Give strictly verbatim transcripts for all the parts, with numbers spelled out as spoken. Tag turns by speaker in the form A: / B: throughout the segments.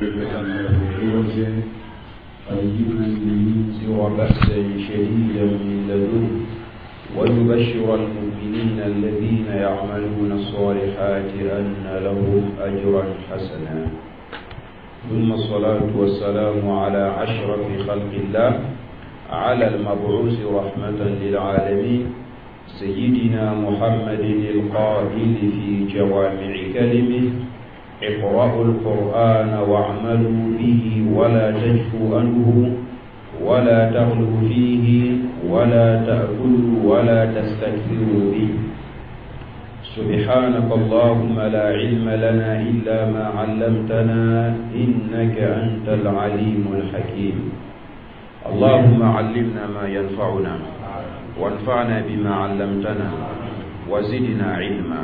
A: له عوجا قيما لينذر بأسا شديدا من لدنه ويبشر المؤمنين الذين يعملون الصالحات أن لهم أجرا حسنا. ثم الصلاة والسلام على أشرف خلق الله، على المبعوث رحمة للعالمين، سيدنا محمد القائل في جوامع كلمه: اقرأوا القرآن واعملوا به ولا تجفوا عنه ولا تغلوا فيه ولا تأكلوا ولا تستكثروا به. سبحانك اللهم لا علم لنا إلا ما علمتنا إنك أنت العليم الحكيم. اللهم علمنا ما ينفعنا وانفعنا بما علمتنا وزدنا علما.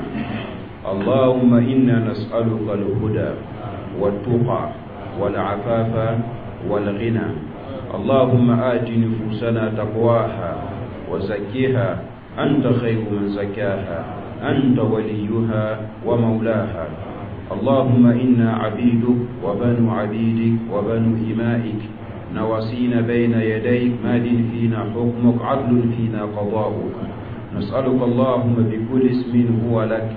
A: اللهم إنا نسألك الهدى والتقى والعفاف والغنى. اللهم آت نفوسنا تقواها وزكها أنت خير من زكاها، أنت وليها ومولاها. اللهم إنا عبيدك وبنو عبيدك وبنو إمائك، نواسينا بين يديك، ماد فينا حكمك، عدل فينا قضاؤك. نسألك اللهم بكل اسم هو لك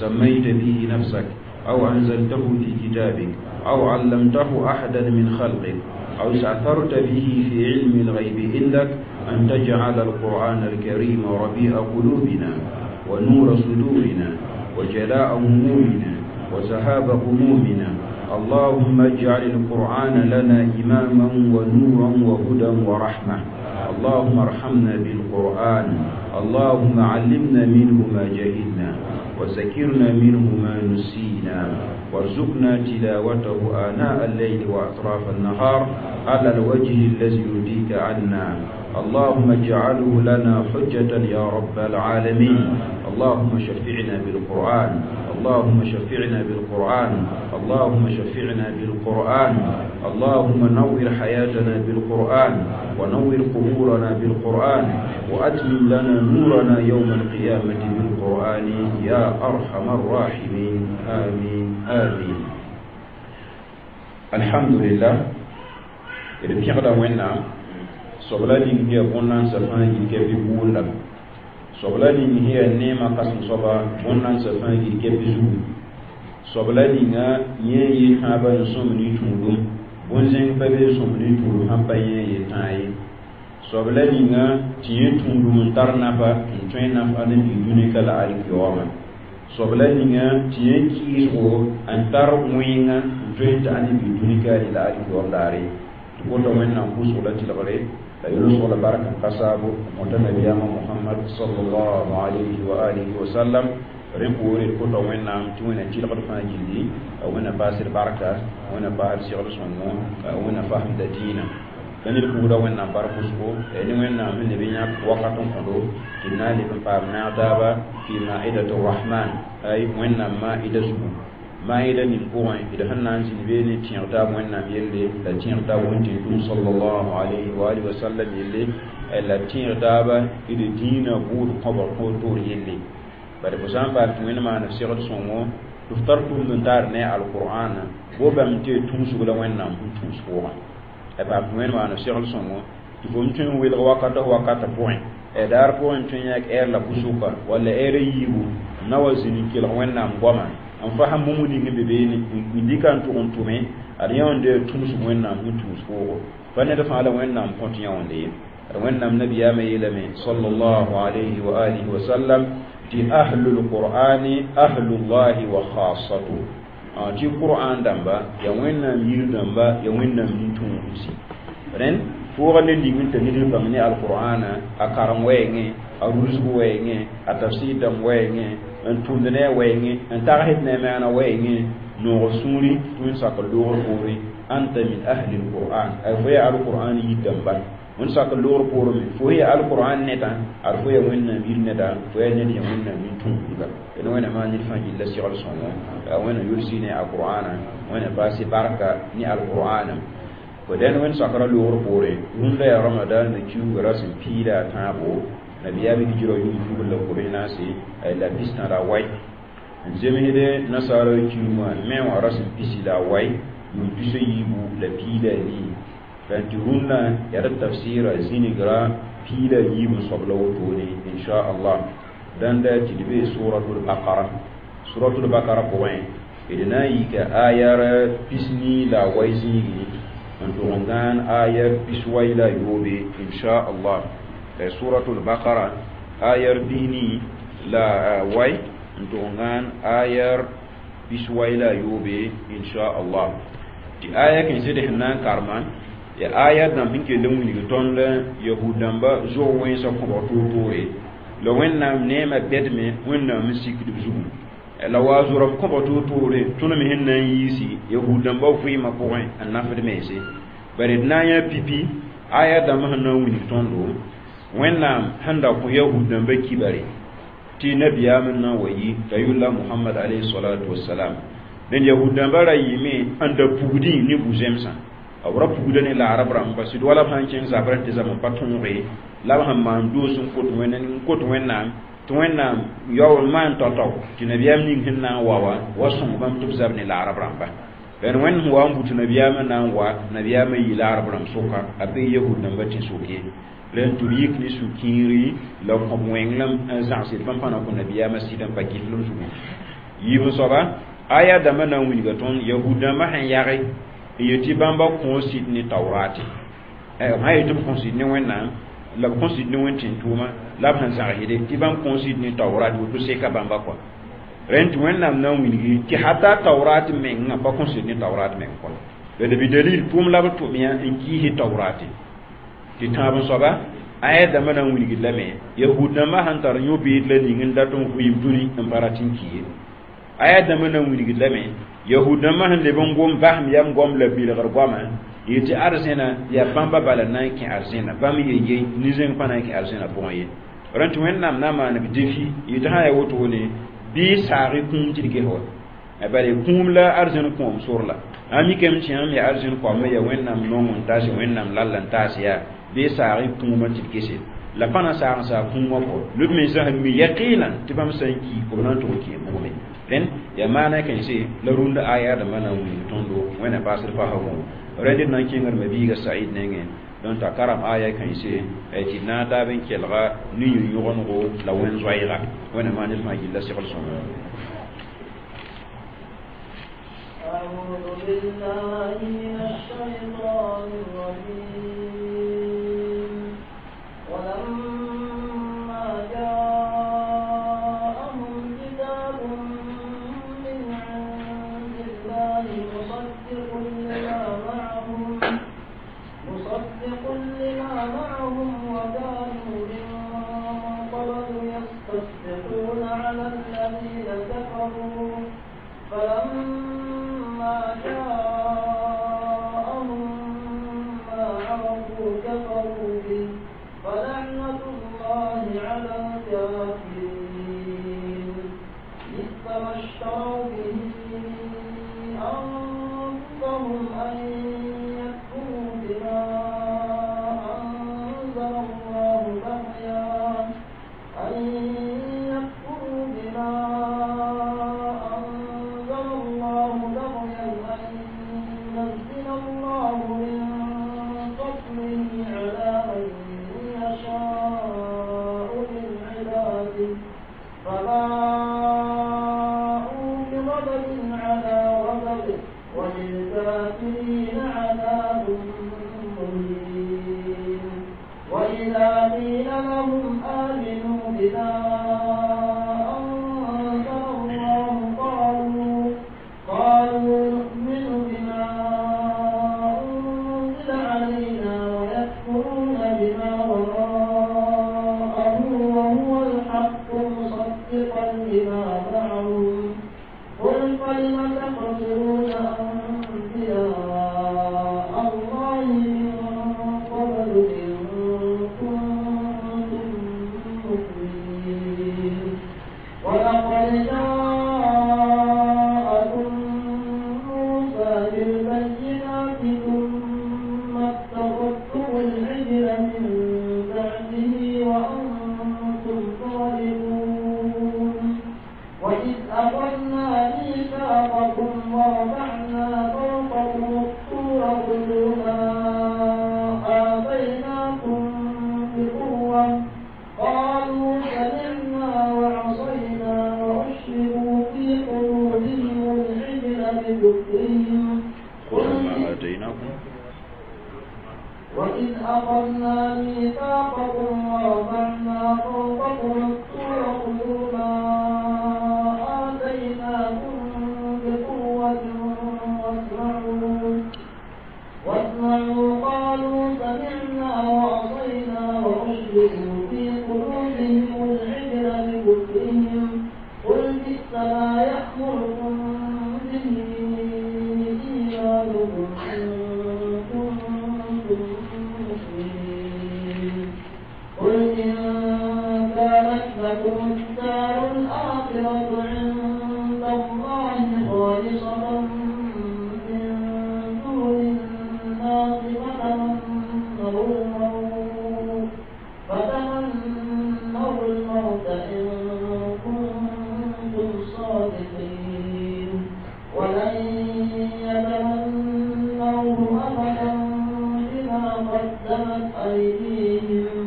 A: سميت به نفسك أو أنزلته في كتابك أو علمته أحدا من خلقك أو استأثرت به في علم الغيب عندك، أن تجعل القرآن الكريم ربيع قلوبنا ونور صدورنا وجلاء همومنا وذهاب غمومنا. اللهم اجعل القرآن لنا إماما ونورا وهدى ورحمة. اللهم ارحمنا بالقرآن، اللهم علمنا منه ما جهلنا وذكرنا منه ما نسينا، وارزقنا تلاوته آناء الليل وأطراف النهار على الوجه الذي يرضيك عنا. اللهم اجعله لنا حجة يا رب العالمين. اللهم شفعنا بالقرآن، اللهم شفعنا بالقرآن، اللهم شفعنا بالقرآن. اللهم نور حياتنا بالقرآن ونور قبورنا بالقرآن، وأتمم لنا نورنا يوم القيامة بالقرآن يا أرحم الراحمين. آمين آمين. الحمد لله. إذا بيغدا وينا sobla ning hiya bõn-nansã fãa yil kɛpɩ buunda, sobla ning hiya neemã kãsem soaba bõn-nansã fãa yil kɛpɩ zugu, sobla ninga yẽ yel tãabã n sõm ne tũudum, bõn-zẽng pa be sõm ne tũudum sãn pa yẽ yel tãa ye. Sobla ninga tɩ yẽ tũudum n tar nafa n tõe nafa ne bi dũni ka la alkiyooma. Sobla ninga tɩ yẽ kɩɩsgo n tar wẽnga n tõe n ta ne bi dũni ka la alkiyoom daare. Tɩ kota Wẽnnaam pʋʋsg la tɩlgre la yʋls la barka kasaabo mõta nabiyaamã Mohamad sallallahu alayhi wa alihi wa sallam. Rẽ poore d kota Wẽnnaam tɩ Wẽnna tɩlgd fãa gilli, Wẽnna paasd barka, Wẽnna paasd segl sõngo, Wẽnna fasemda dĩinã. La ned pʋgda Wẽnnaam bark wʋsgo ne Wẽnnaam sẽn leb n yãk wakat n kõdo tɩ d na n leb n paam naag taaba fi ma'idat rahman, ay Wẽnnaam ma'ida zugu. Maïda ning pʋgẽ d sẽn na n zĩnd beene tẽeg taab Wẽnnaam yelle la tẽeg taab Wẽn-tẽn-tʋm sallallahu alayhi wa alihi wa sallam yelle, la tẽeg taaba d dĩinã bʋʋd kõbg toor yelle. Bare fo sã n paam tɩ Wẽnd maan f segd sõngo tɩ f tar tũud n taar ne alqur'ana bo bãmb tɩ tũusg la Wẽnnaam sẽn tũus pʋgã. A paam tɩ Wẽnd maan f segd sõngo tɩ fo m tõe n welg wakata wakata pʋgẽ, daar pʋgẽ tõe n yãk ɛɛr la pʋsʋka walla ɛɛr a yiibu n na wa zĩnd n kelg Wẽnnaam goama n fasem bũmb ning n be beene n dɩka n tʋg n tʋme ad yãonde tũusg Wẽnnaam sẽn tũus pʋʋgo. Pa ned fãa la Wẽnnaam kõt yãonde ye. Ad Wẽnnaam nabiyaamã yeelame sallallahu alayhi wa alihi wa sallam tɩ ahlul qur'ani ahlullahi wa khassatu, tɩ qur'an dãmba ya Wẽnnaam yir dãmba ya Wẽnnaam nin-tũudsi. Rẽnd pʋʋga ne ling n tɩ ned n bãng ne alqur'ana a karem wɛɛngẽ, a rulsg wɛɛngẽ, a tafsir dãmb wɛɛngẽ, n tʋmd ne a wɛɛngẽ, n tagsd ne a maana wɛɛngẽ, noog sũuri tɩ wẽn sak loogr poore anta min ahli alqur'an, ay fo yaa alqur'an yir dãmba. Wẽn sak loogr poore me fo yaa alqur'an neta, ad fo yaa Wẽnnaam yir neda, fo yaa ned yaa Wẽnnaam nin-tũudba. D Wẽnnaam maan ned fãa gilla segl sõngo, Wẽnnaam yʋlsi ne alqur'ana, Wẽnnaam paase barka ne alqur'ana. Fo dẽnd wẽnd sakra loogr poore rũndã yaa Ramadan na kiuugã ra sẽn piida a tãabo nabiyaamã hijra yʋʋm tugr la kobs naase la pistã la wai n zemsde nasaara kiumã me wã ra sẽn pisi la a wai yʋʋm tus a yiibu la piig la a nii tɩ rũnnã yaa d tafsɩɩra zĩnigrã piig la a yiib n soab la wotone inchallah dãnda tɩ d bee suratul bakara suratul bakara pʋgẽ d na n yika ayar pisni la a wai zĩigi n tʋg n gãan ayar pis-wai la a yoobe inchallah suratul bakara ayar bisni la wai n tʋg n gãan ayar pis-wai la a yoobe inchallah tɩ aya kẽnsd sẽn na n karema ya aya dãmb sẽn kell n wilg tõnd yahud dãmba zog wẽnsã kõbg toor-toore la wẽnnaam neemã bɛdme wẽnnaam n sikd b zugu la wa zoram kõbg toor-toore tõnd me sẽn na n yiisi yahud dãmba vɩɩmã pʋgẽ n nafd mense bare d na n yã pipi aya dãmb sẽn na n wilg tõndo wẽnnaam sẽn da kõ yahud dãmba kibare tɩ nabiyaam n na n wa yi t'a yʋlla mohamad alayhi salatu wasalam dẽnd yahud dãmba ra yɩɩme n da pugdẽ ne bu-zẽmsã b ra pugda ne laarb rãmba sɩd wala b sãn kẽng zabrã tɩ zab n pa tõoge la b sẽn maan doos n kot n kot wẽnnaam tɩ wẽnnaam yaool n maan tao-tao tɩ nabiyaam ning sẽn na n wa wã wa sõng bãmb tɩ b zab ne laarb rãmba d wẽnd sẽn wa n but nabiyaamã na n wa nabiyaamã yɩ laarb rãmb sʋka a be yahud dãmba tẽ-soke rẽn tɩ b yik ne sũ-kiiri la kõb wẽnglem n zãgsd bãmb pãna kõ nabiyaamã sɩd n pa kɩflem zugu yiib n soaba aya dãmbã na n wilga tõnd yahud dãmbã sẽn yage n yetɩ bãmba kõo sɩd ne taoorate b sã yetɩ b kõ sɩd ne wẽnnaam la b kõ sɩd ne wẽn tẽn-tʋʋma la b sẽn zãgsde tɩ bãmb kõo sɩd ne taoorate woto seka bãmba kɔa rẽnd tɩ wẽnnaam na n wilgi tɩ hata taoorate mengã pa kõ sɩd ne taoorate meng kɔa la b dalil tʋʋm la b tʋm-yã n kiise taoorate tɩ tãab n soaba aya dãmbã na n wilgd lame yahud dãmbã sẽn tar yõ-beed la ning n dat n vɩɩm dũni n pa rat n ki ye aya dãmbã na n wilgd lame yahud dãmbã sẽn leb n gom basem yam goam la bilgr goama yetɩ arzẽna yaa bãmba bala na n kẽ arzẽna bãmb ye-ye nin-zẽng pa na n kẽ arzẽna pʋgẽ ye rẽn tɩ wẽnnaam na n maan b defi yetɩ sã yaa wotone bɩ saag-y kũum tɩ d ges wa bala kũum la arzẽn kõom sor la a mikame tɩ yãmb yaa arzẽn koamã yaa wẽnnaam nong n taas wẽnnaam lall n taas yaa bɩ saag-y kũumã tɩ d gese la pa na saag n saag kũumã kɔ lb mensã sẽn mi yaqinan tɩ bãmb sã n ki b na n tʋg kẽ bʋgme rẽnd yaa maana kẽnse la rũndã aya dãmbã na n wilg tõndo wẽnna paasd pasa võo rẽnd d na n kẽngd mabiiga said nengẽ donc t'a karem aya kãense tɩ d na n taab n kelga ne yũ-yõgenego la wẽn-zoɛɛga wẽnna maan ned fãa gilla segl sõma
B: أعوذ بالله من الشيطان الرجيم ولما جاءهم كتاب من عند الله مصدق لما معهم مصدق لما معهم وكانوا من قبل يستفتحون على الذين كفروا فلما جاءهم ما عرفوا كفروا به فلعنة الله على الكافرين بئس ما اشتروا به أنفسهم أن يكفروا بما أنزل الله بغيا أن يكفروا بما أنزل الله بغيا أن ينزل الله من فضله على من يشاء من عباده فباءوا بغضب على غضب وللكافرين عذاب مهين وإذا قيل لهم آمنوا بما أنزل الله قالوا قالوا نؤمن بما أنزل علينا ويكفرون بما وراءه وهو الحق مصدقا لما معهم قل فلم تقتلون أنبياء الله من قبل إن كنتم مؤمنين ولقد جاءكم موسى بالبينات ثم اتخذتم العجل من بعده وأنتم ظالمون وإذ أخذنا ميثاقكم ورفعنا فوقكم أخذنا ميثاقكم ورفعنا فوقكم الطور خذوا ما آتيناكم بقوة واسمعوا واسمعوا قالوا سمعنا وعصينا وأشركوا في قلوبهم العجل بكفرهم قل بئس ما يأمركم به إيمانكم إن كنتم مؤمنين قل إن كانت لكم الدار الآخرة عند الله خالصة من دون الناس فتمنوا الموت فتمنوا الموت إن كنتم صادقين ولن يتمنوه أبدا بما قدمت أيديهم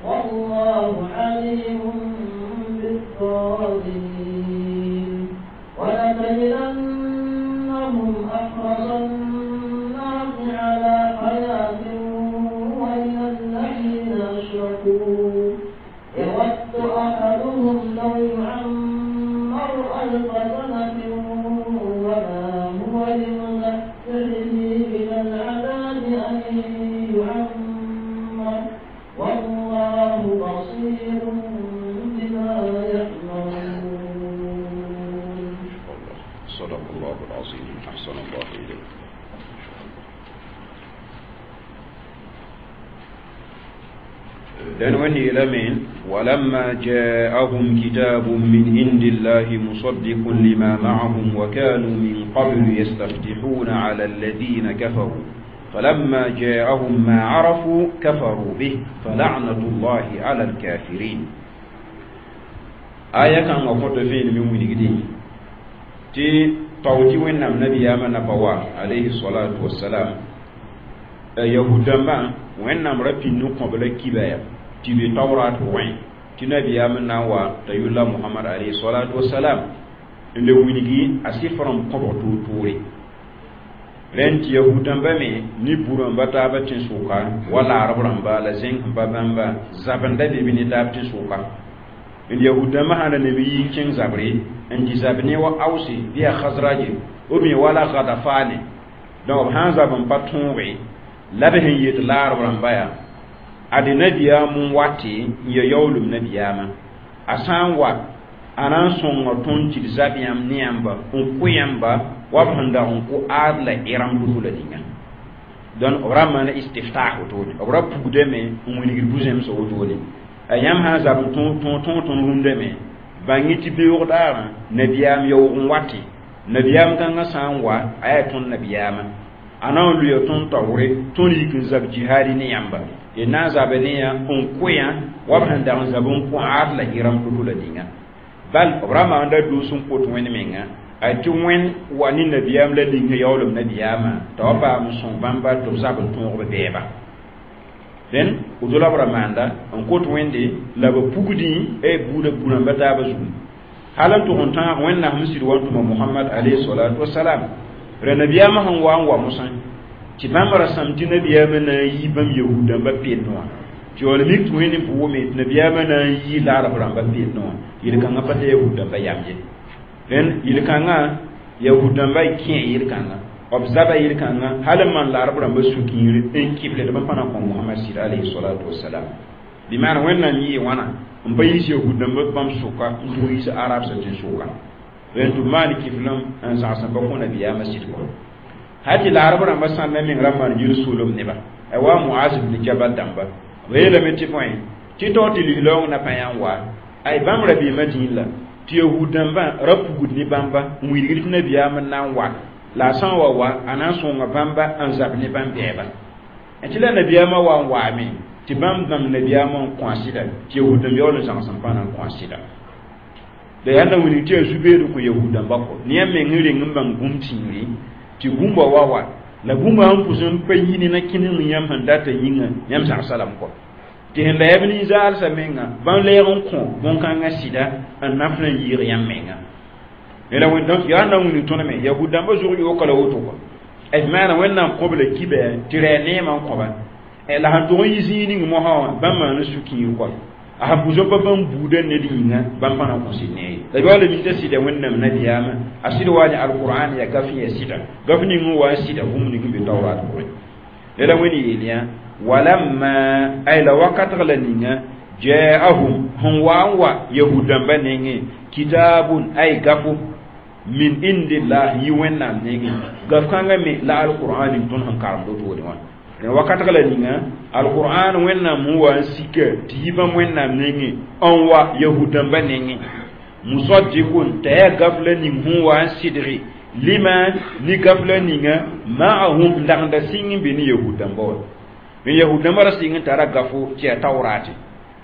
B: والله عليم بالظالمين ولتجدنهم أحرص الناس على حياة ومن الذين أشركوا يود أحدهم لو يعمر ألف سنة وما هو بمزحزحه من العذاب أن يعمر والله بصير بما يعملون.
A: صدق الله العظيم. أحسن الله إليك. لأن وهي لمن ولما جاءهم كتاب من عند الله مصدق لما معهم وكانوا من قبل يستفتحون على الذين كفروا فلما جاءهم ما عرفوا كفروا به فلعنة الله على الكافرين. آية كان وقت فين من ولدين تي توتي وين النبي يا نبوا عليه الصلاة والسلام يهودا ما وين نمر في نقبل كبايا تبي توراة وين تنبي يا من نوا تيولا محمد عليه الصلاة والسلام اللي وينجي أسيفرم قبر توري لأن يهودا بامي نبورم بتابة تنسوكا ولا عربرم با لزين بابام با زبن دبي بني تاب تنسوكا اليهودا ما هذا نبي كين زبري إن زبني وأوسي بيا خزراجي أمي ولا غدفاني دوب هذا بن باتونغي لبهن يتلار برام ade nabiya mun wati ya yawlum nabiya ma asan wa anan songa ton ti zabiyam niyamba on kuyamba wa banda on ku adla iram dutula dinga don obra mana istiftah to obra pugde me on wini buzem so wotole ayam ha zab ton ton ton ton runde me bangi ti be wodara nabiyam yaw on wati nabiyam kan asan wa ayatun nabiyama anan luyo ton tawre ton yikin zab jihadi niyamba ina zabaniya on kuya wa banda on zabun ku adla iram dutula dinga bal obrama anda dusun ko to wen menga ati wen wani nabiyam la dinga yawlum nabiyama to ba musun bamba to zabun to be beba den udola bramanda on ko to wende la ba pugudi e buda buran bata ba zu halan to honta wen na musir wa to Muhammad alayhi salatu wassalam re nabiyama han wa wa musan ti bãmb ra sãm tɩ nabiyaamã na n yi bãmb yahudãmbã peendẽ wã tɩ yaool mik tɩ wẽnd n pʋgame tɩ nabiyaamã na n yi laarb rãmbã peendẽ wã yel-kãngã pa t'a yahudãmbã yam ye dẽn yel-kãngã yahudãmbã kẽ yel-kãngã b zaba yel-kãngã hal n maan laarb rãmbã sũ-kiir n kɩble tɩ bãmb pa na n kõ Mohamad sɩd alayhi salatu wasalam bɩ maana Wẽnnaam yɩɩ wãna n pa yiis yahudãmbã bãmb sʋka n tʋg yiis arab sã tẽn-sʋka dẽn tɩ b maan kɩflem n zãgs n pa kõ nabiyaamã sɩd kɔ hati la arab rãmba sãn na meng ra maan yir soolem neba a wa Muaz ibn Jabal dãmba b yeelame tɩ bõe tɩ taoor tɩ lislaoong na pa yã n wa ay bãmb ra beemã dĩin la tɩ yahud dãmbã ra pugd ne bãmba n wilgd tɩ nabiyaam n na n wa la a sã n wa wa a na n sõnga bãmba n zab ne bãmb bɛɛba tɩ la nabiyaamã wa n waame tɩ bãmb bãmb nabiyaamã n kõ a sɩda tɩ yahud dãmb yaool n zãgs n pa na n kõ a sɩda la yaa na wilg tɩ yaa zu-beed kõ yahud dãmba kɔ ne yã meng n reng n bãng bũmb tĩiri tɩ bũmba wa wa la bũmba sẽn pʋs n pa yini na kẽnem yãmb sẽn data yĩnga yãmb zagsa lame kɔ tɩ sẽn la yaa b nin-zaalsã menga bãmb lɛɛg n kõ bõn-kãngã sɩda n naf n yɩɩg yãmb menga la donc yaa na wilg tõnd me yahud dãmbã zʋg yooka la woto kɔ d maana Wẽnnaam kõb la kibɛ tɩ rɛ neemã n kõba La sẽn tʋg n yi zĩig ning mosã wã bãmb maan sũ-kiir kɔa a sẽn pʋsã pa bãmb buudã ned yĩnga bãmb pa na n kõ sɩd ne ye la yaool mi t'a sɩda wẽnnaam nabiyaamã a sɩd wa ne alqur'an yaa gaf yaa sɩda gaf ning n wa n sɩda bũmb ning n be taurat pʋgẽ la wẽnd yeel yã walamma ay la wakatg la ninga ja'ahum sẽn wa n wa yahud dãmbã nengẽ kitabun ay gafo min indillah yi wẽnnaam nengẽ gaf kãngã me la alqur'an ning tõnd sẽn karemd wotone wã dẽn wakatg la ninga alqur'an wẽnnaam sẽn wa n sika tɩ yi bãmb wẽnnaam nengẽ n wa yahud dãmbã nengẽ musaddiqun t'a yaa gaf la ning sẽn wa n sɩdge lima ni gaf la ninga ma'ahum n dagenda sɩng n be ne yahud dãmba wã n yahud dãmbã ra sɩng n tara gafo tɩ yaa taoorate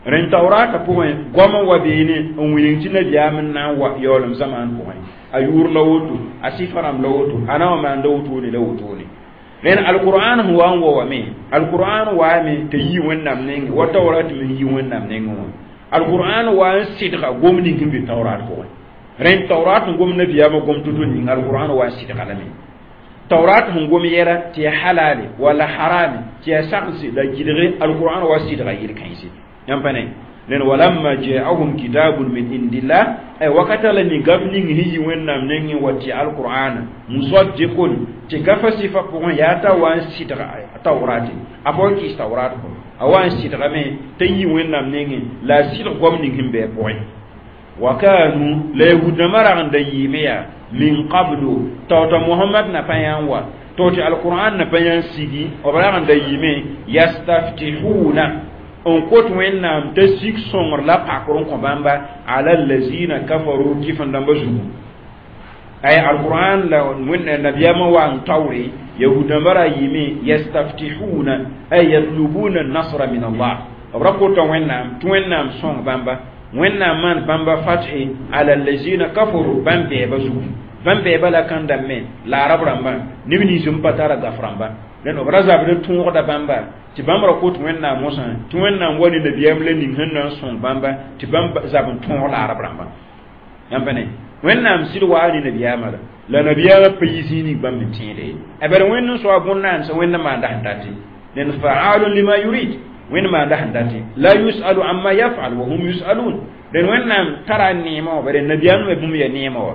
A: rẽn taoorata pʋgẽ goam n wa beene n wilg tɩ nabiyaam n na n wa yaoolem zamaan pʋgẽ a yʋʋr la woto a sɩfa rãmb la woto a na wa maanda wotone la wotone rẽn alqur'an sẽn wa n wa wame alqur'an waame t'a yi wẽnnaam nengẽ wa taorat me yi wẽnnaam nengẽ wã alqur'an wa n sɩdga gom ning sẽn be taorat pʋgẽ rẽn taorat sẽn gom nabiyaamã gom to-to ning alqur'an wa n sɩdga lame taurat sẽn gom yɛla tɩ yaa halale wala harame tɩ yaa sagse la gɩdge alqur'an wa sɩdga yel-kãense yãmb pa ne nen walamma ja'ahum kitabun min indillah ay wakata la ni gaf ning hi yi wẽnnaam nengẽ wa tɩ alqur'ana musaddiqun tɩ gafa sɩfa pʋgẽ yaa t'a wa n sɩdga taurate a pa wa kɩs taurat kɔ a wa n sɩdgame t'a yi wẽnnaam nengẽ la a sɩdg goam ning sẽn bɩ a pʋgẽ wa kanu la yahudãmbã rag n da yɩɩme yaa min qablu taota mohamad na pa yã n wa to tɩ alqur'an na pa yã n sigi b rag n da yɩɩme yastaftihuna n kot wẽnnaam t'a sik sõngr la pakr n kõ bãmba ala allazina kafaru kɩf-n dãmbã zugu ay alqur'an la wẽnna nabiyaamã wa n taoore yahudãmbã ra yɩɩme yastaftihuna ay yatlubuna nasra min allah b ra kota wẽnnaam tɩ wẽnnaam sõng bãmba wẽnnaam maan bãmba fathi ala allazina kafaru bãmb bɛɛba zugu bãmb bɛɛba la kãn dãmbẽ la arab rãmbã neb nins n pa tara gaf rãmba dẽn b ra zabd tõogda bãmba tɩ bãmb ra kot wẽnnaam mosã tɩ wẽnnaam wa ne nabiyaam la ning sẽn na n sõng bãmba tɩ bãmb zab n tõog la arab rãmbã yãmb pa ne wẽnnaam sɩd waa ne nabiyaamã la la nabiyaamã pa yi zĩig ning bãmb n tẽede ye a bala wẽnd n soa bõn-naandsã wẽnd maanda sẽn date nen fa'alun lima yurid wẽnd maanda sẽn date la yusalu amma yafal wa hum yusalun dẽn wẽnnaam tara neemã wã bare nabiyaam me bũmb ya neemã wã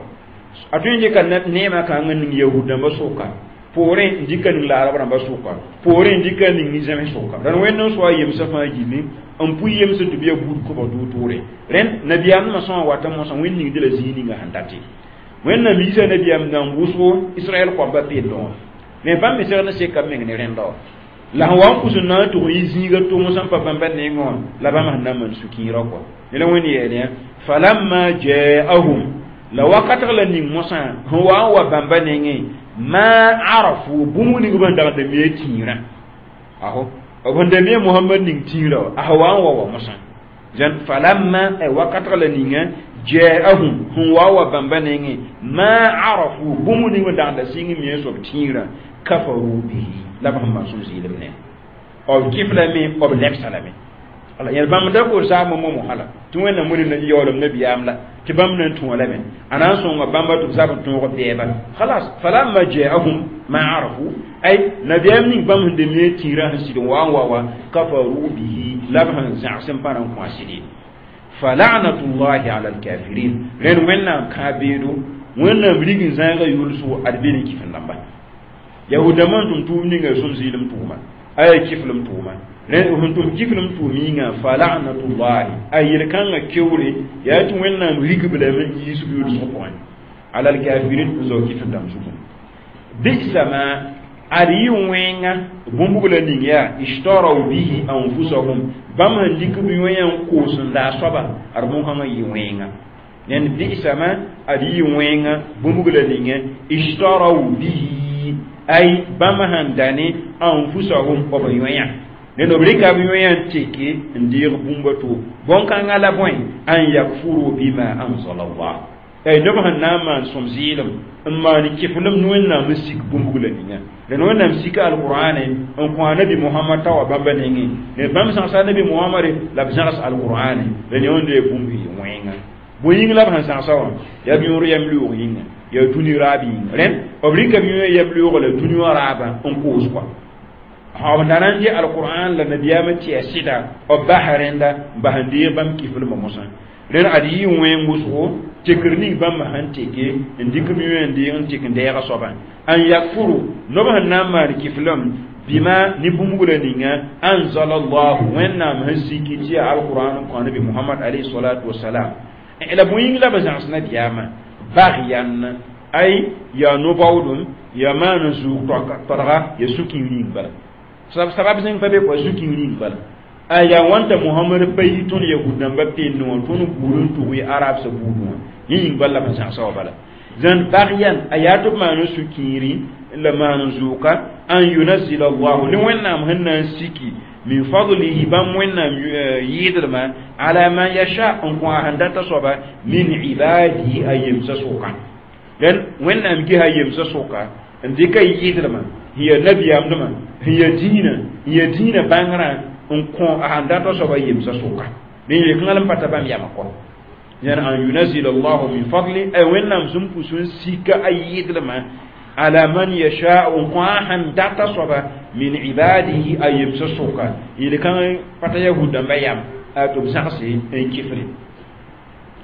A: a tõe n dɩka neemã kãng n ning yahud dãmbã sʋka poorẽ n dɩka ning la arab rãmbã sʋka poorẽ n dɩka ning ni-zẽms sʋka dãn wẽnd n soa yemsã fãa gilli n pʋ yemsã tɩ b yaa buud kobg tʋʋr-tʋʋre rẽnd nabiyaamdmã sõa wata mosã wẽnd ningd la zĩig ninga sẽn date wẽnnaam yiisa nabiyaam nan wʋsgo israɛl koabã peendẽ wã me bãmb me segd n seka b meng ne rẽnda wã la sẽn wa n pʋs n na n tʋg n yɩ zĩiga tʋm sẽn pa bãmba nengẽ wã la bãmb sẽn na n maan sũ-kĩirã kɔa ne la wẽnd yeel yã falamma ja'ahum la wakatg la ning mosã sẽn wa n wa bãmba nengẽ ma arafu bũmb ning b sẽn dag n da me tĩirã aho b sẽn da me mohamad ning tĩirã wã a sẽn wa n wa wa mosã dẽn falamma ay wakatg la ninga ja'ahum sẽn wa wa bãmba nengẽ ma arafu bũmb ning b dag n da sɩng me soab tĩirã kafaru bihi la b sẽn maan sũm zɩɩlem ne b kɩf lame b lebsa lame ala yẽl bãmb da ko zaam momo hala tɩ wẽnnaam wẽnd yaoolem nabiyaam la tɩ bãmb na n tõo lame a na n sõnga bãmba tɩ b zab n tõog bɛɛba khalas falamma ja'ahum ma arafu ay nabiyaam ning bãmb sẽn da me tĩirã sẽn sɩd n wa n wa wa kafaru bihi la b sẽn zãgs n pa na n kõ a sɩd fala'natullahi ala alkafirin rẽnd wẽnnaam kã-beedo wẽnnaam rig n zãaga yʋlsgo ad be ne kɩf-n dãmba yahudãmbã n tʋm tʋʋm ninga sũm zɩɩlem tʋʋma aya kiflem tʋʋma sẽn tʋm kiflem tʋʋm yĩnga fala'natullahi a yel-kãngã keoore yaa tɩ wẽnnaam rigb lame n yiisb yʋlsg pʋgẽ ala alkafirin n zao kifl dãmb zugu bisa ma ad yɩ wẽnga bũmb la ning yaa ishtaraw bihi anfusahum bãmb sẽn dɩk b yõe n koos n daa soaba ad bõn-kãngã yɩ wẽnga nend bisa ma ad yɩ wẽnga bũmb la ninga ishtaraw bihi ay bãmb sẽn da ne anfusahum b yõe ned b rɩka b yõe n teke n deeg bũmba to bõn-kãngã la bõe an yakfuru bima anzala allah ay neb sẽn na n maan sõm zɩɩlem n maan kɩflem ne wẽnnaam n sik bũmb la ninga la wẽnnaam sika alqur'ane n kõ a nabi mohamad t'a wa bãmba nengẽ ne bãmb zãgsa nabi mohamad la b zãgs alqur'ane la ne wẽnda yaa bũmb yɩ wẽnga bõe yĩng la b sẽn zãgsa wã yaa b yõor yam loog yĩnga yaa dũni raab yĩnga rẽnd b rɩka b yõ yam loog la dũni wã raabã n koos kɔa b na n dɩ alqur'an la nabiyaamã tɩ yaa sɩda b basa rẽnda n bas n deeg bãmb kiflmã mosã rẽnd ad yɩ wẽng wʋsgo tekr ning bãmb sẽn teke n dɩk b yũ n deeg n tek n deega soabã an yakfuru nob sẽn na n maan kiflem bima ne bũmb la ninga anzala allahu wẽnnaam sẽn siki tɩ yaa alqur'an n kõ nabi muhammad alayhi salatu wasalam la bõe yĩng la b zãgs nabiyaamã bagyan ay yaa no-baoodem yaa maan n zʋʋg tɔdga ya sũ-kiir yĩng bala sabab zẽng pa be kɔa sũ-kiir yĩng bala a yaa wãnta mohamad pa yi tõnd yahud dãmba penne wã tõnd buud n tʋg y arab sã buud wã yẽ yĩng bala la b zãgsa wã bala zãn bagyan a yaa tɩ b maan n sũ-kiiri la maan n zʋʋka an yunazila allahu ne wẽnnaam sẽn na n siki min fadlihi bãmb wẽnnaam yɩɩdrmã ala man yasha n kõ a sẽn data soaba min ibadihi a yemsã sʋka dẽn wẽnnaam gesa a yemsã sʋka n dɩka yɩɩdrmã sẽn yaa nabiyaamdmã sẽn yaa dĩinã n yaa dĩinã bãngrã n kõ a sẽn data soaba yemsã sʋka dẽn yel-kãngã la n pa ta bãmb yamã kɔ yãn an yunazila allahu min fadli ay wẽnnaam sẽn pʋs n sika a yɩɩdrmã ala man yasha n kõ a sẽn data soaba min ibadihi a yemsã sʋka yel-kãngã pa ta yahud dãmbã yam tɩ b zãgse n kifre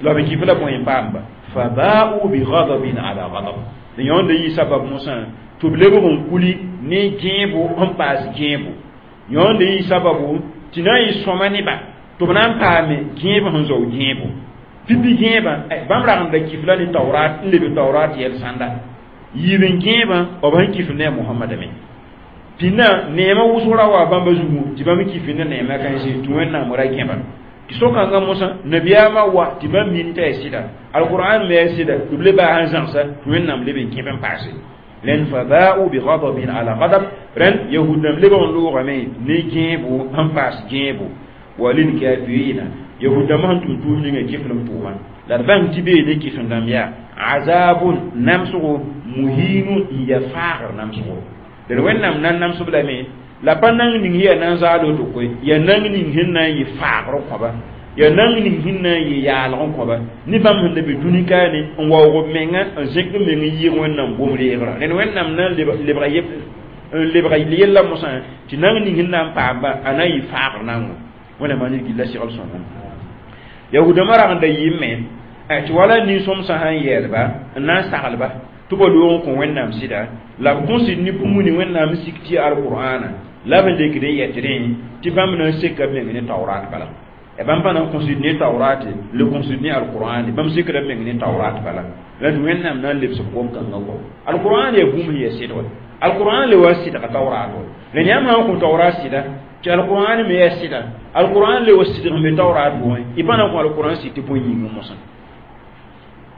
A: la b kif la bõe n paamba faba'u bi ghadabin ala ghadab yõnd yɩ sabab mosã tɩ b lebg n kuli ne gẽebo n paas gẽebo yõnd yɩ sababu tɩ na n yɩ sõma neba tɩ b na n paame gẽeb sẽn zao gẽebo pipi gẽebã bãmb rag n da kifla ne taurat n leb taurat yɛl sãnda yiib n gẽebã b sẽn kifl ne a mohamada me pĩnã neemã wʋsg ra wa bãmba zugu tɩ bãmb kifl ne neemã kãense tɩ wẽnnaam ra gẽba tɩ so-kãngã mosã nabiyaamã wa tɩ bãmb min t'a yaa sɩda alqur'an me yaa sɩda tɩ b le baa sẽn zãgsa tɩ wẽnnaam leb n kẽb n paase rẽnd faba'u bi ghadabin ala ghadab rẽnd yahud dãmb lebg n loogame ne gẽebo sẽn paas gẽebo wa lilkafirina yahud dãmbã sẽn tʋm tʋʋm ninga kiflem tʋʋma la d bãng tɩ bee ne kifl dãmb yaa azabun namsgo muhinun n ya faagr namsgo d wẽnnaam na n namsb lame la pa nang ning yaa na n zaal woto koe yaa nang ning sẽn na n yɩ faagr kõba yaa nang ning sẽn na n yɩ yaalg n kõba ne bãmb sẽn da be dũni kaane n waoog b menga n zẽk b meng n yɩɩg wẽnnaam gom-reegrã rẽnd wẽnnaam na n lebga n lebga yella mosã tɩ nang ning sẽn na n paamba a na n yɩ faagr nango wẽnnaam ned gilla segl sõngo yahudãmbã rag n da yɩɩme tɩ wala nin-sõmsã sãn yɛɛlba n na n saglba tɩ ba loog n kõ wẽnnaam sɩda la b kõsd ne bũmb ning wẽnnaam n sik tɩ alqur'ana la b lekd n yɛtdẽ tɩ bãmb na n seka b meng ne taurat bala bãmb pa na n kõsd ne taurat le kõsd ne alqur'an bãmb sekda b meng ne taurat bala la tɩ wẽnnaam na n lebs b gom-kãngã kɔ alqur'an yaa bũmb sẽn yaa sɩd wa alqur'an le wa sɩdga taurat wa la yãmb sã n kõ taurat sɩda tɩ alqur'an me yaa sɩda alqur'an le wa sɩdg n be taurat pʋgẽ y pa na n kõ alqur'an sɩd tɩ bõe yĩngẽ mosã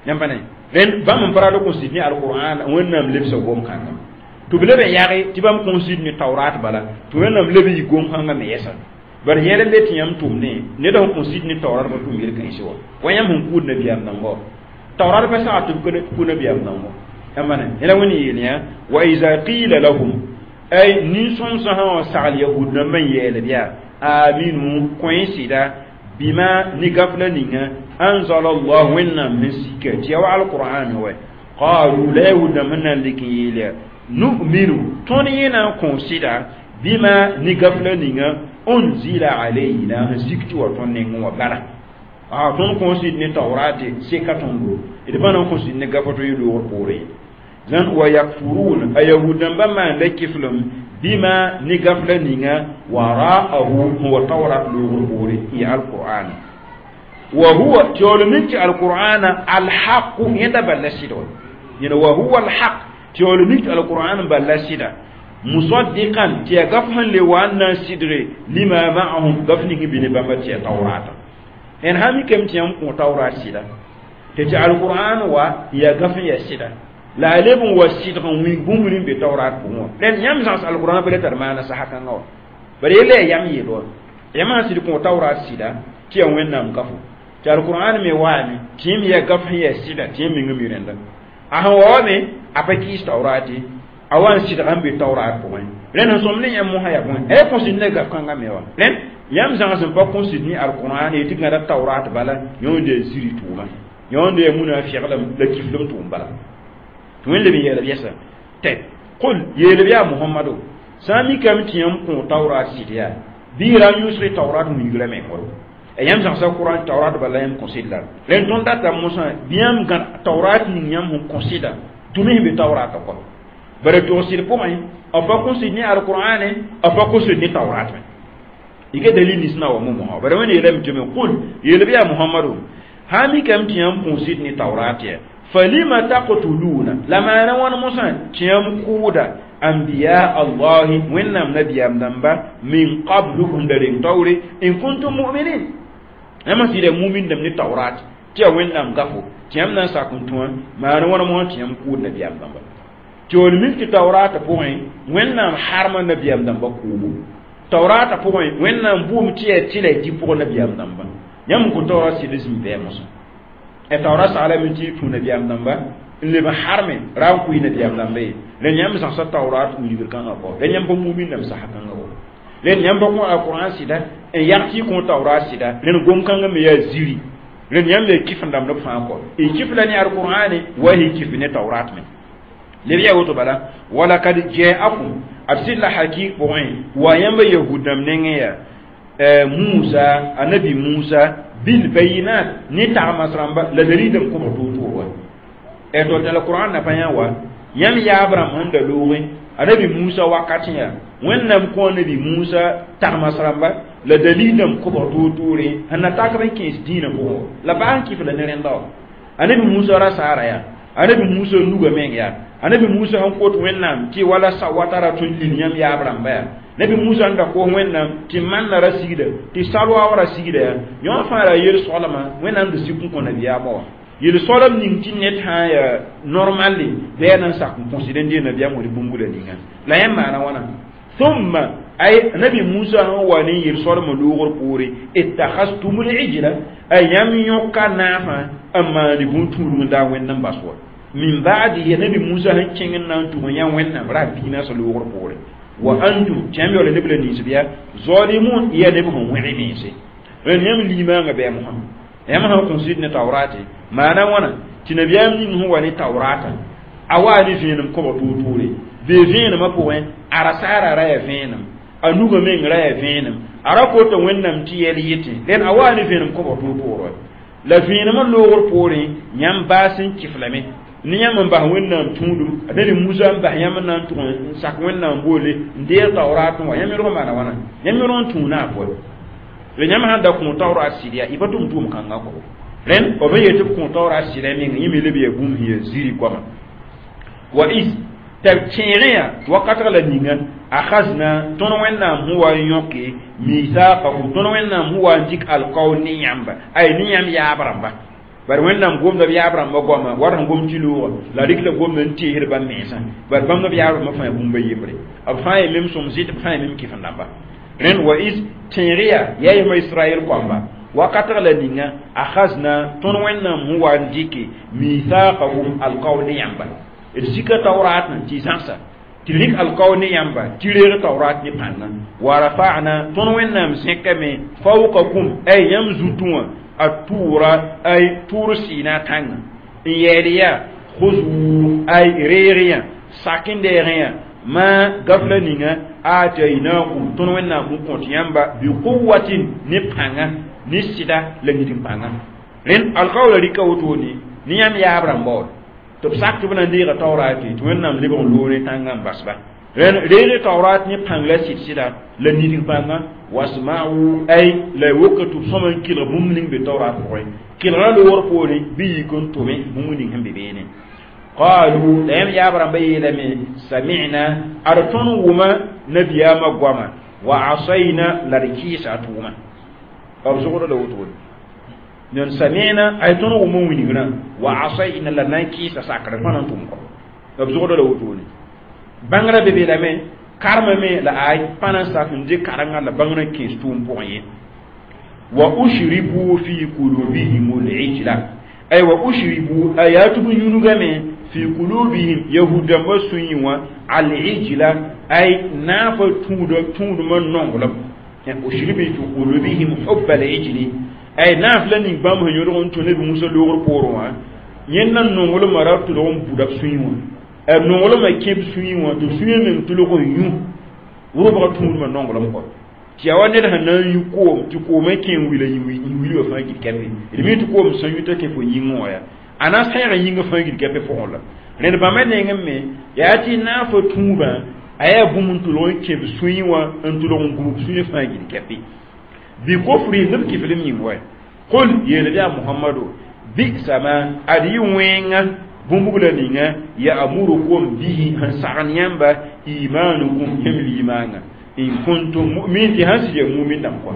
A: yãmb pa ne rẽnd bãmb n pa rat n kõsd ne alqur'an wẽnnaam lebsa gom-kãngã tɩ b leb n yage tɩ bãmb kõsd ne taurat bala tɩ wẽnnaam leb n yɩ gom-kãngã me yɛsa bari yẽl n be tɩ yãmb tʋmdẽ ned sẽn kõsd ne taurat pa tʋm yel-kãense wa wa yãmb sẽn kuud nabiyaam dãmba wa taurat pa saga tɩ b ku nabiyaam dãmba yãmb ne yẽla wẽnd yeel yã wa iza qila lahum ay nin-sõmsã sã n wa sagl yahud dãmbã n yɛɛlb yaa aminu kõ sɩda bima ne gafla ninga anzala allah wẽnnaam sẽn sika tɩ ya wa alqur'an wa qalu la yahud dãmb sẽn na n lek n yeel yaa nu'minu tõnd yẽ na n kõ sɩda bima ne gafla ninga unzila alayna sẽn sik tɩ wa tõnd nengẽ wã bala a tõnd kõ sɩd ne taurate seka tõndo d pa na n kõ sɩd ne gafa tɩ yɩ loogr poorẽ zãn wa yakfurun a yahud dãmbã maanda kiflem bima ne gafla ninga wara'ahu sẽn wa taurat loogr poore n yaa alqur'an wa huwa tɩ yaool mik tɩ alqur'ana alhaqu yẽnda bal la sɩd wa yẽna wa huwa alhaq tɩ yaool mik tɩ alqur'an bal la sɩda musaddiqan tɩ yaa gaf sẽn le wa n na n sɩdge lima ma'ahum gaf ning bɩ ne bãmba tɩ yaa taurata ẽn sã mikame tɩ yãmb kõ taurat sɩda tɩ tɩ alqur'an wa yaa gaf n yaa sɩda la a leb n wa sɩdg n wĩng bũmb ning be taurat pʋgẽ wã rẽnd yãmb zãgs alqur'an pa le tar maana sasa kãngã wa bara yella yaa yam yeel wa yãmb sã sɩd kõ taurat sɩda tɩ yaa wẽnnaam kafo tɩ alqur'an me waame tɩ yẽmb yaa gaf sẽn yaa sɩda tɩ yẽmb meng mi rẽnda a sẽn wa wa me a pa kɩɩs taurate a wa n sɩdga n be taurat pʋgẽ rẽnd sẽn sõm ne yãmb mosã yaa bõe a yaa kõsd ne gaf kãngã me wa rẽnd yãmb zãgs n pa kõsd ne alqur'an tɩ gãda taurat bala yõnd yaa ziri tʋʋma yõnd yaa munafɩglem la kiflem tʋʋm bala tɩ wẽn leb n yeelb yɛsa tɩ qul yeelb yaa mohamado Sã n mikame tɩ yãmb kõ tawrat sɩd yaa bɩ ra n yʋsg tawrat wilgrã meng wa yãmb zãgsa Kurãn tawrat bala yãmb kõ sɩd la rẽnd tõnd data mosã bɩ yãmb gãd tawrat ning yãmb sẽn kõ sɩda tʋm sẽn be tawrata kɔ bara tog sɩd pʋgẽ b pa kõ sɩd ne alqur'ane b pa kõ sɩd ne tawrat me ike dalil nins na wa mo mosã bara wẽnd yeelame tɩ me qul yeel bɩ yaa Muhammadu sã mikame tɩ yãmb kõ sɩd ne tawrat ya falima taqtuluna la maana wãn mosã tɩ yãmb kʋʋda anbiya allahi wẽnnaam nabiyaam dãmba min qablu n da reng taoore in kuntum mu'minin yãmb sɩda mumin dãmb ne tawrat tɩ yaa wẽnnaam gafo tɩ yãmb na n sak n tũ wã maana wãna mosã tɩ yãmb kʋʋd nabiyaam dãmba tɩ d mik tɩ tawrata pʋgẽ wẽnnaam harma nabiyaam dãmba kʋʋbo tawrata pʋgẽ wẽnnaam bʋʋm tɩ yaa tɩla y dɩ pʋgẽ nabiyaam dãmba yãmb n kõ tawrat sɩd zĩig bɩ mosã e tawrat saglame tɩ tũ nabiyaam dãmba n leb n harme ra n kʋɩ nabiyaam dãmba ye rẽnd yãmb zãgsa tawrat wilgr kãngã kɔ rẽnd yãmb pa mumin dãmb sasa kãngã wɔ rẽnd yãmb pa kõ alquran sɩda n yag tɩ y kõ tawrat sɩda rẽnd gom-kãngã me yaa ziri rẽnd yãmb yaa kɩf n dãmb b fãa kɔ y kɩf la ne alqur'ane wa y kɩf ne tawrat me leb yaa woto bala walakad jaakum b sɩd la hakik pʋgẽ wa yãmba yahud dãmb nengẽ yaa Musa anabi Musa bil bayinat ne tagmas rãmba la dalil n kobg toor-toor wa tɩ la Qur'an na pa yã wa yãmb yaab rãmb sẽn da loogẽ anabi Musa wakat yaa wẽnnaam kõ anabi Musa tagmas rãmba la dalil n kobg toor-toore sẽn na tak b n kẽes dĩinã pʋgẽ la baa n kɩf la ne rẽnda wa anabi Musa ra saara yaa anabi Musa nuga meng yaa anabi Musa sẽn kot wẽnnaam tɩ wala sawatara tõnd lil yãmb yaab rãmba yaa nabi Musa n da koos wẽnnaam tɩ manna ra sigda tɩ salwaoog ra sigda yaa yõ fãa ra yel-soalmã wẽnnaam da sik n kõ nabiyaamã wã yel-soalem ning tɩ ned sã n yaa normalle bɩ yaa na n sak n kõsd n dee nabiyaam wã bũmb la ninga la yãmb maana wãna thumma ay nabi Musa sẽn wa ne yel-soalmã loogr poore ittakhastumul ijla ay yãmb yõka naafã n maane bũn-tũudg n daa wẽnd n bas wa min ba'dihi nabi Musa sẽn kẽng n na n tʋg yã wẽnnaam ra piinasã loogr poore wa antum tɩ yãmb yaoola neb la ninsb yaa zalimun yaa neb sẽn wẽg mense rẽnd yãmb limaangã bɩ mosã yãmb sãn kõ sɩd ne tawrate maana wãna tɩ nabiyaam ning sẽn wa ne tawrata a waa ne vẽenem kobg toor-toore bee vẽenemã pʋgẽ a rasaara ra yaa vẽenem a nugã meng ra yaa vẽenem a ra kota wẽnnaam tɩ yɛl yetẽ rẽnd a waa ne vẽenem kobg toor-toor wa la vẽenemã loogr poorẽ yãmb baas n kɩf lame ne yãmb n bas wẽnnaam tũudum a nabi Musa n bas yãmb n na n tʋg n sak wẽnnaam boole n deeg tawrat wã yãmb yõrg maana wãna yãmb yõrg n tũu naaf wa la yãmb sãn da kõ tawrat sɩd yaa y pa tʋm tʋʋm kãngã kɔ rẽnd b yet tɩ b kõ tawrat sɩda meng yẽ me leb yaa bũmb sẽn yaa ziri goama wa is tɩ b kẽegẽ yaa wakatg la ninga akhazna tõnd wẽnnaam sẽn wa n yõke mithaqahum tõnd wẽnnaam sẽn wa n dɩk alkaool ne yãmba ay ne yãmb yaab rãmba bari wẽnnaam gomda b yaab rãmbã goama wat sẽn gom tɩ loogã la rɩk la gomda n teesd bãmb mensã bari bãmb b yaab rãmbã fãa bũmb a yembre b fãa ye mem sõm zɩt b fãa ye mem kɩf n dãmba rẽnd wa is tẽeg yaa yaa yema Israɛl koamba wakatg la ninga akhazna tõnd wẽnnaam sẽn wa n dɩke mithaqahum alkaool ne yãmba d sika tawrat tɩ zãgsa tɩ rɩk alkaool ne yãmba tɩ reeg tawrat ne pãnga wa rafa'na tõnd wẽnnaam zẽkame fawqakum ay yãmb zutũ wã a tʋʋra ay tʋʋr sɩɩna tãnga n yɛɛd yaa khuzu ay reeg yã sak n deegẽ yã ma gafla ninga atainakum tõnd wẽnnaam sẽn kõt yãmba bi quwatin ne pãnga ne sɩda la nit n pãnga rẽnd alkaoola rɩka wotone ne yãmb yaab rãmba wa tɩ b sak tɩ b na n deega tawrat tɩ wẽnnaam lebg n loog ne tãngã n basba rẽnd reeg tawrat ne pãng la sɩd sɩda la nit n pãnga wasma'u ay la woka tɩ b sõma n kelg bũmb ning be tawrat pʋgẽ kelgrã loogr poorẽ bɩ yik n tʋme bũmb ning sẽn be beene qalu la yãmb yaab rãmbã yeelame sami'na ad tõnd wʋma nabiyaamã goama wa asayna la d kɩɩsa a tʋʋma b zʋgd la wotone nan sami'na ay tõnd wʋma wilgrã wa asayna la na n kɩɩsa sakr pa na n tʋm kɔ b zʋgd la wotone bãngrã be be lame karma me la ay pa na n sak n dɩ karengã la bãngrã kẽes tʋʋm pʋgẽ ye wa ushribu fi qulubihim al-ijla ay wa ushribu aya tɩ b yũnugame fi qulubihim yahudãmbã sũyẽ wã al-ijla ay naafa tũuda tũudmã nonglem ushribu fi qulubihim hubba al-ijli ay naaf la ning bãmb sẽn yõdg n tũ nabi Musa loogr poorẽ wã yẽnda nonglmã ra tʋlg n buda b sũyẽ wã nonglmã kẽ b sũyẽ wã tɩ sũyã meng tʋlg n yũ Rʋbga tũudmã nonglem kɔ tɩ yaa wa ned sẽn na n yũ koom tɩ koomã kẽ n wila wili wã fãa gil kɛpe d mi tɩ koom sẽn yʋta kẽ fo yĩngẽ wã yaa a na sẽeg yĩngã fãa gil kɛpe pʋgẽ la rẽd bãmba nengẽ me yaa tɩ naafã tũubã a yaa bũmb n tʋlg n kẽ b sũyẽ wã n tʋlg n gũub sũyẽ fãa gil kɛpe bɩ kofri neb kiflem yĩng wa qul yeel yaa muhammadu bi'sa ma ad yɩ wẽnga bũmb la ninga ya'murukum bihi sẽn sagn yãmba imanukum yãmb liimãnga in kuntum mu'minin tɩ sãn sɩd yaa mumin dãmb kɔ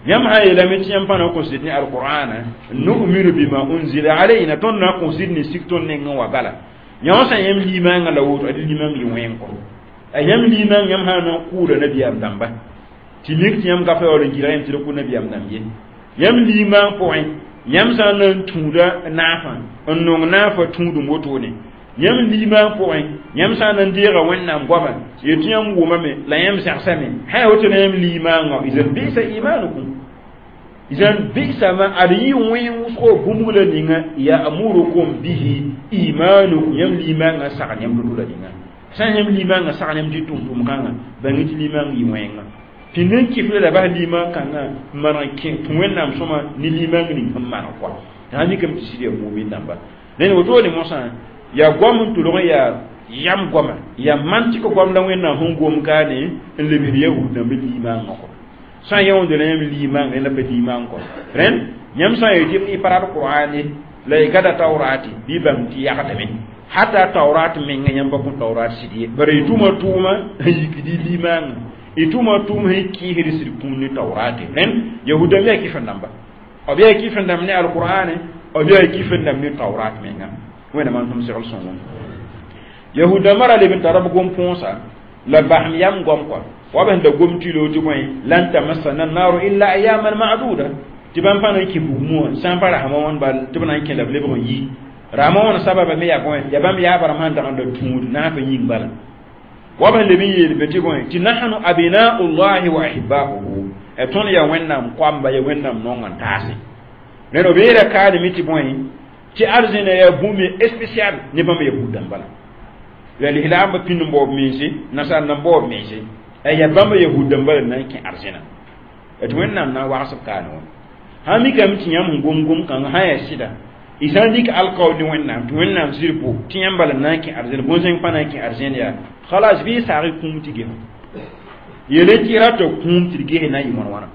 A: yãmb sã yeelame tɩ yãmb pa na n kõ sɩd ne alqur'ana nu'minu bima unzila alayna tõnd na n kõ sɩd ne sik tõnd nengẽ wa bala yã wã sã yãmb liimãngã la woto ad liimãng yɩ wẽng kɔ a yãmb liimãng yãmb sã na n kʋʋda nabiyaam dãmba tɩ mik tɩ yãmb gafa yaool n gɩrga yãmb tɩ d kʋ nabiyaam dãmb ye yãmb liimãng pʋgẽ yãmb sã n na n tũuda naafã n nong naafã tũudum wotone yãmb liimãng pʋgẽ yãmb sã n na n deega wẽnnaam goama yetɩ yãmb wʋmame la yãmb zãgsame sã yaa woto la yãmb liimãngã izan bisa imanukum izan bisa ma ad yɩ wẽng wʋsgo bũmb la ninga ya'murukum bihi imanukum yãmb liimãngã sagn yãmb toto la ninga sã yãmb liimãngã sagn yãmb tɩ tʋm-tʋm kãngã bãng tɩ liimãng yɩ wẽnga tɩ nen kifla la bas liimãng kãngã n maneg n kẽ tũ wẽnnaam sõma ne liimãng ning sẽn maneg kɔa t'a mikame tɩ sɩd yaa mumin dãmba rẽnd wotone mosã yaa goam n tʋlg n yaa yam goama yaa mantik goam la wẽnnaam sẽn gom kaane n lebsd yahud dãmb liimãngã kɔ sã n yãoonde la yãmb liimãng la pa liimãng kɔ rẽnd yãmb sã n yetɩ y pa rat qur'ane la y gada taorate bɩ bãmb tɩ yagdame hata taurat menga yãmb pa kõ taurat sɩd ye bara y tʋma tʋʋma n yikd y liimãngã y tʋma tʋʋm sẽn kɩɩsd sɩd kũun ne taorate rẽnd yahud dãmb yaa kɩf n dãmba b yaa kɩf n dãmb ne alqur'ane b yaa kɩf n dãmb ne taurat menga wẽnnaam n tʋm segl sõngo yahud dãmbã ra leb n tara b gom põosa la basem yam goam kɔ wa b sẽn da gom tɩ tɩ bõe lan tamassana naaru illa ayaman ma'duda tɩ bãmb pa na n kẽ bugmã wã sã n pa rasmã wãn bal tɩ b na n kẽ la b lebg n yi rasmã wãn sababa me yaa bõe yaa bãmb yaaba rãmb sãn dag n da tũud naafã yĩng bala wa b sẽn leb n yeel be tɩ bõe tɩ nahnu abna'u llahi wa ahibba'uhu tõnd yaa wẽnnaam koamba yaa wẽnnaam nong n taase rẽnd b yeela kaadame tɩ bõe tɩ arzẽna yaa bũmb spécial ne bãmb yahud dãmba la la lislaambã pĩnd n baoob mense nasaar nan baoob mense yaa bãmb yahud dãmba la na n kẽ arzẽna tɩ wẽnnaam na n wags b kaane wã sã mikame tɩ yãmb sẽn gom gom-kãngã sã yaa sɩda y sã n dɩk alkaoor ne wẽnnaam tɩ wẽnnaam sɩd bo tɩ yãmb bala na n kẽ arzẽna bõn-zẽng pa na n kẽ arzẽn yaa khalas bɩ y saag y kũum tɩ ges yele tɩ y rata kũum tɩ d ges na n yɩ wãn wãna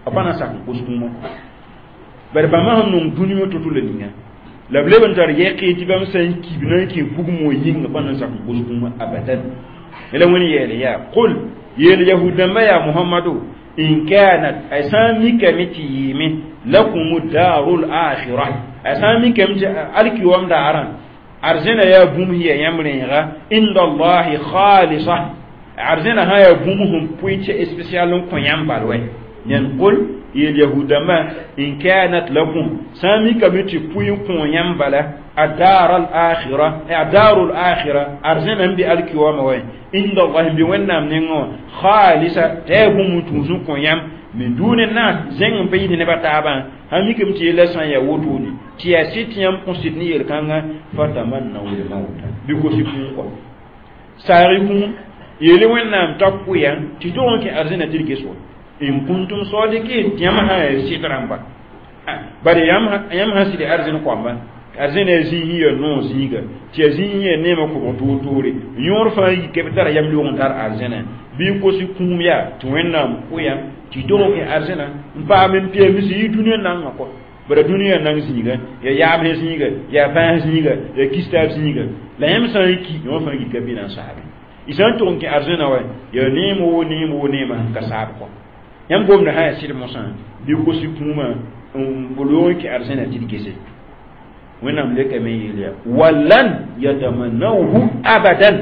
A: b pa na n sak n kos kũumã bare bãmba sẽn nong dũni wã to-to la ninga la b leb n tar yɛke tɩ bãmb sã n kib na n kẽ bugum wã yĩnga pa na n sak n kos kũumã abadan la wẽn yɛɛl yaa qul yeel yahud dãmbã yaa muhammadu in kanat a sã n mikame tɩ yɩɩme lakum darul akhirah a sã n mikame tɩ alkiwam daarã arzẽna yaa bũmb sẽn yaa yãmb rẽega inda allahi khalisa arzẽna sã yaa bũmb sẽn pʋɩ tɩ spécial n kõ yãmb bal wɛ yẽn qul yeel yahudãmbã in kanat lakum sã n mikame tɩ pʋɩ n kõ yãmb bala الدار الآخرة الدار الآخرة أرزنا بي الكيوم وين عند الله بوينام نينغو خالصة تيبوم توزو كويام من دون الناس زين بيد نبا تابا هميكم تي لسان يا ووتوني تي اسيتيام كونسيدني يلكانغا فتمنوا الموت بيكوسي كون ساريكم يلي وينام تاكويا تي دونك أرزنا تلكسو إن كنتم صادقين تيام ها سيترامبا bari yam yam ha sidi arzin kwamba arzẽna yaa zĩig yaa noog zĩiga tɩ yaa zĩig yaa neemã kobg toor-toore yõor fãa yi b tara yam loog n tar arzẽna bɩ n kos kũum yaa tɩ wẽnnaam kʋ-yã tɩ dog n kẽ arzẽna n paam n peems yɩ dũniyã nangã kɔ bara dũniyã nang zĩiga yaa yaamsẽ zĩiga yaa bãas zĩiga yaa kistaab zĩiga la yãmb sã n ki yõ fãa gika bɩ na n saabe y sã n tʋg n kẽ arzẽna wa yaa neem woo neem woo neemã sẽn ka saab kɔ yãmb gomda sã yaa sɩd mosã bɩ kos kũumã n loog n kẽ arzẽna tɩ d gese wẽnnaam lekame yeel yaa walan yatamannawhu abadan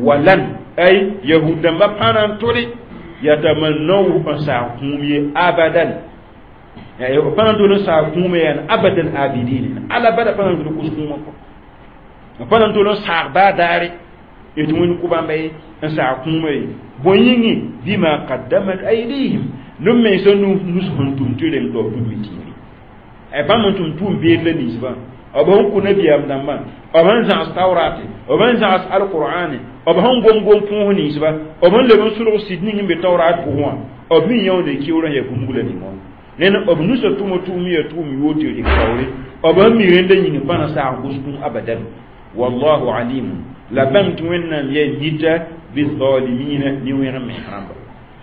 A: walan ay yahud dãmbã pa na n tʋle yatamannawhu n saag kũum ye abadan pa na n tol n saag kũumã yaan abadan abidin ala bada pa na n tol kos kũumã kɔ pa na n tol n saag baa daare tɩ wẽnd kʋ bãmba ye n saag kũumã ye bõe yĩnge bima qaddamat aydihim neb mensã nus sẽn tʋm tɩ reng tɩ b tʋm tĩiri bãmb n tʋm tʋʋm beed la ninsbã b sẽn kʋ nabiyaam dãmbã b sẽn zãgs taoorate b sẽn zãgs alqur'ane b sẽn gom gom põos ninsba b sẽn leb n sulg sɩd ning n be taorat pʋgẽ wã b mi yãoonde keoorã yaa bũmb la ning wã ned b nusã tʋma tʋʋm yaa tʋʋm yoor tɩ rɩk taoore b sẽn mi rẽnda yĩng pa na saag gʋsgũ abadan wallahu alimun la bãng tɩ wẽnnaam yaa mita bizalimina ne wẽg mens rãmba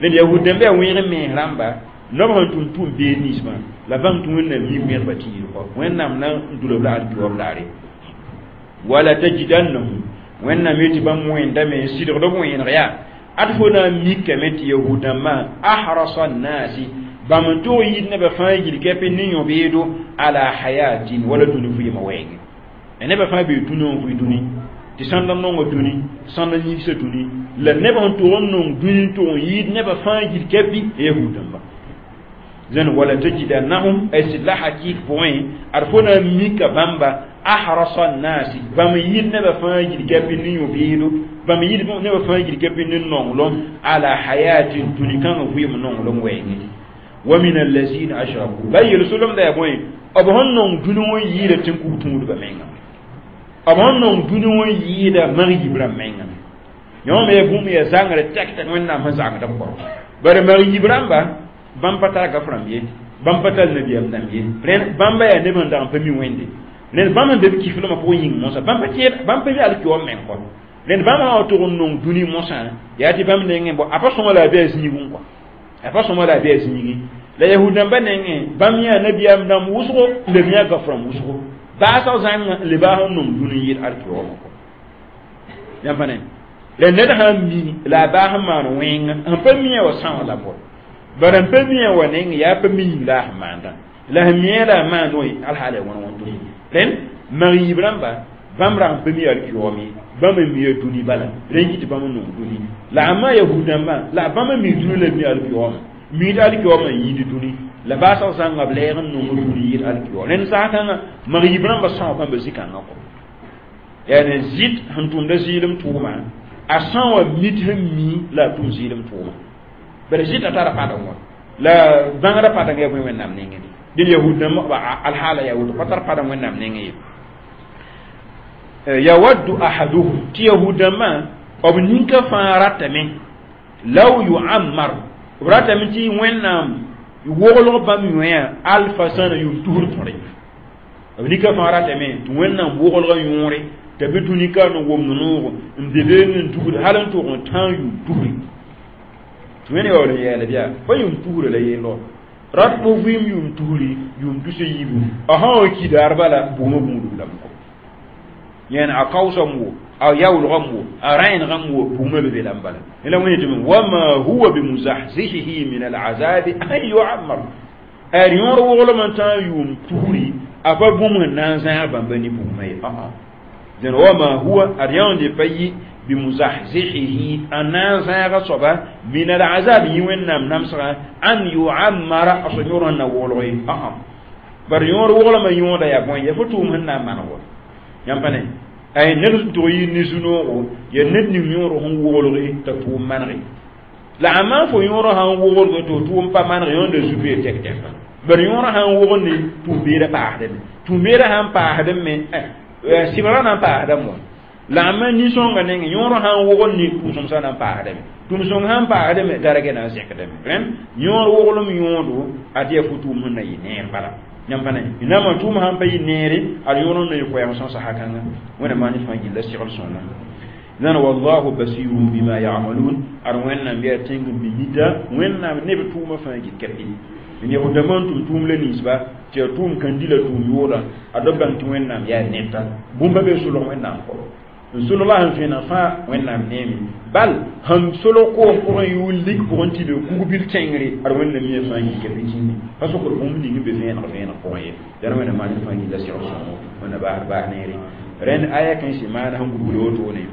A: ned yahud dãmb yaa wẽeg mens rãmba noab sẽn tʋm tʋʋm beed ninsbã la bãng tɩ wẽnnaam mi wẽgba tɩ yɩl kɔ wẽnnaam na n dulb la alkiwam daare wala tajidannahum wẽnnaam yetɩ bãmb wẽndame n sɩdgd b wẽeneg yaa ad fo na n mikame tɩ yahud dãmbã ahrasa nnasi bãmb n tog yɩɩd nebã fãa yil-kɛpɩ ne yõ-beedo ala hayatin wala dũni vɩɩmã wɛɛngẽ nebã fãa bee dũni n vɩ dũni tɩ sãnd n nonga dũni sãnd n yigsa dũni la neb sẽn tog n nong dũni n tog n yɩɩd nebã fãa yil-kɛpɩ yahud dãmba zẽn wala tajidannahum ay sɩd la hakɩɩk pʋgẽ ad fo na n mika bãmba ahrasa nnasi bãmb yɩɩd nebã fãa yil-kɛpɩ ne yõ-beedo bãmb yɩɩd nebã fãa yil-kɛpɩ ne nonglem ala hayatin dũni kãngã vɩɩm nonglem wɛɛngẽ wa min allazina ashraku la yel-solemda yaa bõe b sẽn nong dũni wã yɩɩda tẽn-kug tũudbã menga b sẽn nong dũni wã yɩɩda mag-yib rãmb menga yõ me yaa bũmb yaa zãngre tɛk tɛk wẽnnaam sẽn zãngd b kɔ bare mag-yib rãmba bãmb pa tar gaf rãmb ye bãmb pa tar nabiyaam dãmb ye rẽnd bãmba yaa neb sẽn dag n pa mi wẽnde rẽnd bãmb sẽn be b kiflmã pʋgẽ yĩng mosã bãmb pa tẽed bãmb pa mi alkiwam meng kɔ rẽnd bãmb sã wa tog n nong dũni mosã yaa tɩ bãmb nengẽ bõ a pa sõma la a bɩ a zĩigẽ kɔ a pa sõma la a bɩ a zĩigẽ la yahud dãmbã nengẽ bãmb yã nabiyaam dãmb wʋsgo n leb yã gaf rãmb wʋsgo baasg zãnga n le baas n nong dũni yɩl alkiwamã kɔ yãmb pa ne la ned sã n mi la a baas n maan wẽnga sẽn pa mi wa sã wã la bɔ bara n pa mi wa neng yaa pa mi yĩng la a sẽn maandã la sẽn mi la a maand wã alhaala wãn wãn tʋ rẽnd mag-yiib rãmba bãmb rag n pa mi alkiyoom ye bãmb n mi dũni bala rẽn yɩ tɩ bãmb n nong dũni la a ma yahud dãmbã la bãmb n mi dũni la mi alkiyoomã miid alkiyoomã n yĩnd dũni la baasg zãnga b lɛɛg n nong dũni yɩl alkiyoom rẽnd saasãngã mag-yiib rãmbã sõa bãmba zĩ-kãngã kɔ yaa zɩt sẽn tʋmda zɩɩlem tʋʋma a sã wã mit sẽn mi la a tʋm zɩɩlem tʋʋma bara zɩta tara padeng wã la bãngrã padeng yaa bõe wẽnnaam nengẽ dẽn yahud dãmb alhaala yaa woto pa tar padeng wẽnnaam nengẽ ye yawaddu ahaduhum tɩ yahud dãmbã b ninka fãa ratame law yuammar b ratame tɩ wẽnnaam woglg bãmb yõeã alfa sãna yʋʋm tusr tõre b nika fãa ratame tɩ wẽnnaam woglgã yõore t'a be dũni ka n womd noogo n be beene n dugd hal n tog n tãag yʋʋm tusri tɩ wẽnd yaool n yɛɛl bɩa pa yʋʋm tusra la yellɔ rat fo vɩɩm yʋʋm tusri yʋʋm tus a yiibu a sã wa ki daar bala bugmã gũudb lame kɔ yẽn a kaoosame wo a yaoolgame wo a rẽenegame wo bugmã be be lame bala la wẽnd tɩ wama huwa bimuzahzihihi min alazabi an yuammar ad yõor woglem n tãag yʋʋm tusri a pa bũmb sẽn na n zãag bãmba ne bugmã ye dẽn wama huwa ad yãonde pa yɩ bimuzahzihihi a na n zãaga soaba min alazab yĩ wẽnnaam namsgã an yuammara a so yõor sẽn na woolg ye bar yõor woglmã yõoda yaa bõe ya fo tʋʋm sẽn na n maneg wa yãmb pa ne ay ned sẽn tog yɩ ne zu-noogo yaa ned ning yõor sẽn woglge t'a tʋʋm manege la a maan fo yõor sãn woglge tɩ f tʋʋm pa maneg yõnda zu-beer tɛk-tɛka bar yõor sãn wogende tʋʋm-beerã paasdame tʋʋm-beerã sãn paasdame sɩbgrã na n paasdame wã la a ma nin-sõngã nengẽ yõor sãn wogl ne tʋʋm-sõmsã na n paasdame tʋʋm-sõng sãn paasdame dargɛ na n zẽkdame rẽnd yõor woglem yõodo ad yaa fo tʋʋm sẽn na yɩ neer bala yãmb pa ne naamã tʋʋm sãn pa yɩ neere ad yõor n na yɩ koɛɛg sõsa hakãngã wẽnna maan fãa gilla segl sõnga nan wallahu basirun bima ya'malun ad wẽnnaam yaa tẽng n be mita wẽnnaam neb tʋʋmã fãa gil kɛpɩ n yahudãmbã n tʋm tʋʋm la ninsba tɩ yaa tʋʋm kãndi la tʋʋm yooda ad b bãng tɩ wẽnnaam yaa neta bũmba be solg wẽnnaam kɔ n solg la sẽn vẽeneg fãa wẽnnaam neeme bal sẽn solg koom pʋgẽ yʋʋl lik pʋgẽ tɩ be kug-bil kẽngre ad wẽnnaam yẽ fãa yika bɩ tĩnne pa sokd bũmb ning n be vẽeneg vẽeneg pʋgẽ ye dãn wẽnnaam maan fãa gilla segl sõngo wẽnna baas baas neere rẽnd aya kãensẽ maana sẽn gũbl wotone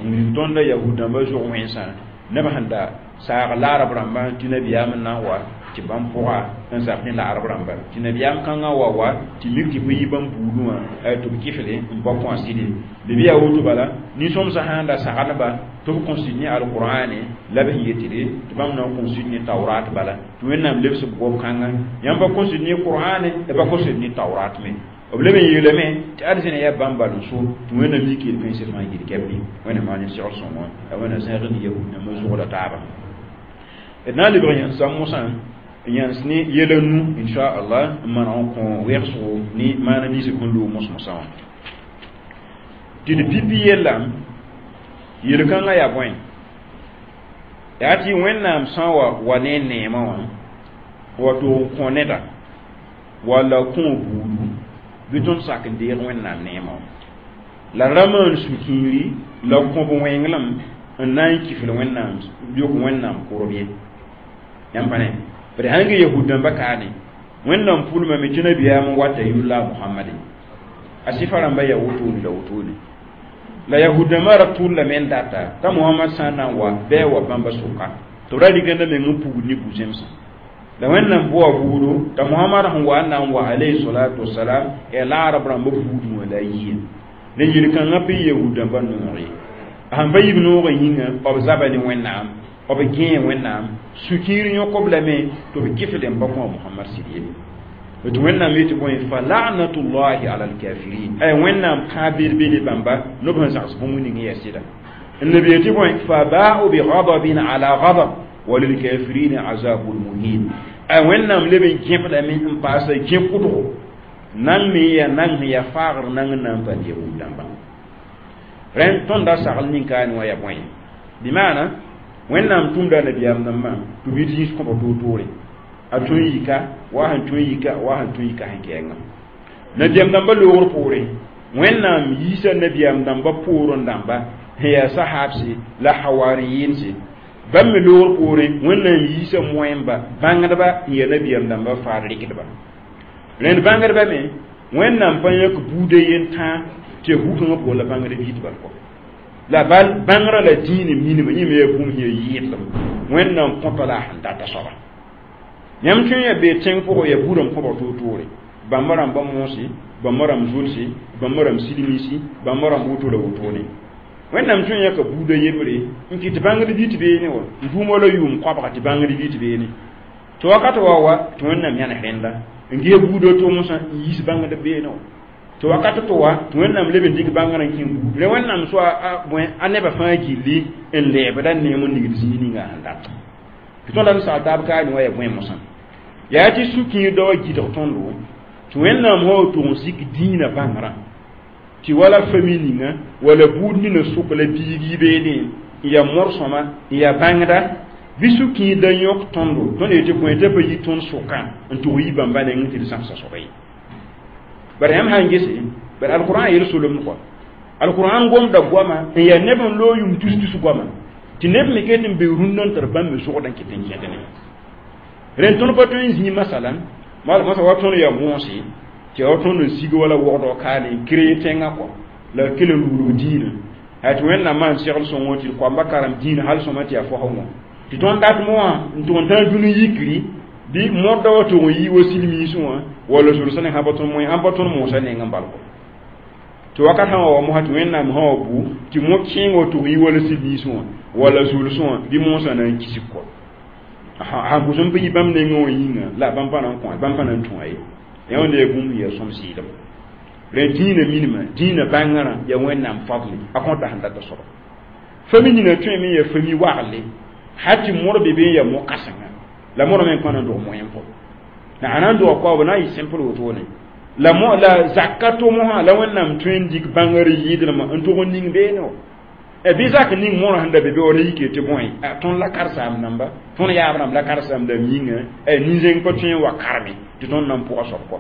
A: n wilg tõnda yahud dãmbã zʋg wẽnsã neb sẽn da saag laarb rãmbã tɩ nabiyaam n na n wa tɩ bãmb pʋga n zab ne laarb rãmba tɩ nabiyaam kãngã wa wa tɩ mik tɩ bõe yɩ bãmb buudũ wã tɩ b kɩfle n pa kõ a sɩde bɩ yaa woto bala nin-sõmsã sãn da sagendba tɩ b kõsd ne alqur'ane la b sẽn yetɩde tɩ bãmb na n kõsd ne taurat bala tɩ wẽnnaam lebs b gob kãnga yãmb pa kõsd ne qur'ane b pa kõsd ne taurat me b leb n yeelame tɩ arzẽna yaa bãmb bal n so tɩ wẽnnaam yik yel-kãensã fãa gil kɛpẽ wẽnnaam maan segl sõngo la wẽnnaam zẽg ne yahud dãmbã zʋgda taaba d na n lebg yãns mosã yãns ne yɛla nu inchallah n maneg n kõ wɛgsgo ne maana ninsb sẽn loog mos-mosã wã tɩ d pipi yella yel-kãngã yaa bõe yaa tɩ wẽnnaam sã wa wa ne neemã wã wa tog n kõ neda walla kõ buudu bɩ tõnd sak n deeg wẽnnaam neemã wã la rãmbã n sũ-kiiri la kõb wẽnglem n na n kifl wẽnnaam yok wẽnnaam kʋrb ye yãmb pa ne bd sãn ge yahud dãmba kaane wẽnnaam pʋlmame tɩ nabiyaam n wata yʋlla mohamade a sɩfa rãmba yaa wotone la wotone la yahud dãmbã ra tʋllame n data t'a mohamad sã n na n wa bɩ a wa bãmba sʋka tɩ b ra rɩkda meng n pugd ne bu-zẽmsã la wẽnnaam boa buudo t'a mohamad sẽn wa n na n wa alayhi salatu wasalam yaa laarb rãmba buudẽ wã la a yia la yel-kãngã pa yahud dãmbã noog ye a sẽn pa yib noogã yĩnga b zaba ne wẽnnaam b gẽe wẽnnaam sũ-kiir yõk-b lame tɩ b kɩfd n pa kõ a mohamad sɩd ye tɩ wẽnnaam yetɩ bõe fa lanatullahi ala alkafirin ay wẽnnaam kãab bed-bede bãmba nob sẽn zags bũmb ning yaa sɩda n leb yetɩ bõe fa ba'u bi ghadabin ala ghadab walilkafirin azabun muhin ay wẽnnaam leb n gẽbdame n paasa gẽ-kʋdgo nan me yaa nan sẽn yaa faagr nang n na n pa yahud dãmba rẽnd tõnd a sagl nin-kaane wã yaa bõe bɩ maana wẽnnaam tʋmda nabiyaam dãmbã tɩ b yit yĩs kõba toor-toore a tõe n yika wa sẽn tõe n yika wa sẽn tõe n yika sẽn kɛɛngã nabiyaam dãmbã loogr poore wẽnnaam yiisa nabiyaam dãmbã poorẽ dãmba sẽn yaa sahabse la hawariyɩnse bãmb me loogr poore wẽnnaam yiisa moẽmba bãngdba n yaa nabiyaam dãmbã faad rɩkdba rẽnd bãngdba me wẽnnaam pa yãk buuda yen-tãa tɩ ya bu-kãngã pʋgã la bãngd b yit bal kɔ la bal bãngrã la dĩine minima yẽ me yaa bũmb sẽn yaa yɩɩdlem wẽnnaam kõta la a sẽn data soaba yãmb tõe n yaa bee tẽng pʋgẽ yaa buudã kõbg toor-toore bãmba rãmba moose bãmba rãmb zulse bãmba rãmb silmiisi bãmba rãmb woto la wotone wẽnnaam tõe n yãka buuda yembre n kɩt bãngd bɩ tɩ beene wa n dũuma la yʋʋm koabga tɩ bãngd bɩ tɩ beene tɩ wakat wa wa tɩ wẽnnaam yãnes rẽnda n ges buuda to-mosã n yiis bãngd beene wa tɩ wakat tɩ wa tɩ wẽnnaam leb n dɩk bãngrã n kẽ buud re wẽnnaam soa bõe a nebã fãa gilli n lɛɛbda neem n nigd zĩig ninga sẽn dat tɩ tõnd n sagl taab kaane wã yaa bõe mosã yaa tɩ sũ-kĩir da wa gɩdg tõndo tɩ wẽnnaam sã wa tʋg n sik dĩinã bãngrã tɩ wala fami ninga wala buud nina sʋk la biig yi beene n yaa mor-sõma n yaa bãngda bɩ sũ-kĩir da yõk tõndo tõnd yetɩ bõe t'a pa yi tõnd sʋkã n tʋg yi bãmba nengẽ tɩ d zãmsa soaba ye bara yãmb sã n gese bara alqur'an yel solemd kɔa alqur'an gomda goama n yaa neb n loog yʋm tus-tus goama tɩ neb me ket n be rũndã n tar bãmb me zʋgd n kɩt n kẽd ne rẽnd tõnd pa tõe n zĩig masalan masa wa tõnd yaa moose tɩ ya wa tõnd n sig wala wogdg kaane n kree tẽngã kɔ la kell n luglg dĩinã yaa tɩ wẽnnaam maan segl sõngo tɩ d koamba karem dĩinã hal sõma tɩ yaa fosg wã tɩ tõnd dat moã n tʋg n tã dũni yikri bɩ modda wa tʋg n yi wa silmiisẽ wã walla zulsã ne sã pa tõnd moẽ ãn pa tõnd moosã neng n bal kɔ tɩ wakat sã wa wa mosã tɩ wẽnnaam sã wa bu tɩ mo-kẽeng wa tʋg yi wala silmiisẽ wã walla zulsẽ wã bɩ moosã na n kisg kɔ sãn pʋs n pa yi bãmb nengẽ wã yĩnga la bãmb pa na n kõ bãmb pa na n tũa ye yã wẽnda yaa bũmb yaa sõm sɩɩlem rẽ dĩinã minima dĩinã bãngrã yaa wẽnnaam fadle a kõta sẽn data soaba fami nina tõeme yaa fami wagle hal tɩ modb be be n yaa mo-kãsenga la modã me n pa na n dog moẽ pʋgẽ la a na n doga koabã na n yɩ simple wotone la mo la zaka to-mosã la wẽnnaam tõe n dɩk bãngr yɩɩdlmã n tʋg n ning beene wa bɩ zak ning mõrã sẽn da be be wa ra yike tɩ bõe tõnd la karsaam dãmba tõnd yaab rãmb la karsaam dãmb yĩnga nin-zẽng pa tõe n wa karme tɩ tõnd na n pʋga soab kɔ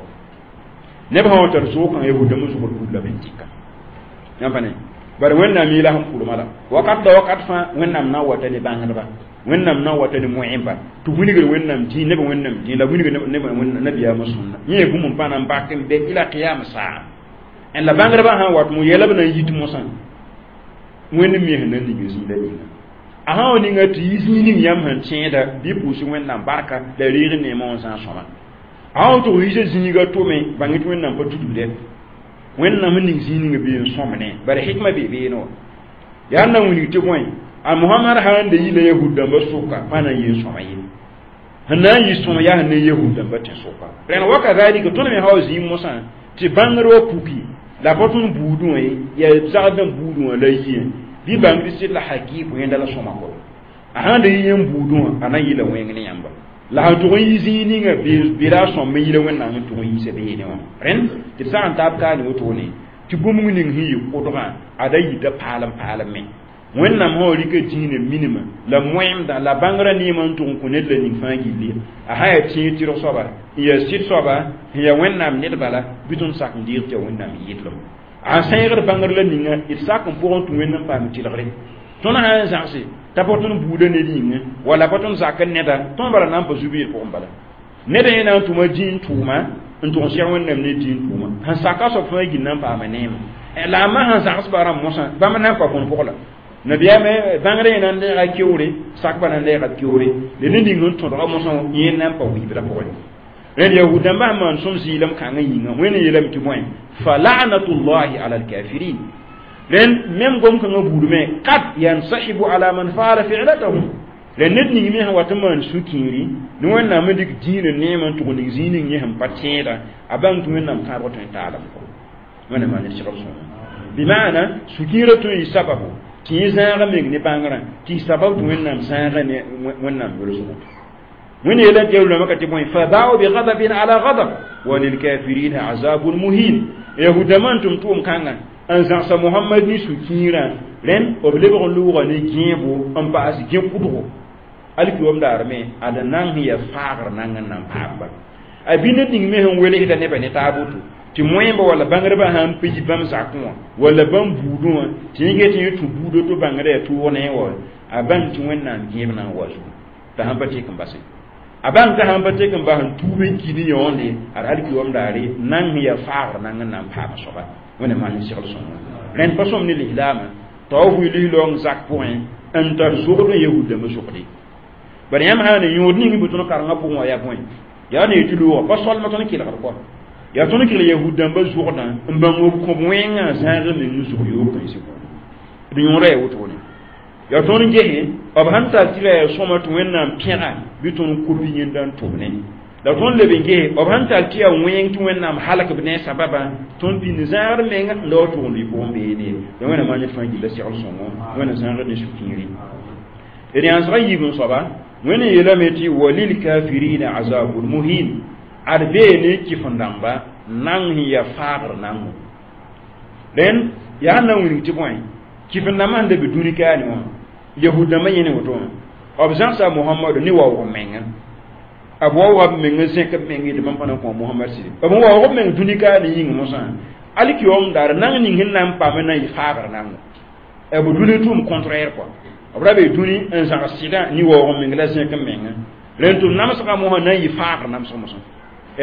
A: neb sã wa tar sookã yahudãmbã zʋgd bud la ben dɩka yãmb pa ne bare wẽnnaam yeela sẽn pʋlma la wakat la wakat fãa wẽnnaam na n wata ne bãngdba wẽnnaam na n wata ne moẽmba tɩ wilgr wẽnnaam dĩin neb wẽnnaam dĩin la wilgr neb nabiyaamã sõnna yẽ yaa bũmb n pa na n bak n bɛ ila qiyam saa la bãngdbã sã n wat mo yɛla b na n yit mosã wẽnd me sẽn na n ning zĩigã ninga a sã wa ninga tɩ yi zĩig ning yãmb sẽn tẽeda bɩ pʋʋs wẽnnaam barka la reeg neemã wã zãag sõma a sã wa tʋg yiisa zĩiga tome bãng tɩ wẽnnaam pa tudbdɛ wẽnnaam sẽn ning zĩig ninga bee n sõmne bara hikma bee beene wã yaa n na wilg tɩ bõe a mohamad sã n da yila yahud dãmbã sʋka pa na n yeen sõma ye sẽn na n yɩ sõm yaa sẽn ne yahud dãmbã tẽ-sʋka rẽnd wa kazalika tõnd me sã wa zĩig mosã Tɩ bãngr wa puki la pa tõnd buudẽ wã ye yaa zagd n buudẽ wã la yɩẽ bɩ bãng tɩ sɩd la hakɩɩk wẽnda la sõma kɔ a sãn da yɩ yẽn buudẽ wã a na n yɩla wẽng ne yãmba la sẽn tʋg n yi zĩig ninga bela a sõm n yɩla wẽnnaam n tʋg n yiisa beene wã rẽnd tɩ d sag n taab kaane wotone tɩ bũmb ning sẽn yɩ kʋdgã ada yita paalem paalem me wẽnnaam sã wa rɩka dĩinã minimã la moẽmdã la bãngrã neemã n tʋg n kõ ned la ning fãa gilli a sã yaa tẽeg tɩrg soaba n yaa sɩd soaba n yaa wẽnnaam ned bala bɩ tõnd sak n deeg tɩ yaa wẽnnaam yɩdlem a sẽegd bãngr la ninga d sak n pʋgẽ tũ wẽnd n paam tɩlgre tõnd sã n zãgse t'a pa tõnd buudã ned yĩngã wala pa tõnd zak n neda tõnd bala na n pa zu-beed pʋgẽ bala ned yẽ na n tʋma dĩin tʋʋma n tʋg n seg wẽnnaam ne dĩin tʋʋma sẽn saka soab fãa gill na n paama neema la a ma sẽn zãgs ba rãmb mosã bãmb na n pa kõn pʋg la nabiyaamã bãngr yẽ na n deega keoore sakbã na n deega keoore la ned ning sẽn tõdga mosã yẽ na n pa wiibdã pʋgẽ rẽnd yahud dãmbã sẽn maan sõm zɩɩlem kãngã yĩnga wẽnd yeelame tɩ bõe fa la'natullahi ala alkafirin rẽnd mem gom-kãngã buud me kad yansahibu ala man faala fi'latahum rẽnd ned ning me sẽn wat n maan sũ-kĩiri ne wẽnnaam n dɩk dĩinã neemã n tʋg ning zĩig ning yẽ sẽn pa tẽeda a bãng tɩ wẽnnaam kãabg tõe n taalame kɔ wẽnnaam maan ned segl sõma bɩ maana sũ-kĩirã tõe n yɩ sababu tɩ yẽ zãaga meng ne bãngrã tɩ y sabab tɩ wẽnnaam zãaga ne wẽnnaam yolsgo wẽnd yeela tɩ yalulama ka tɩ bõe fa baau bigadabin ala gadab wa lilkafirina azabun muhin yahudãmã n tʋm tʋʋm kãngã n zãgsa mohamad ne sũ-kĩirã rẽnd b lebg n lʋʋga ne gẽebo n paas gẽ-kʋdgo alkiwam daar me ad nan sẽn yaa faagr nang n nan paamba a bɩ ned ning me sẽn welsda nebã ne taab woto tɩ moẽmba walla bãngrbã sãn pa yi bãmb zakẽ wã walla bãmb buudẽ wã tɩ yẽ get yẽ tũ buudã to bãngrã yaa tʋʋg ne wa a bãng tɩ wẽnnaam gẽeb na n wa zugu t'a sãn pa tek n base a bãng t'a sãn pa tek n bas n tuub n ki ne yõonde ad alkiwam daare nang sẽn yaa faagr nang n na n paama soaba wẽnnaam maan segl sõngo rẽnd pa sõm ne lislaamã t'a wa vʋɩ lislaoong zak pʋgẽ n tar zogd n yahud-dãmbã zogde bad yãmb sã n yõod ning bɩ tõnd karengã pʋgẽ wã yaa bõe yaa ne tɩ loogã pa solma tõnd kelgd kɔ yaa tõnd kell yahud-dãmbã zogdã n bãng b kõb wẽngã zãag meng zog yoog kãensɩ d yõoda yaa wotone yaa tõnd gese b sãn tar tɩ ra yaa sõma tɩ wẽnnaam pẽga bɩ tõnd kopi yẽnda n tʋmne la tõnd leb n gese b sãn tar tɩ yaa wẽng tɩ wẽnnaam halk b ne sababã tõnd pĩnd zãagd menga n la wa tʋgend y pʋgẽ beene la wẽnnaam maan ned fãa gilla segl sõngo wẽnna zãagd ne sũ-kĩiri d yãnsga yiib n soaba wẽnd yeelame tɩ walilkafirina azabun muhin ad bee ne kɩf-n-dãmba nang sẽn yaa faagr nango rẽnd yaa sẽn na n wilg tɩ bõe kɩf-n-dãmbã sẽn da be dũni kaane wã yahud-dãmbã yẽ ne woto wã b zãgsa mohamadu ne waoog menga b waooga b meng zẽk b meng yetɩ bãmb pa na n kõ mohamad sɩd b waoog b meng dũni kaane yĩng mosã alkiom daar nang ning sẽn na n paam n na n yɩ faagr nango b dũni tʋʋm contraire quoi b ra be dũni n zãgs sɩdã ne waoog meng la zẽk n menga rẽnd tɩ namsgã mosã na n yɩ faagr namsg mosã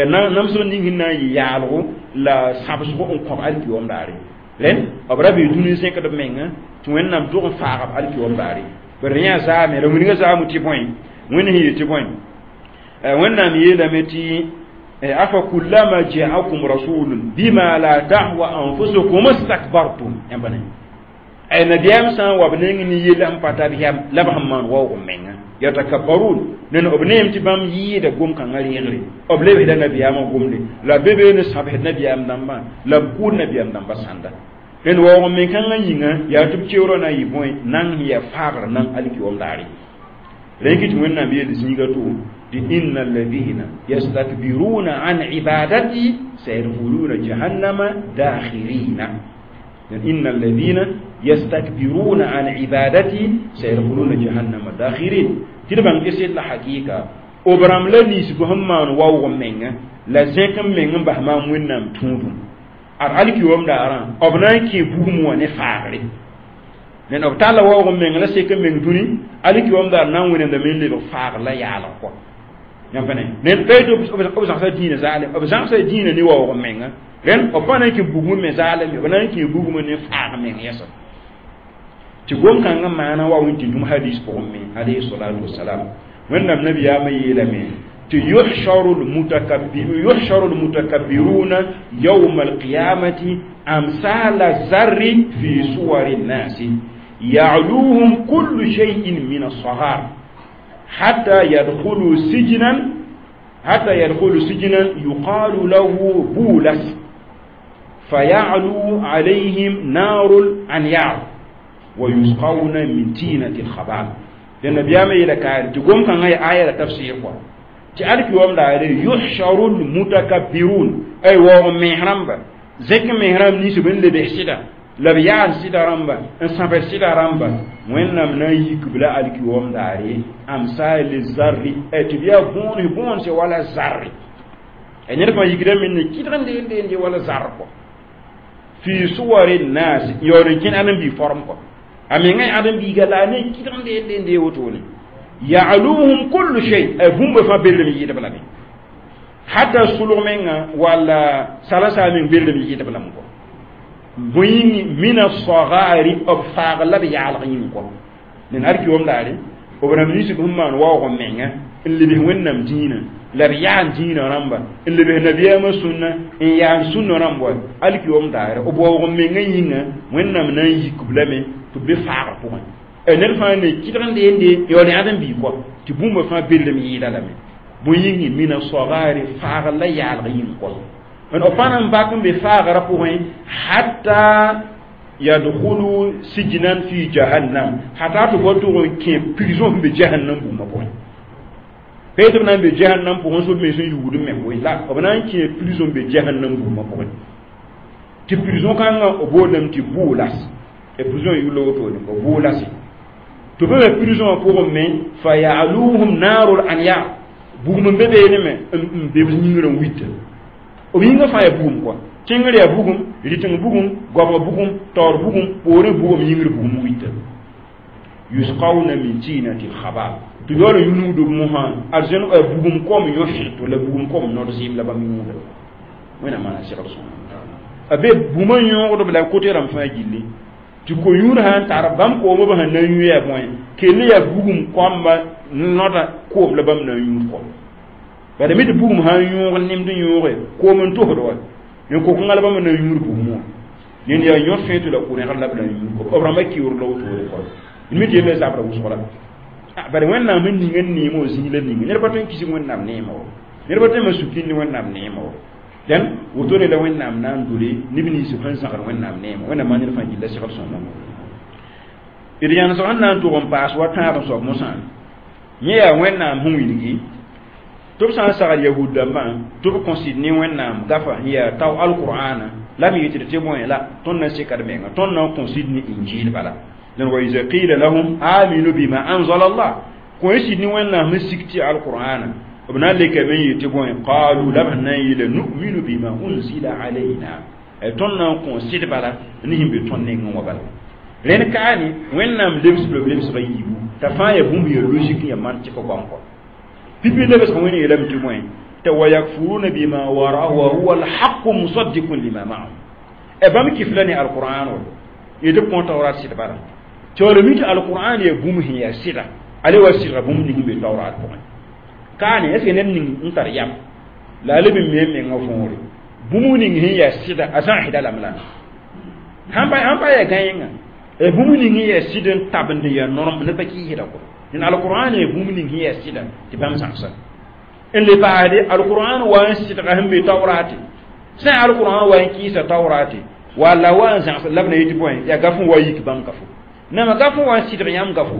A: namsg ning sẽn na n yɩ yaalgo la sãbsgo n kõb alkiom daare rẽnd b ra be dũni zẽkd b menga tɩ wẽnnaam tʋg n faagb alkiom daare bari yã zaame la wilga zaamu tɩ bõe wẽnd sẽn yet tɩ bõe wẽnnaam yeelame tɩ afa kullama jaakum rasulun bima la tahwa anfusukum istakbartum yãmba ne ay nabiyaam sã n wa b neng ne yell sẽn pa tar yam la b sẽn maan waoog n menga yatakabbarun nen b neem tɩ bãmb yɩɩda gom-kãngã reegre b lebsda nabiyaamã gomde la be be ne sãbsd nabiyaam dãmbã la b kʋʋd nabiyaam dãmbã sãnda rẽnd waoog n men-kãngã yĩnga yaa tɩ b keoorã na n yɩ bõe nang sẽn yaa faagr nang alkiwam daare rẽn kɩ tɩ wẽnnaam yeel zĩiga to tɩ inna alladhina yastakbiruna an ibadati sayadkhuluna jahannama dakhirina inna alladhina yastakbiruna an ibadati sayadkhuluna jahannama dakhirin tɩ d bãng tɩ sed la hakɩɩka b rãmb la ninsb sẽn maan waoog n menga la zẽk n meng n bas maam wẽnnaam tũudum ad alkiwam daarã b na n kẽ bugum wã ne faagre ned b talla waoog n meng la sek n meng dũni alkiwam daar na n wẽnemdame n lebg faagr la yaalg kɔ yãmb pa ne ned pa yetɩ b zãgsa dĩinã zaalem b zãgsa dĩinã ne waoog n menga rẽnd b pa na n kẽ bugmẽ me zaalem b na n kẽ bugmẽ ne faag meng yɛsa tɩ gom-kãngã maana wa wẽn tɩ dũm hadis pʋgẽ me alayhi salatu wasalam wẽnnaam nabiyaamã yeelame tɩ yuhsharu yuhsharu lmutakabbiruna yawma alqiyamati amsala zarri fi suwari nnasi ya'luhum kullu shay'in min alsagar hatta yadkhulu sijnan hatta yadkhulu sijnan yuqalu lahu bulas. فيعلو عليهم نار الأنيار ويسقون من تينة الخبال لأن بيام إلى كان تقوم كان هي آية تفسير قوة تعرف يوم دار يحشر المتكبرون أي وهم مهرم زك مهرم نيس بن لبحسدا la b yaal sɩda rãmba n sãbd sɩda rãmba wẽnnaam na n yik b la alkiyoom daare amsal zarri tɩ b yaa bõon bõonse wala zarre ned fãa yikda me ne kɩdg n deen deen wala zar kɔ fi suwari nas yaool n kẽn ãdem-biig form kɔ a menga ãdem-biiga la a ne kɩdg n deen deen dee wotone ya'luhum kullu shay bũmba fãa berlem yɩɩdb lame hata sulg menga walla salasa meng berlem yɩɩdb lame kɔ bõe min asagari b faag la b yaalg yĩng kɔ nen alkiyoom daare b rãmb ninsb sẽn maan waoog n menga n lebs wẽnnaam dĩinã la b yaan dĩinã rãmba n lebs nabiyaamã sũnna n yaan sũnna rãmb wa alkiyoom daare b waoog n menga yĩnga wẽnnaam na n yik b lame tɩ b be faagr pʋgẽ ned fãa ne kɩdg n deende yaool ãdem-biig kɔ tɩ bũmba fãa berlem yɩɩda lame bõe yĩngi min asagari faagr la yaalg yĩng kɔ n b pa na n bak n be faagrã pʋgẽ hatta yadkhulu sijnan fi jahannam hata tɩ ba tʋg n kẽ prison sẽn be jahannam bũmba pʋgẽ pa tɩ b na n be jahannam pʋgẽ sob me sẽn yugd me koe la b na n kẽ prison be jahannam bũmba pʋgẽ tɩ prison kãngã b boolame tɩ bʋʋlas prison yʋla wotone b bʋʋlase tɩ b me prison wã pʋgẽ me fa yaluhum naarul anyar bugum n be beene me n be b yĩngrã n wita b yĩngã fãa yaa bugum kɔa kẽngr yaa bugum rɩteng bugum goabg bugum taoor bugum poorẽ bugum yĩngr bugum wita yusqawna min tinati lkhabal tɩ yaool n yũnugd b mosã arzẽn bugum kom yõ-fɩto la bugum kom nod zɩɩm la bãmb yũuda wẽnnaam maana segd sõma a be bũmã yõogdb la kote rãmb fãa gilli tɩ ko-yũud sã n tar bãmb koomã b sẽn na n yũ yaa bõe kell yaa bugum koamba noda koom la bãmb na n yũud kɔ bala mi tɩ bugum sã n yõog nemd n yõoge koom n tosd wa n kokõnga la bãmb na n yũud bugum wã ned yaa yõ fẽe tɩ la ko-rẽgr la b na n yũud kɔ b rãmbã kiuur la wotore kɔ mi tɩ yella zabra wʋsg la bala wẽnnaam sẽn ning n neem wã zĩig la ninga ned pa tõe n kisg wẽnnaam neema wa ned pa tõe n ma sukĩnd wẽnnaam neema wa dẽn wotone la wẽnnaam na n dole neb nins sẽn zãgd wẽnnaam neema wẽnnaam maan ned fãa gilla segd sõma d yãnesg sẽn na n tʋg n paas wa tãab n soab mosã yẽ yaa wẽnnaam sẽn wilgi tɩ b sã n sagl yahud dãmbã tɩ b kõ sɩd ne wẽnnaam gafa n yaa tao alqur'ana la me yetd tɩ bõe la tõnd na n seka d menga tõnd na n kõ sɩd ne injil bala dẽn wa iza qila lahum aminu bima anzala allah kõ y sɩd ne wẽnnaam sẽn sik tɩ alqur'ana b na n lekame n yet tɩ bõe qalu la b sẽn na n yeela nu'minu bima unzila alayna tõnd na n kõ sɩd bala ne sẽn be tõnd nengẽ wã bala rẽnd kaane wẽnnaam lebsb la b lebsga yiibu t'a fãa yaa bũmb yaa logique n yaa mantik goam kɔ pipi lebsg wẽn yeelame tɩ bõe tɩ wa yakfuruna bima waraahu wa huwa alhaqu musaddiqun lima ma'ahum e bãmb kifla ne alqur'an wa yetɩ b kõ taurat sɩd bala tɩ wala mi tɩ alqur'an yaa bũmb sẽn yaa sɩda ale wa sɩdga bũmb ning be taurat pʋgẽ kaane est ce que ned ning n tar yam la a leb n me mengã võore bũmb ning sẽn yaa sɩda a zãgsda lame la sãn pa sãn pa yaa gãenga bũmb ning sẽn yaa sɩd n tabend n yaa norem ned pa kɩɩsda kɔ dẽn alqur'an yaa bũmb ning sẽn yaa sɩda tɩ bãmb zãgsa n le paasde alqur'an wa n sɩdga sẽn be taorate sã alqur'an wa n kɩɩsa taorate walla wa n zãgs la b na yetɩ bõe yaa gaf n wa yik bãmb gafo nama gaf n wa n sɩdg yãmb gafo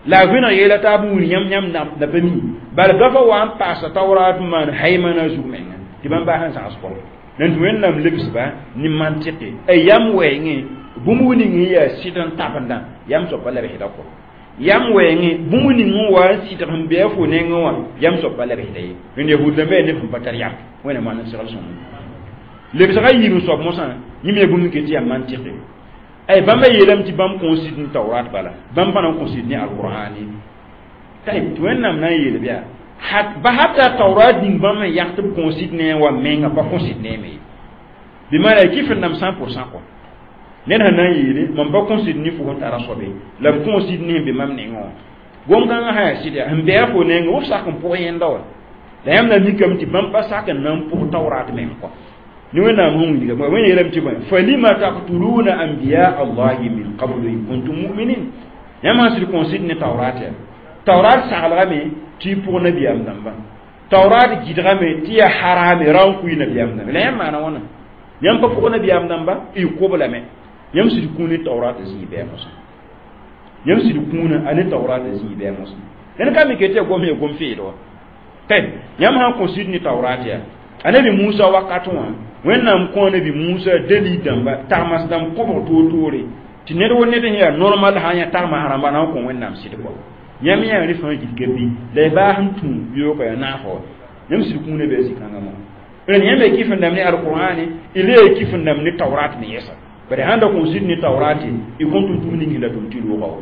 A: la a vẽneg yeela t'a b wilg yãmb yãmb na pa mi bala gafa wa n paasa taurat n maan haimana zug menga tɩ bãmb baa sẽn zãgs kɔ nan tɩ wẽnnaam lebsba ne mantɩke a yam wɛɛngẽ bũmb ning sẽn yaa sɩd n tabendã yam soab pa lebsda kɔ yam wɛɛngẽ bũmb ning n wa n sɩdg sẽn be a fo nengẽ wã yam soab pa lebsda ye rẽnd yahud dãmbã yaa neb sẽn pa tar yam wẽnnaam maan n segl sõma lebsga yiib n soab mosã yẽm yaa bũmb n ket tɩ yaa mantɩke ay bãmba yeelame tɩ bãmb kõ sɩd n taurat bala bãmb pa na n kõ sɩd ne alqur'ane tɩ wẽnnaam na n yeel bɩa ba hata taurat ning bãmb sẽn yak tɩ b kõ sɩd ne wa menga pa kõ sɩd neeme ye bɩ maana kɩf n nam cent pour cent kɔ ned sẽn na n yeele mam pa kõ sɩd ne fo sẽn tara soabe la m kõ sɩd ne sẽn be mam nengẽ wã gom-kãngã sã yaa sɩd yaa sẽn be a fo nengẽ f sak n pʋg yẽnda wa la yãmb na mikame tɩ bãmb pa sak n na n pʋg taurat meng kɔ ne wẽnnaam sẽn wilga wẽn yeelame tɩ bõe falima taqtuluna anbiya allahi min qablu in kuntum mu'minin yãmb sã sɩd kõ sɩd ne taurat yaa taurat saglgame tɩ y pʋg nabiyaam dãmba taurat gɩdgame tɩ yaa harame ra n kʋɩ nabiyaam dãmba la yãmb maana wãna Yãmb pa pʋg nabiyaam dãmba y kob lame yãmb sɩd kũun ne taorat zĩig bɩ mosã yãmb sɩd kũuna a ne taorat zĩig bɩ mosã ned ka mi ke tɩ ya gom ya gom feed wa tɩ yãmb sã n kõ sɩd ne taurat yaa a nabi Musa wakat wã Wẽnnaam kõ nabi Musa dalil dãmba tagmas dãmb kõbg toor-toore tɩ ned wo ned sẽn yaa normal sã n yã tagmas rãmba na n kõ Wẽnnaam sɩd kɔ yãmb yaa rẽ fãa gilga bɩ la y baas n tũ yoka yaa naafã wa yãmb sɩd kũuna bɩ a zĩ-kãngã mo rẽnd yãmb ya kɩf n dãmb ne alqur'ane y le ya kɩf n dãmb ne taurat me yɛsa bare sãn da kõ sɩd ne taurate y kõn tʋm-tʋm ning la tʋm tɩ loogã wa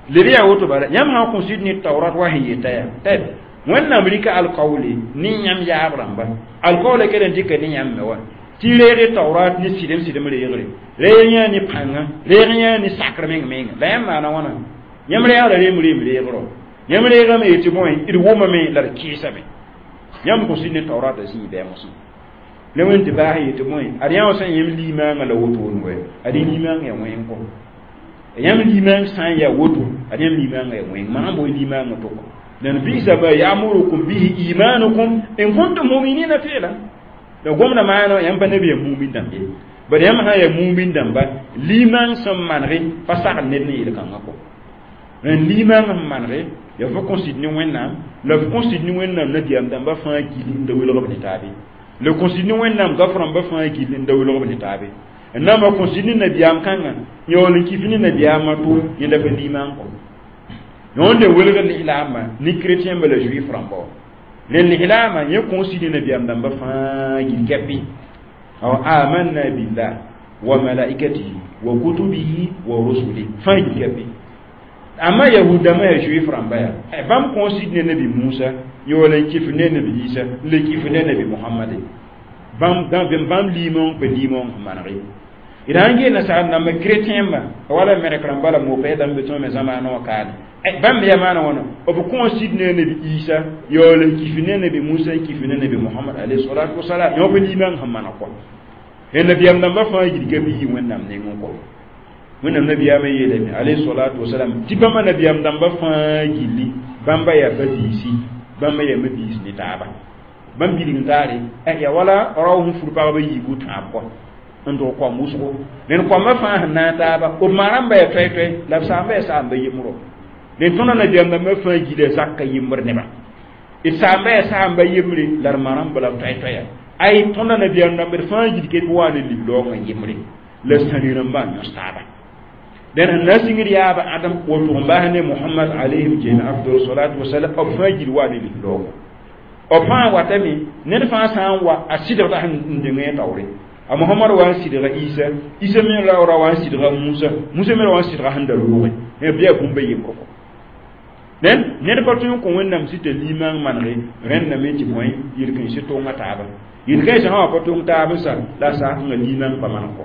A: leb yaa woto bala yãmb sã n kõ sɩd ne taurat wa sẽn yeta yaa tɛb Wẽnnaam rɩka alkaoole ne yãmb yaab rãmba alkaoola kell n dɩka ne yãmb me wa tɩ reeg taurat ne sɩdem sɩdem reegre reeg yã ne pãnga reeg yã ne sakr meng menga la yãmb maana wãna yãmb reegra reem reem reegrɔ yãmb reegame yetɩ bõe d wʋmame la d kɩɩsame yãmb kõ sɩd ne taurata zĩig bɩ mosã la wẽnd tɩ baas yetɩ bõe ad yã wã sã n yãmb limaangã la wotone wɛ ad limaangã yaa wẽng kɔ yãmb limaang sã n yaa woto ad yãmb limaangã yaa wẽng maan boe limaangã tʋkɔ lan bisa ma ya'murukum bihi imanukum in kuntum mu'minina fi'lan la gomda maana yãmb pa nabi ya mumin dãmb ye bad yãmb sã yaa mumin dãmba limaang sẽn manege pa sagl ned ne yel-kãngã kɔ rẽnd limaang sẽn manege yaa fo kõ sɩd ne Wẽnnaam la f kõ sɩd ne Wẽnnaam nabiyaam dãmba fãa gill n da welg b ne taabe la kõ sɩd ne Wẽnnaam gaf rãmba fãa gill n da welg b ne taabe n na n kõ sɩd ne nabiyaam kãngã yaool n kif ne nabiyaamã to yẽnda pa limaang kɔ yõnd n welg lislaambã ne chrétien ba la juif rãmba wa rẽnd lislaambã yẽ kõ sɩd ne nabiyaam dãmba fãa gill kɛpɩ aw amanna billah wa malaikatihi wa kutubihi wa rusulihi fãa gill kɛpɩ amma yahud dãmbã yaa juif rãmba yaa bãmb kõ sɩd ne nabi Musa yaool n kif ne nabi Isa n le kif ne nabi Mohamade bãmb bãmb liimong pa liimong sẽn manege d sãn gee nasaar dãmba chrétien ba wala merk rãmba la mopɛ dãmb be tõe me zamaanã wã kaane bãmb yaa maana wãna b kõ sɩd ne nabi Isa yaool n kif ne nabi Musa n kif ne nabi Mohamad alayhi salatu wasalam yõ pa liimang sẽn maneg kɔ nabiyaam dãmba fãa gilga bɩ yɩ Wẽnnaam nengẽ kɔ Wẽnnaam nabiyaamã yeelame alayhi salatu wasalam tɩ bãmba nabiyaam dãmba fãa gilli bãmba yaa ba-biisi bãmba yaa ma-biis ne taaba bãmb bilg n taare yaa wala rao sẽn fur pagba yiibu tãab kɔ n dog koam wʋsgo rẽnd koambã fãa sẽn naag taaba b ma-rãmba yaa toɛ-toɛ la b saamba yaa saamba yembrɔ rẽnd tõndã nabiyaam dãmbã fãa gila zaka yembr nebã d saamba yaa saamba yembre la d ma-rãmba la b toɛ-toɛya ay tõndã nabiyaam dãmb d fãa gil ket wa ne liglaoogã yembre la sãni rãmbã n yõs taaba dẽn sẽn na n sĩngd yaaba Adam woto n bas ne Mohamad alayhim jami afdal salatu wasalam b fãa gil wa ne liglaoogã b fãa watame ned fãa sã n wa a sɩdgda sẽn dengẽ taoore a Mohamad wa n sɩdga Isa Isa me ra wa n sɩdga Musa Musa me ra wa n sɩdga sẽn da loogẽ bɩ yaa bũmba yembr kɔ dẽn ned pa tõe n kõ Wẽnnaam sɩta limaang manege rẽndame tɩ bõe yel-kãensã tʋnga taaba yel-kãensã sã wa pa tʋng taab n sa la a saakẽngã limaang pa maneg kɔ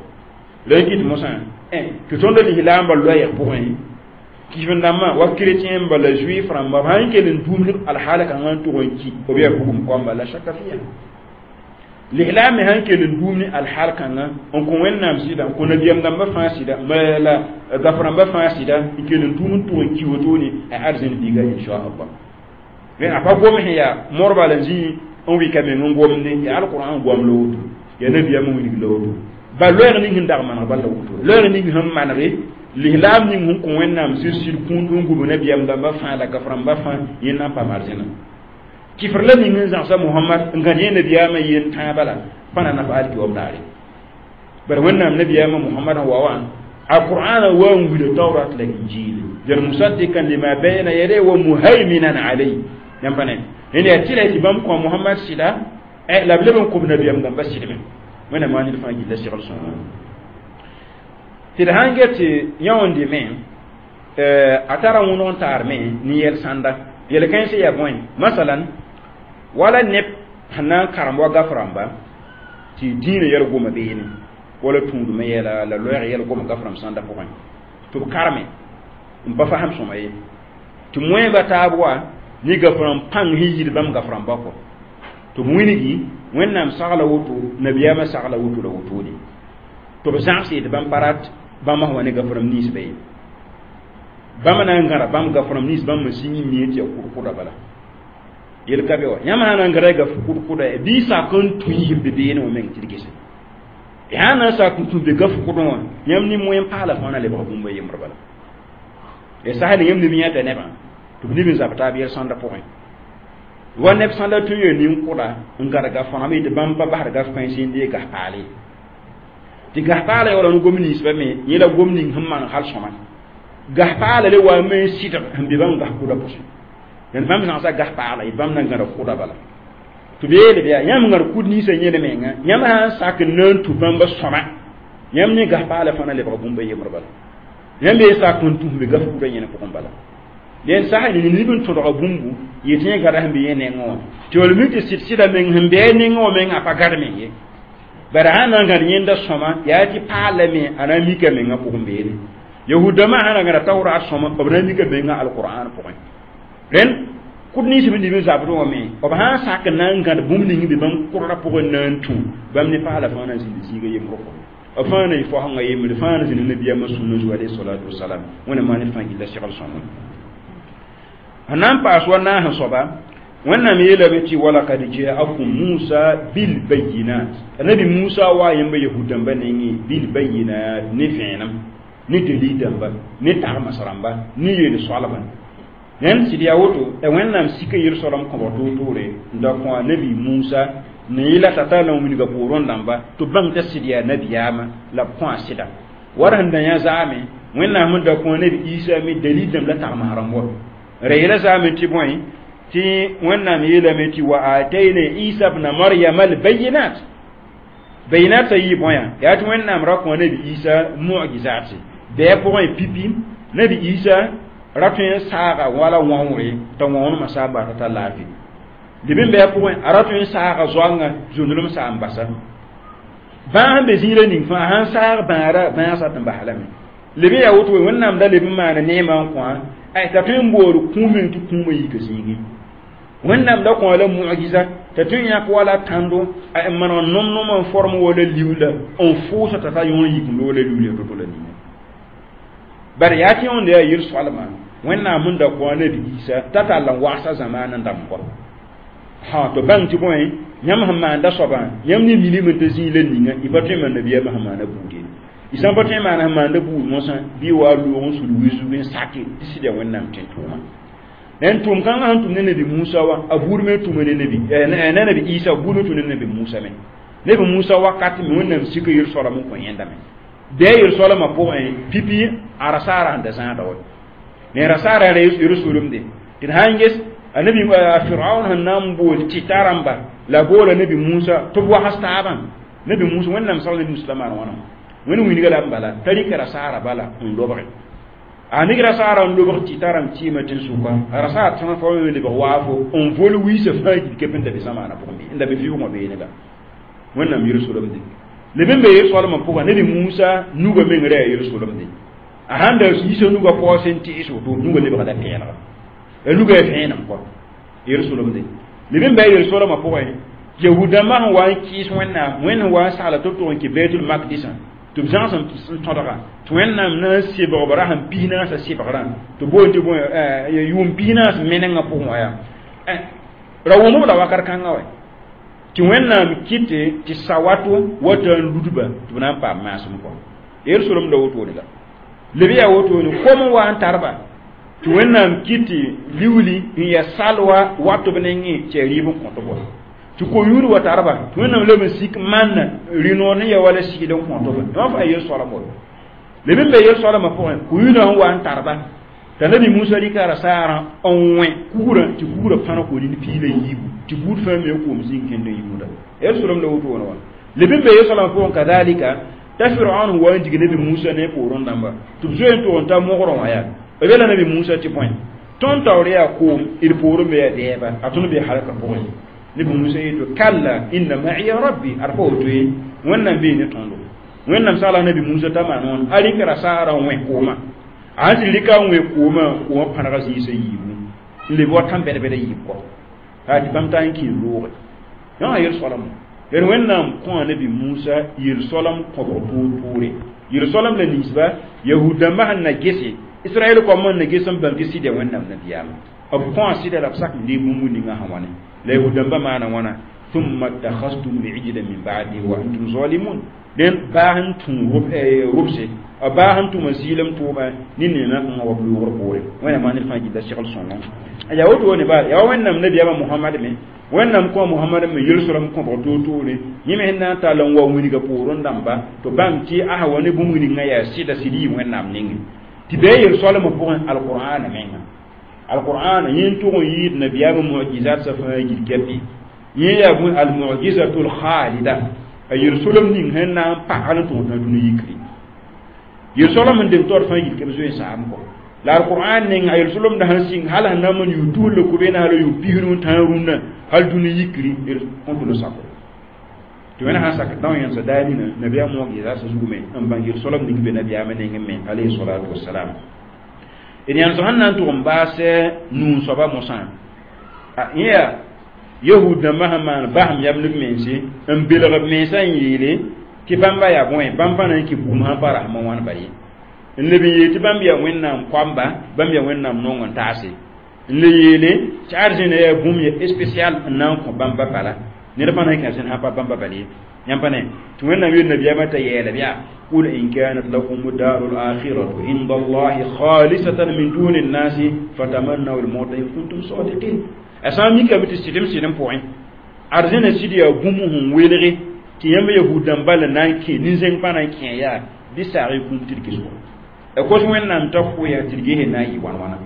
A: la y kɩt mosã tɩ tõnd lislaambã loɛɛg pʋgẽ kɩf-n-dãmbã wa chrétien ba la juif rãmba b sã n kell n dũmd alhaal kãngã n tʋg n ki b yaa bugum koamba la shaka fiya lislaam me sãn kell n dũum ne alhaal kãngã n kõ Wẽnnaam sɩda n kõ nabiyaam dãmbã fãa sɩda la gaf rãmbã fãa sɩda n kell n dũum n tʋg n ki wotone a arzẽn biiga inchallah rẽ a pa gom sẽn yaa morba la zĩ n wɩka meng n gomde yaa alqur'an goam la woto yaa nabiyaam n wilg la woto ba loɛɛg ning sẽn dag maneg bal la woto loɛɛg ning sẽn manege lislaam ning sẽn kõ Wẽnnaam sɩd sɩd kũud n gub nabiyaam dãmbã fãa la gaf rãmbã fãa yẽ na n paam arzẽna kifr la ning n zãgsa Mohamad n gãd yẽ nabiyaamã yen tãabã la pa na na pa alkiwam daare bara Wẽnnaam nabiyaamã Mohamad sẽn wa wã alqur'ana wa n wila taurat la injil jar musaddikan lima bayna yadayhi wa muhaiminan alayhi yãmb pa ne rẽnd yaa tɩ la tɩ bãmb kõ Mohamad sɩda la b leb n kob nabiyaam dãmbã sɩdme Wẽnnaam maa ned fãa gilla segl sõnga tɩ d sãn get tɩ yãoonde me a tara wõneg n taar me ne yɛl sãnda yel-kãensã yaa bõe masalan wala neb sẽn na n karem wa gaf rãmba tɩ dĩinã yɛl goma beene wala tũudmã yɛla la loɛɛg yɛl goma gaf rãmb sãnda pʋgẽ tɩ b karme n pa fasem sõma ye tɩ moẽba taab wa ne gaf rãmb pãng sẽn yid bãmb gaf rãmba kɔ tɩ b wilgi Wẽnnaam sagla woto nabiyaamã sagla woto la wotone tɩ b zãgs yetɩ bãmb pa rat bãmb sẽn wa ne gaf rãmb nins ba ye bãmb na n gãda bãmb gaf rãmb nins bãmb me sĩng n mie tɩ yaa kʋd-kʋda bala yel ka be wa yãmb sã na n gãda gaf kʋd-kʋda bɩ sak n tũ yib beene wã meng tɩ d gese Sã na n sak n tũ be gaf kʋdẽ wã, yãmb ne moen paala fãa na lebg bũmb a yembr bala. Ya sas ne yãmb neb yãta nebã tɩ b neb n zab taab yel-sõanda pʋgẽ. Wa neb sã da tõe n yaa nin-kʋda n gãd gaf-fãna me tɩ bãmb pa basd gaf-kãens n deeg gas-paale. Tɩ gas-paala yaoola ne gom ninsbã me, yẽ la gom ning sẽn maneg hal sõma. Gas-paala le wa me n sɩdg sẽn be bãmb gas-kʋda pʋsẽ. Dẽnd bãmb zãgsa gas-paala, yɩ bãmb na n gãda kʋda bala. Tɩ b yeele bɩ yaa yãmb gãd kud ninsã yẽl menga, yãmb sã n sak n na n tũ bãmba sõma, yãmb ne gas-paala fãa na lebg bũmb a yembr bala. Yãmb ye sak n tũ sẽn be gaf-kʋda yẽne pʋgẽ bala. Dẽn sas ne neb n tõdga bũmbu yetɩ yẽ gada sẽn be yẽ nengẽ wã. Tɩ wall mik tɩ sɩd-sɩda meng sẽn be a nengẽ wã meng a pa gad meng ye. Bara sã na n gãd yẽnda sõma, yaa tɩ paala me a na n mika mengã pʋgẽ beene. Yahudãmbã sã na gãda tawraat sõma, b na n mika mengã alqur'an pʋgẽ. Rẽnd kʋd nins b nib n zabd wã me, b sã n sak n na n gãd bũmb ning be bãmb kʋdrã pʋgẽ na n tũ, bãmb ne paala fãa na n zĩnd zĩiga yembrã pʋgẽ. B fãa na yɩ faosengã yembre, fãa na zĩnd nabiyaamã sũnã zugu alayhi salatu wasalam. Wẽnnaam maan fãa gilla segl sõma. Sẽn na n paas wa naas soaba, Wẽnnaam yeelame tɩ walakad jaakum Musa bilbayinat. Nabi Musa wa yẽmba yahud-dãmbã nengẽ bilbayinat, ne vẽenem, ne dalil dãmba, ne tagms rãmba, ne yel-soalbã. Rẽnd sɩd yaa woto, Wẽnnaam sika yel-soalem kõbg toor-toore n da kõ a nabi Musa ne yɩla t'a tar la wilga poorẽ dãmba tɩ b bãng t'a sɩd yaa nabiyaamã la b kõ a sɩda. War sẽn da yã zaame, Wẽnnaam sẽn da kõ a nabi Isa me dalil dãmb la tagms rãmb wa. Ra yeela zaame tɩ bõe tɩ Wẽnnaam yeelame tɩ wa atayna Isa bna Maryama albayinat. Bayinat a yɩ bõe yaa tɩ Wẽnnaam ra kõ nabi Isa mu'jizat bɛɛ pʋgẽ pipi. Nabi Isa ra tõe n saaga wala wãoore t'a wãonemã saa n basa t'a laafɩ. Leb n bɩ pʋgẽ a ra tõe n saaga zoangã zũnulem saa n basa. Bãag sẽn be zĩiga ning fãa sãn saag bãagra bãag sa tɩ n bas lame. Leb n yaa woto Wẽnnaam da leb n maana neemã n kõ t'a tõe n bood kũum meng tɩ kũumã yika zĩigẽ. Wẽnnaam da kõ la mu'jiza t'a tõe n yãk wala tãndo n maneg nom-nomã n form wala liuula n fʋʋsa t'a ta yõor yik n loola liuula to-to la ninga. Bara yaa tɩ yõnd yaa yel-soalmã Wẽnnaam sẽn da kõ a nabi Isa t'a tall n wagsa zamaan n dãmb kɔ. Ha tɩ bãng tɩ bõe yãmb sẽn maanda soabã, yãmb ne minim tɩ zĩig la ninga y pa tõe n maan nabiyaamã sẽn maana buud ye. Y sã n pa tõe n maan sẽn maanda buud mosã bɩ wa loog n sud wi-zug n sake tɩ sɩd yaa Wẽnnaam tẽ tʋʋma. Rẽnd tʋʋm kãngã sẽn tʋm ne nabi Musa wã, a buud me tʋma ne nabi ne nabi Isa, a buud me tʋm ne nabi Musa me. Nabi Musa wakat me Wẽnnaam sika yel-soalem n kõ yẽnda me. Bɩa yel-soalemã pʋgẽ pipi a rasaara sẽn da zãada wa. Ne rasaara ra Yerusalem de. Tɩ d sã n ges a nabi a Firaun sẽn na n bool tɩta rãmba la boola nabi Musa tɩ b wags taabã. Nabi Musa Wẽnnaam sagl nabi Musa la maan wãna. Wẽnd wilga la n bala t'a rɩka rasaara bala n lobge. A nig rasaara n lobg tɩta rãmb tɩɩmã tẽn-sʋka, a rasaar tõe fa lebg waafo n vol wiisã fãa gil kep n da be zamaanã pʋgẽ n da be vɩʋʋgã beene la. Wẽnnaam Yerusalem de. Leb n be yel-soalemã pʋgã, nabi Musa nugã meng ra yaa Yerusalem de. A sãn da yiisa nugã paoos n tɩɩs woto, nugã lebgda pẽelga. A nugã yaa vẽenem kɔ Yerusalem de. Leb n bɩ a yel-soalemã pʋgẽ, Yahudãmbã sẽn wa n kɩɩs Wẽnnaam, Wẽnd sẽn wa n sagla tɩ b tʋg n kɩ Baitul Makdisã, tɩ b zãgs n tõdga tɩ Wẽnnaam na n sebg b ra sẽn pis naasã sebgrã tɩ boond tɩ bõe yʋʋm pis naas menengã pʋgẽ wã yaa ra wʋmb la wakat kãngã wa tɩ Wẽnnaam kɩte tɩ sawato wata n ludba tɩ b na n paam maasem kɔ. Yerusalem la wotone la. Leb yaa wotone kom n wa n tarba tɩ Wẽnnaam kɩte liuli n yaa salwa wat b nengẽ tɩ yaa rɩɩb n kõt b wa. Tɩ ko-yũud wa tarba tɩ Wẽnnaam leb n sik manna rĩ-noor ne yaa wala sɩɩd n kõt b. Yõ fãa yel-soalem wa. Leb n be yel-soalemã pʋgẽ, ko-yũudã sẽn wa n tarba t'a nabi Musa rɩka rasaarã n wẽ kugrã tɩ kugrã fãna ko nin piig la yiibu tɩ buud fãa me koom zĩig kẽnd n yũuda. Yerusalem la wotone wã. Leb n be yel-soalemã pʋgẽ kadalika t'a Firaun wa n dig nabi Musa ne poorẽ dãmba tɩ b zoe n tʋg n ta mogrã wã yaa b yeela nabi Musa tɩ bõe tõnd taoor yaa koom d poorẽ be yaa dɛɛba a tõnd be halka pʋgẽ. Nabi Musa yeto kalla inna ma'iya rabbi ad pa woto ye Wẽnnaam bee ne tõndo. Wẽnnaam sagla nabi Musa t'a maan wãna a rɩka rasaarã n wẽ koomã. A sẽn tɩ rɩka n wẽ koomã, koomã pãnega zĩisã yiibu n leb wa tãn-bɛd-bɛda yiib kɔ yaa tɩ bãmb taa n kẽ looge. Yã yel-soalem d Wẽnnaam kõ a nabi Musa yel-soalem kõbg toor-toore. Yel-soalem la ninsba Yahud-dãmbã sẽn na gese Israɛl koamã n na ges n bãmb tɩ sɩd yaa Wẽnnaam nabiyaamã. B kõ a sɩda la b sak n deeg bũmb ninga sã wãne la Yahud-dãmbã maana wãna Thumma ittakhadhtum al-ijla min ba'di wa antum zalimun. Den baa n tũ rʋbse, a baa n tʋma zɩɩlem tʋʋma ne neemã kãngã wa b loogr poore. Wẽnnaam ned fãa gilda segl sõngã. Yaa wotone baa yaa Wẽnnaam nabiyaamã Mohamad me, Wẽnnaam kõ Mohamad me yel-sõrem kõbg toor-toore, yẽ me sẽn na n tall n wa wilga poorẽ dãmba tɩ bãmb tɩ asa wa ne bũmb ningã yaa sɩda sɩd yɩ Wẽnnaam nengẽ tɩ bɩ a yel-soalmã pʋgẽ. Alqur'ana menga, alqur'ana yẽ n tʋg n yɩɩd nabiyaamã mu'jizat sã fãa gil kɛpɩ. Yẽ yaa bõe? Almu'jizatul khalida, a yel-solem ning sẽn na n pa hal n tõog tã dũni yikri. Yel-soalem sẽn deng taoor fãa yil kɛp zoe n saam kɔ la alqur'an neng a yel-solemda sẽn sɩng hal sẽn na n man yʋ tus la kobena, hal yʋ pisnu tãa rũnnã, hal dũni yikri kõt l sako tɩ wẽna sãn sak dão yẽnsa daa nina nabiyaam mu'jizat sã zugu me n bãng yel-soalem ning be nabiyaamã nengẽ me, alayhi salatu wassalam. D yãns sẽn na n tʋg n baas nuun soaba mosã, yẽ yaa yahud dãmbã sẽn maan basem yam ne b mense n belg b mensã n yeele tɩ bãmba yaa bõe, bãmb pa na n kɩ bugum sãn pa rasmã wãn bal ye, n leb n yeel tɩ bãmb yaa Wẽnnaam koamba, bãmb yaa Wẽnnaam nong n taase, n le yeele tɩ arzẽna yaa bũmb ya spécial n na n kõ bãmba bala, ned pa na n kẽ arzẽn sãn pa bãmba bal ye. Yãmb pa ne tɩ Wẽnnaam yeel nabiyaamã t'a yɛɛla yaa: قل إن كانت لكم الدار الآخرة عند الله خالصة من دون الناس فتمنوا الموت إن كنتم صادقين. A sã n mikame tɩ sɩdem sɩdem pʋgẽ arzẽna sɩd yaa bũmb sẽn welge tɩ yãmb yahud dãmba la na n kẽ nin-zẽng pa na n kẽ yaa bɩ saag y kũum tɩ d ges a kos Wẽnnaam t'a kʋya tɩ d ges na n yɩ wãn-wãna.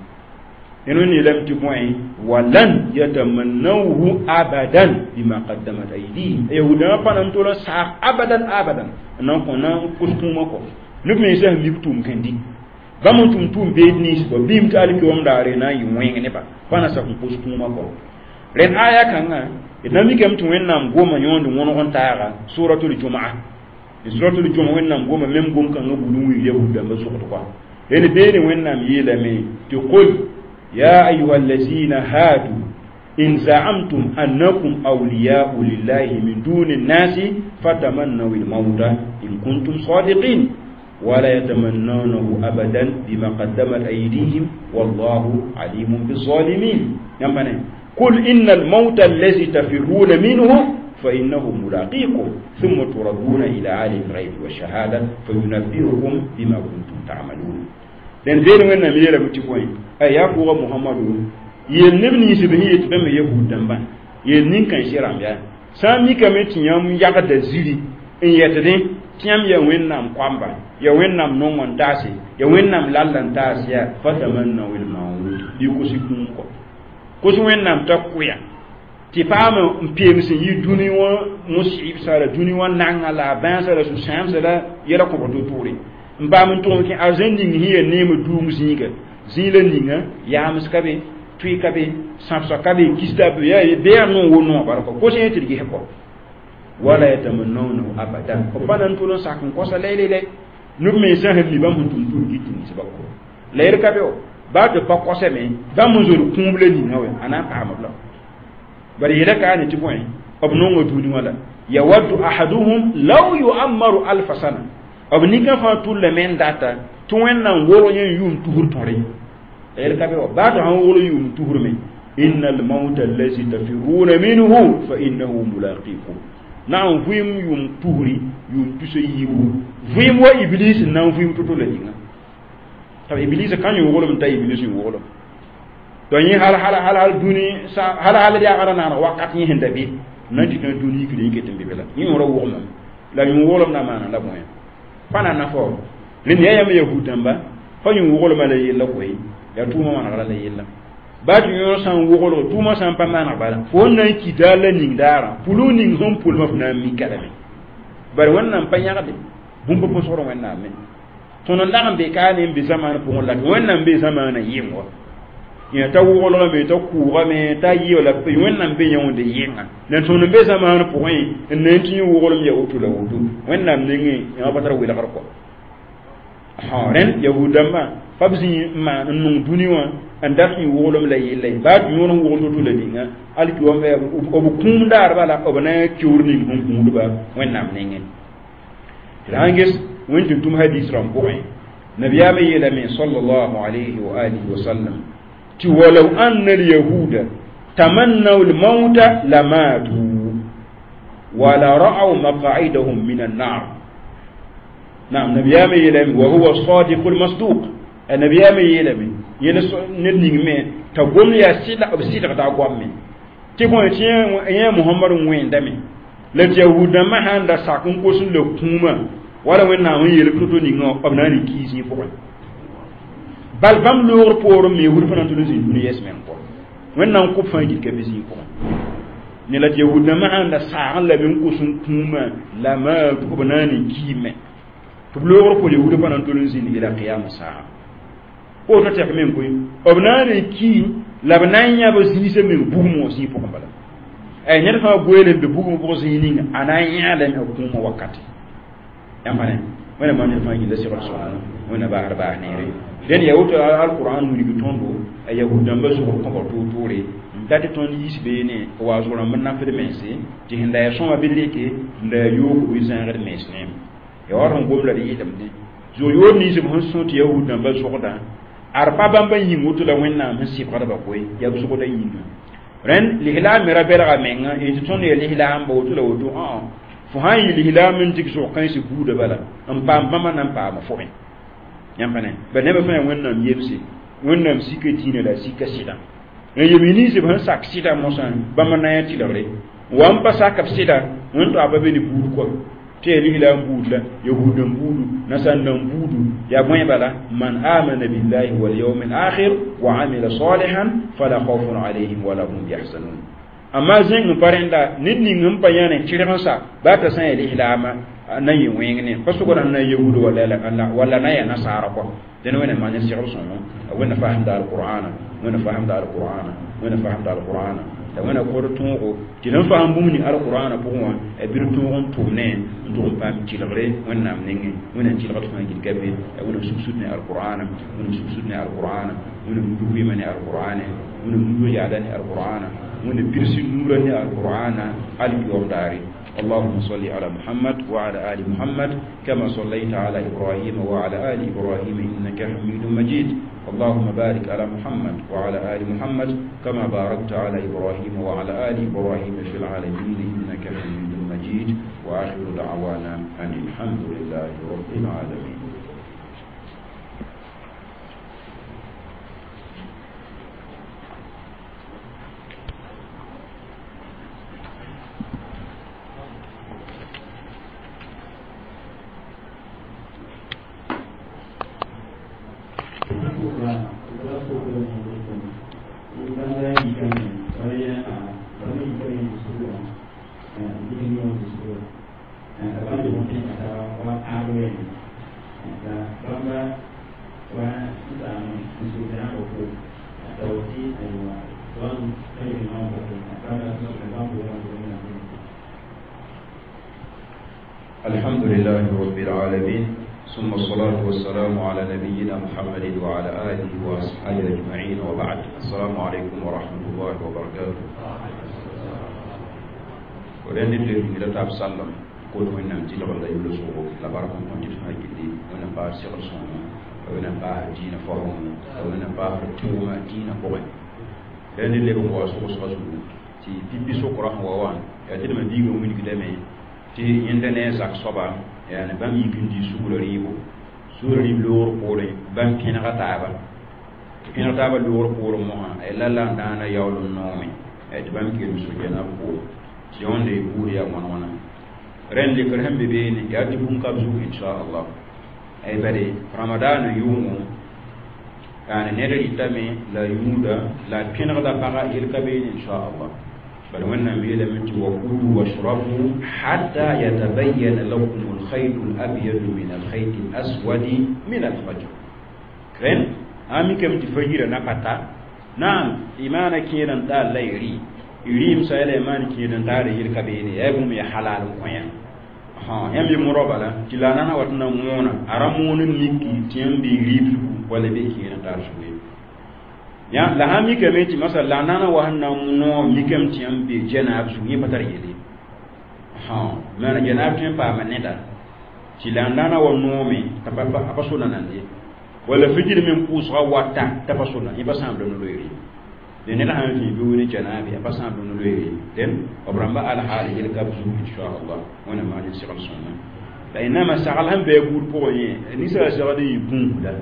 A: Rẽnd yeelame tɩ bõe? Walan yatamannawhu abadan bima qaddamat aydihim. Yahudãmbã pa na n tol n saag abadan abadan n na n kõ na n kos kũumã kɔ neb mensã sẽn mik tʋʋm kẽndi bãmb n tʋm tʋʋm beed nins ba bɩɩm tɩ alkiwam daare na n yɩ wẽng neba pa na sak n kos kũumã kɔ. Rẽnd aya kãngã d na mikame tɩ Wẽnnaam goma yõond wõneg n taaga suratul Jumaa. Suratul Juma, Wẽnnaam goma mem gom kãngã bul n wilg yahud dãmbã sogd kɔa. Rẽnd beene Wẽnnaam yeelame tɩ: قل يا أيها الذين هادوا إن زعمتم أنكم أولياء لله من دون الناس فتمنوا الموت إن كنتم صادقين ولا يتمنونه أبدا بما قدمت أيديهم والله عليم بالظالمين. يعني قل إن الموت الذي تفرون منه فإنه ملاقيكم ثم تردون إلى عالم الغيب والشهادة فينبئكم بما كنتم تعملون. Den beene Wẽnnaam yeelame tɩ bõe? A yaa pʋga Mohamadu, yeel neb nins b sẽn yet bãmb yahud dãmbã, yeel nin-kãensã rãmb yaa sã n mikame tɩ yãmb yagda ziri n yɛtdẽ tɩ yãmb yaa Wẽnnaam koamba, yaa Wẽnnaam nong n taase, yaa Wẽnnaam lall n taas, yaa fatamannaw lmaut, bɩ kos kũum kɔ kos Wẽnnaam t'a kʋya tɩ paam n peem sẽn yɩ dũni wã musɩbsã la dũni wã nanga la a bãasã la sũ-sãamsã la yɛla kõbg to-toore n paam n tʋg n kẽ arzẽn ning sẽn yaa neem duum zĩiga zĩig la ninga yaams ka be, tʋɩ ka be, sãbsga ka be, kista be, bɩ yaa no wo noog bala kɔ kos yẽ tɩ d ges kɔ. Wala yatamannawnahu abadan, b pa na n tol n sak n kosa lɛ-lɛ neb mensã sẽn mi bãmb sẽn tʋm tʋʋm kɩt tɩ ninsba kɔ la yel ka be wa baa tɩ pa kosame bãmb n zod kũum la ninga wɛ a na n paam b la bari yɛla ka ne tɩ bõe b nonga dũni wã la yawaddu ahaduhum law yuammaru alfa sana, b nin-kã fãa tʋllame n data tɩ Wẽnnaam wolg yẽ yʋʋm tusr tõre la yel ka be wa baa tɩ sãn wolg yʋʋm tusrme. إن الموت الذي تفرون منه فإنه ملاقيكم. Na n vɩɩm yʋʋm tusri, yʋʋm tus a yiibu vɩɩm wa Iblis n na n vɩɩm to-to la ninga t'a Iblis ka yõoglem t'a Iblis yõoglem donc yẽ hal hal hal hal dũni hal hal yaagã naaneg wakat yẽ sẽn da be na n tɩ tã dũni yikd yẽ ket n be be la yẽ yõora wʋgmame la yõoglem na maana la bõe pa na na fao rẽnd yaa yãmb yahud dãmba pa yõ-woglmã la yella koe yaa tʋʋmã manegla la yella baa tɩ yõor sã n woglg tʋʋmã sã n pa maneg bala fo n na n ki daar la ning daarã pʋlg ning sẽn pʋlmã f na n mika lame bari Wẽnnaam pa yãgde bũmb pʋsgr Wẽnnaam me tõnd n lag n be kaane n be zamaan pʋgẽ la Wẽnnaam be zamaanã yɩng wa yẽ t'a woglgame t'a kʋʋgame t'a yɩ la Wẽnnaam be yõonde yɩnga la tõnd n be zamaan pʋgẽ n na n tɩ yẽ woglem ya woto la woto Wẽnnaam nengẽ yã pa tar welgr kɔ. Rẽnd yahud dãmbã pa b zĩ n maan n nong dũni wã n dat yẽ woglem la yella baa tɩ yõor n wogl to-to la ninga alki wã b kũum daar bala b na n keoor ning sẽn gũudba Wẽnnaam nengẽ. Tɩ sãn ges Wẽn tɩ tʋm hadis rãmb pʋgẽ, nabiyaamã yeelame sallallahu alayhi wa alihi wa sallam tɩ walaw anna alyahuda tamannaw lmauta lamatu. wala ra'aw maq'idahum min an-nar naam nabiyame yelami wa huwa as-sadiqul masduq nabiyame yelami yele ned ning me t'a gom yaa sɩda b sɩdgda goame tɩ kõ tɩ yẽ Muhammad wẽndame la tɩ yahud dãmbã sãn da sak n kos n la kũumã wala Wẽnnaam n yeel to-to ninga b na n rɩ kiis yẽ pʋgẽ bal bãmb loogr poorẽ me yahud pa na n tʋl n zĩnd dũni yɛs meng pʋgẽ Wẽnnaam kʋb fãa gil ka be zĩig pʋgẽ ne la tɩ yahud dãmbã sãn da saag n lame n kos n kũumã la maatu b na n rɩ kiime tɩ b loogr pʋgẽ yahuudã pa na n tʋl n zĩnd ila qiyama saa woto tɛk meng koe b na n rɩ kii la b na n yãb zĩisã meng bugum wã zĩig pʋgẽ bala ay ned fãa goeele n be bugum pʋgẽ zĩig ninga a na n yãa lame b kũumã wakate yãmb pa ne Wẽnnaam maan ned fãa yĩlla segl sõng Wẽnna baasd baas neere dẽn yaa woto alqur'an wilg tõndo a yahud dãmbã zʋgr kõba toor-toore n dat tɩ tõnd yiis beene wa zʋg rãmb n nafd mense tɩ sẽn da yaa sõma bɩ rɩke n da yaa yoog bɩ zãagd mens neem ya wa sẽn gom la d yɩlemdẽ zʋg yoor nins b sẽn sõ tɩ yahud dãmbã zʋgdã ad pa bãmba yĩng woto la Wẽnnaam sẽn sɩbgdba koe yaa b zʋgdã yĩnga rẽnd lislaam me ra belga menga n tɩ tõnd yaa lislaamba woto la woto ã fo sã n yɩ lislaam n dɩk zʋg-kãensã buudã bala n paam bãmba na n paama fo me yãmb pa ne bal nebã fãa yaa Wẽnnaam yemse Wẽnnaam sika dĩinã la a sika sɩdã n yem nins b sẽn sak sɩda mosã bãmba na n yaa tɩlgre wa n pa sak b sɩda wẽn toa pa be ne buud kɔ tɩ yaa lislaam buud la yahud n buudu nasar n buudu yaa bõe bala man amana billahi walyawm alakhir wa amila salihan fala khawfun alayhim wala hum yahzanun amma zẽng n pa rẽnda ned ning n pa yãne tɩrg n sa baa t'a sã n yaa lislaama na n yɩ wẽng ne pa sʋgd na yahuud walla na yaa nasaara kɔ dẽn Wẽnnaam maan ne segl sõngo Wẽnna fasemda alqur'ana Wẽnna fasemda alqur'ana Wẽnna fasemda alqur'ana la Wẽnna kod tõogo tɩ sẽn fasem bũmb ning alqur'ana pʋgẽ wã b bɩ d tõog n tʋm ne n tʋg n paam tɩlgre Wẽnnaam nengẽ Wẽnnaam tɩlgd fãa gil ka be Wẽnnaam sugsud ne alqur'ana Wẽnnaam sugsud ne alqur'ana Wẽnnaam nudg vɩɩmã ne alqur'ane Wẽnnaam nudg yaada ne alqur'ana Wẽnnaam pirs nuurã ne alqur'ana alkiyoom daare اللهم صل على محمد وعلى آل محمد كما صليت على إبراهيم وعلى آل إبراهيم إنك حميد مجيد اللهم بارك على محمد وعلى آل محمد كما باركت على إبراهيم وعلى آل إبراهيم في العالمين إنك حميد مجيد وآخر دعوانا أن الحمد لله رب العالمين. الحمد لله رب العالمين ثم الصلاة والسلام على نبينا محمد وعلى آله وأصحابه أجمعين وبعد. السلام عليكم ورحمة الله وبركاته. ولن نبدأ إلى تاب سلم كل من نمتي لغلا يلسوه لبارك الله فيك وأنا بار سير صوم وأنا بار دين فهم وأنا بار توما دين قوي لأن اللي هو سوق سوق تي بيبي سوق راح ووان يا تلمي بيجو من كده tɩ yẽnda ne a zak soaba yaani bãmb yik n dɩ sugla rɩɩbo sugla rɩɩb loogr poorẽ bãmb pẽnega taaba tɩ pẽneg taaba loogr poorẽ mosã la la n dãana yaool n noome tɩ bãmb kelem so-gɛnã b poor tɩ yõnde buud yaa wãn-wãna rẽnd lekr sẽn be beene yaa tɩ bũmb ka b zug inchallah ay bade ramadaana yʋʋngõ yaani ned rɩtame la yũuda la pẽnegda pagã yel ka beene inchallah بل وإنما يلمت وكلوا واشربوا حتى يتبين لكم الخيط الأبيض من الخيط الأسود من الفجر. كرين أمي كم تفجر نقطة نعم إيمانا كيران تال لا يري يريم سائل إيمان كيران تال يركبيني يبوم يا حلال وين ها يم يمرو بالا تلانا واتنا مونا أرامون ميكي تيم بيريب ولا بيكيران تال شوي ya la ha mi kame ti masal la nana wa hanna no mi kam ti am be janab su ni patar yele ha mana janab ti pa maneda ti la nana wa no mi ta pa pa so nan de wala fijir min pusra wata ta pa so nan iba samble no loyri de ned sãn vĩ bɩ wʋ ne janaabe a pa sãam bɩ no-loeere dẽn b rãmba alhaal yel ka b zug inchallah wẽnna maan n segl sõma la y nama sagl sẽn bɩ a buud pʋgẽ yẽ ninsaal segd n yɩ gũusda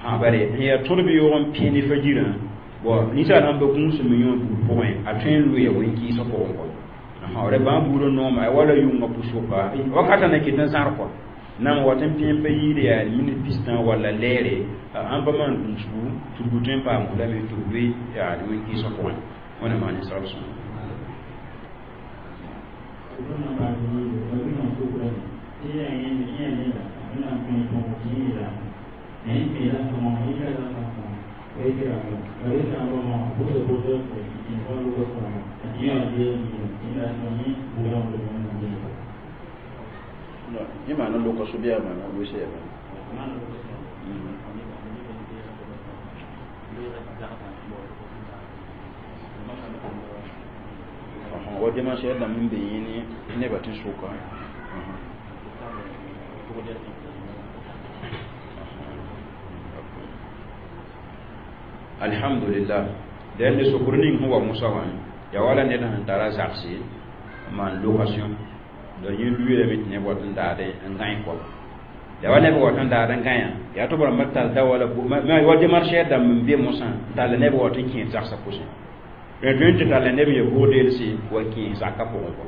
A: sã bare n yaa tõd bɩ yoog n pẽ ne fajirã bon ninsaal sãn pa gũus n me yõ buud pʋgẽ a tõe n loeya wẽn-kɩɩsg pʋgẽ kɔ ra bãmb buud n nooma wala yʋnga pʋsʋka wakatã na kɩt n zãr kɔ nam wat n pẽ pa yɩɩd yaa minit pistã walla lɛɛre ãn pa maan gũusgu tudgu tõe n paam lame tɩ b loe yaa wẽn-kɩɩsg pʋgẽ wẽna maan n segl sõma yẽ maana loka so-bɩa maana wese yaa wa démarche dãmb n be yẽ ne nebã tɩ sʋka alhamdulillah dẽnd sokr ning sẽn wa mosã wã yaa wala ned sẽn tara zagse n maan location la yẽ lueelame tɩ neb wat n daad n gãe kɔ yaa wa neb wat n daad n gãyã yaa tɩ b rãmba tall da wala wa démarche dãmb n be mosã n tall neb wat n kẽes zagsã pʋsẽ rẽ tõe n tɩ talla neb n ya bʋg-deelse wa kẽes zakã pʋgẽ kɔ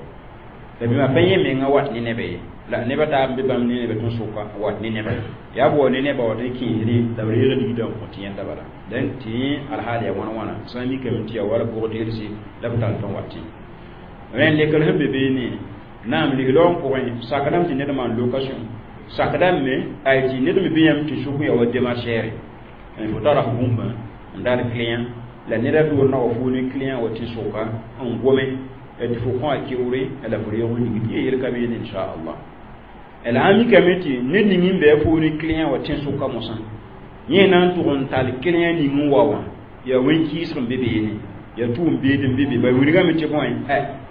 A: la bɩma pa yẽ menga wat ne neba ye la nebã taab n be bãmb ne neba tɩ sʋka wat ne neba yaa b wa ne nebã wat n kẽesre la b reeg ligdã n kõ tɩ yẽnda bala dẽn tɩ yẽ alhaal yaa wãna wãna sã n mikame tɩ yaa wala bʋg-deelse la b tall tɩ n wat tẽ rẽnd lekr sẽn be beene naam lislaoong pʋgẽ sakdame tɩ ned maan location sakdame me ay tɩ ned me bɩ yãmb tɩ sʋk ya wa démarchɛɛre fo tara f bũmba n dar client la neda door na wa fo ne client wa tɩ sʋka n gome tɩ fo kõ a keoore la fo reeg ligd yẽ yel ka beene inchallah la sã mikame tɩ ned ning n bɩ fo ne client wa tẽ sʋka mosã yẽ na n tʋg n tall client ning n wa wã yaa wẽn-kɩɩsg n be beene yaa tʋʋm beed n be be ba wilgame tɩ bõe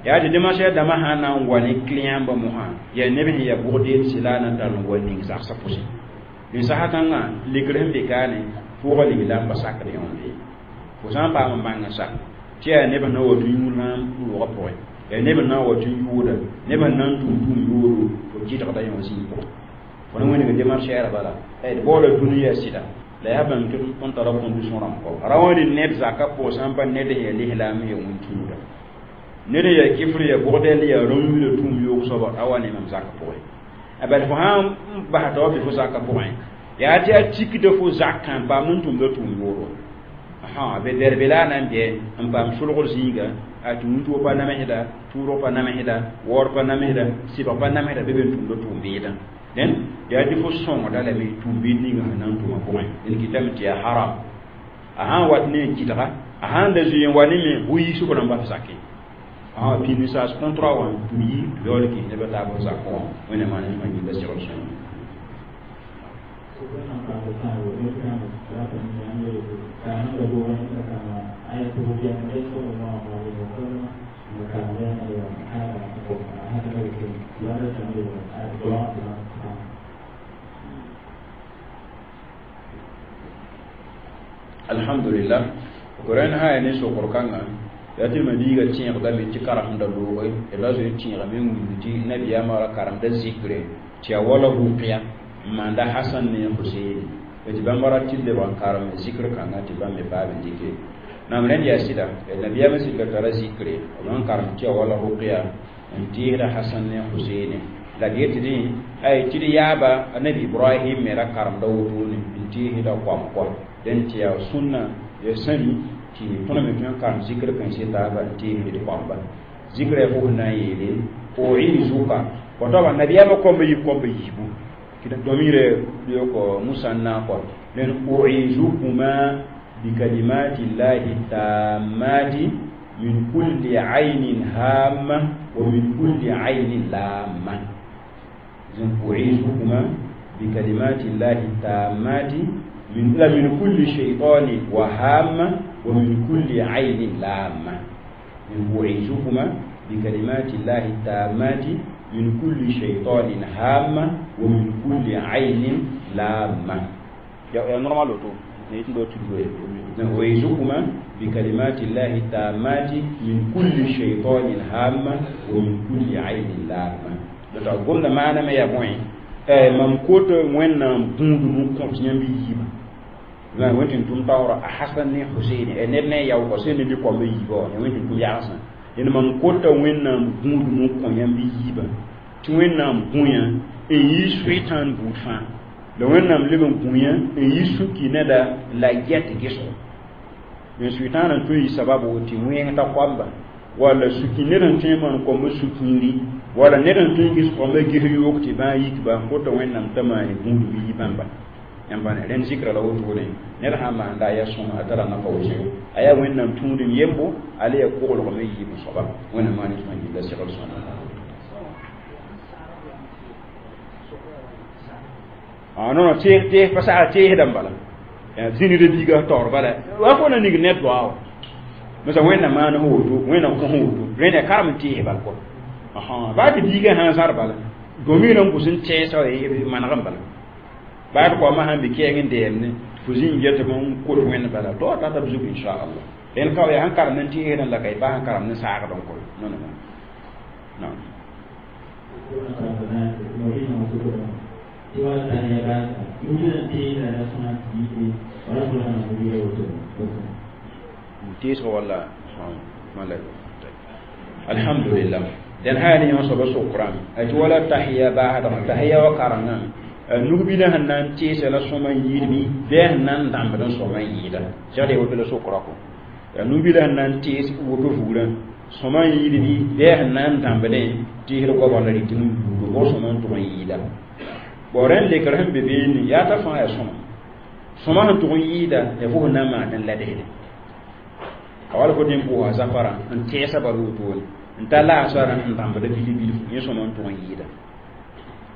A: yaa tɩ démarche dãmbã sã n na n wa ne client ba mosã yaa neb sẽn yaa bʋg-deelse la a na n tall n wa ning zagsã pʋsẽ dẽn sasa kãngã lekr sẽn be kaane pʋʋga ligla n pa sakd yõonde fo sã n paam n bãng n sak tɩ yaa neb sẽn na wa tɩ yũud rãam roogã pʋgẽ yaa neb sẽn na n wa tɩ yʋʋda neb sẽn na n tʋm tʋʋm yoodo fo kɩdgda yõ zĩig pʋgẽ fo na wẽneg démarchɛɛrã bala d baoola dũniyã sɩda la yaa bãmb tɩ tõnd tara condition rãmb kɔ ra wã ne ned zakã pʋgẽ sã n pa ned sẽn yaa lislaam n yaa wẽn-tũuda ned n yaa kɩfr yaa bʋgdɛl yaa rõn-yũudã tʋʋm yoog soaba a wa ne mam zakã pʋgẽ a bal fo sã n basa t'a wa bɩ fo zakã pʋgẽ yaa tɩ a tikda fo zakã n paam n tʋmda tʋʋm yooro ha be derbe la na n bɛ n paam solgr zĩiga a tɩ wĩntoog pa namsda tʋʋrg pa namsda waoor pa namsda sɩbg pa namsda be be n tʋmda tʋʋm-beedã dẽn yaa tɩ fo sõngda lame tʋʋm-beed ninga sẽn na n tʋma pʋgẽ dẽn kɩtame tɩ yaa haram a sã n wat ne n kɩdga a sã n da zoe n wa ne me bʋ yiisg rãmba f zakẽ pĩnd saas contrat wã tɩ b yi tɩ yaool kɩs nebã taab f zakẽ wã wẽnna maan n yĩnga segl sõma alhamdulillah koran ha ne sokor kãngã yaa tɩ mabiiga tẽegdame tɩ karemda looge d ra zoe tẽegame n wilg tɩ nabiyaamã ra karemda zikre tɩ yaa wala rʋkya n maanda hasan ne husein tɩ bãmba ra tɩ lebg n karem zikr kãngã tɩ bãmb me paam n dɩke nam rẽnd yaa sɩda nabiyaamã sɩd ka tara zikre b n karem tɩ yaa wala rʋkya n tɩɩsda hasan ne husein la d yet dẽ ay tɩ d yaaba nabi ibrahim me ra karemda wotone n tɩɩsda koam kɔ dẽn tɩ yaa sũnna yaa sãmi tɩ tõnd me tõe n karem zikr kãense taaba n tɩɩsd d koamba zikra yaa fo sẽn na n yeele uizuka wa nabiyaamã koamba yib koamba yiibu ضمير يوكو مثنى قال لأن أعيذكما بكلمات الله التامات من كل عين هامة ومن كل عين لامة إذن أعيذكما بكلمات الله التامات من لا من كل شيطان وهامة ومن كل عين لامة من أعيذكما بكلمات الله التامات من كل شيطان هامة ومن كل عين لامة يا يا normal auto ne tin do tudu أعيذكما بكلمات الله التامات من كل شيطان هامة ومن كل عين لامة la gomda maana me ya bõe mam kot wẽnnaam gũudum n kõt yãmb yiibã la wẽn tɩ tʋm taoora a hasan ne husein ned ne a yaoogã sẽn ne lɩ-koamba yiibã wã wẽn tɩ tʋm yagsã dẽnd mam kota wẽnnaam gũudum n kõ yãmb yiibã tɩ wẽnnaam gũ-yã n yi soetãan buud fãa la wẽnnaam leb n gũ-yã n yi sũki neda la get gesgo n sʋɩtãan n tõe n yɩ sababo tɩ wẽng ta koamba walla sũki ned n tõe n maan koamba sũ-kiiri walla ned n tõe n gɩs koamba ges yoog tɩ bãa yikba kota wẽnnaam t'a maan gũudum yi bãmba yãmb rẽnd zikra la wotone ned sã n maanda a yaa sõma a tara nafa wʋsgo a yaa wẽnnaam tũudem yembo a le yaa koglgme yiib n soaba wẽnnaam maan tõe n gilla segl sõna ah non non tees tees pa sagl teesdã bala zĩnida biiga taoor bala wa fo na ning ned doa wa masa wẽnnaam maan f woto wẽnnaam kõ f woto rẽnd yaa karem n tees bal kɔ baa tɩ biigã sã n zãr bala gomɩ n bʋs n tɛɛsa maneg n bala baa tɩ koamã sãn be kɛɛng n deemne fo zĩng get n kot wẽnd bala to a tata b zug inchallah rẽnd ka yaa sẽn karemd n teesdã la ka y pa sẽn karemd n saagd n kɔ non non non teesg walla alhamdulillah dẽn sã yaa ne yõ soaba sokrame tɩ wala tahiya baasdgã tahiya wa karengã nug-bilã sẽn na n teesa la sõma n yɩɩd bɩ bɩ a sẽn na n dãmbd n sõma n yɩɩda segd woto la sokra kɔ yaa nug-bilã sẽn na n tees woto vugrã sõma n yɩɩd bɩ bɩ a sẽn na n dãmbdẽ teesd goabg la rɩtɩ n buudo bʋg sõma n tʋg n yɩɩda bon rẽnd lekr sẽn be beene yaa t'a fãa yaa sõma sõma sẽn tʋg n yɩɩda yaa fo sẽn na n maand n la desde a wala fo tɩ n pʋʋsa zafarã n tɛɛsa bal wotone n ta laasarã n dãmbda bili bilfu yẽ sõma n tʋg n yɩɩda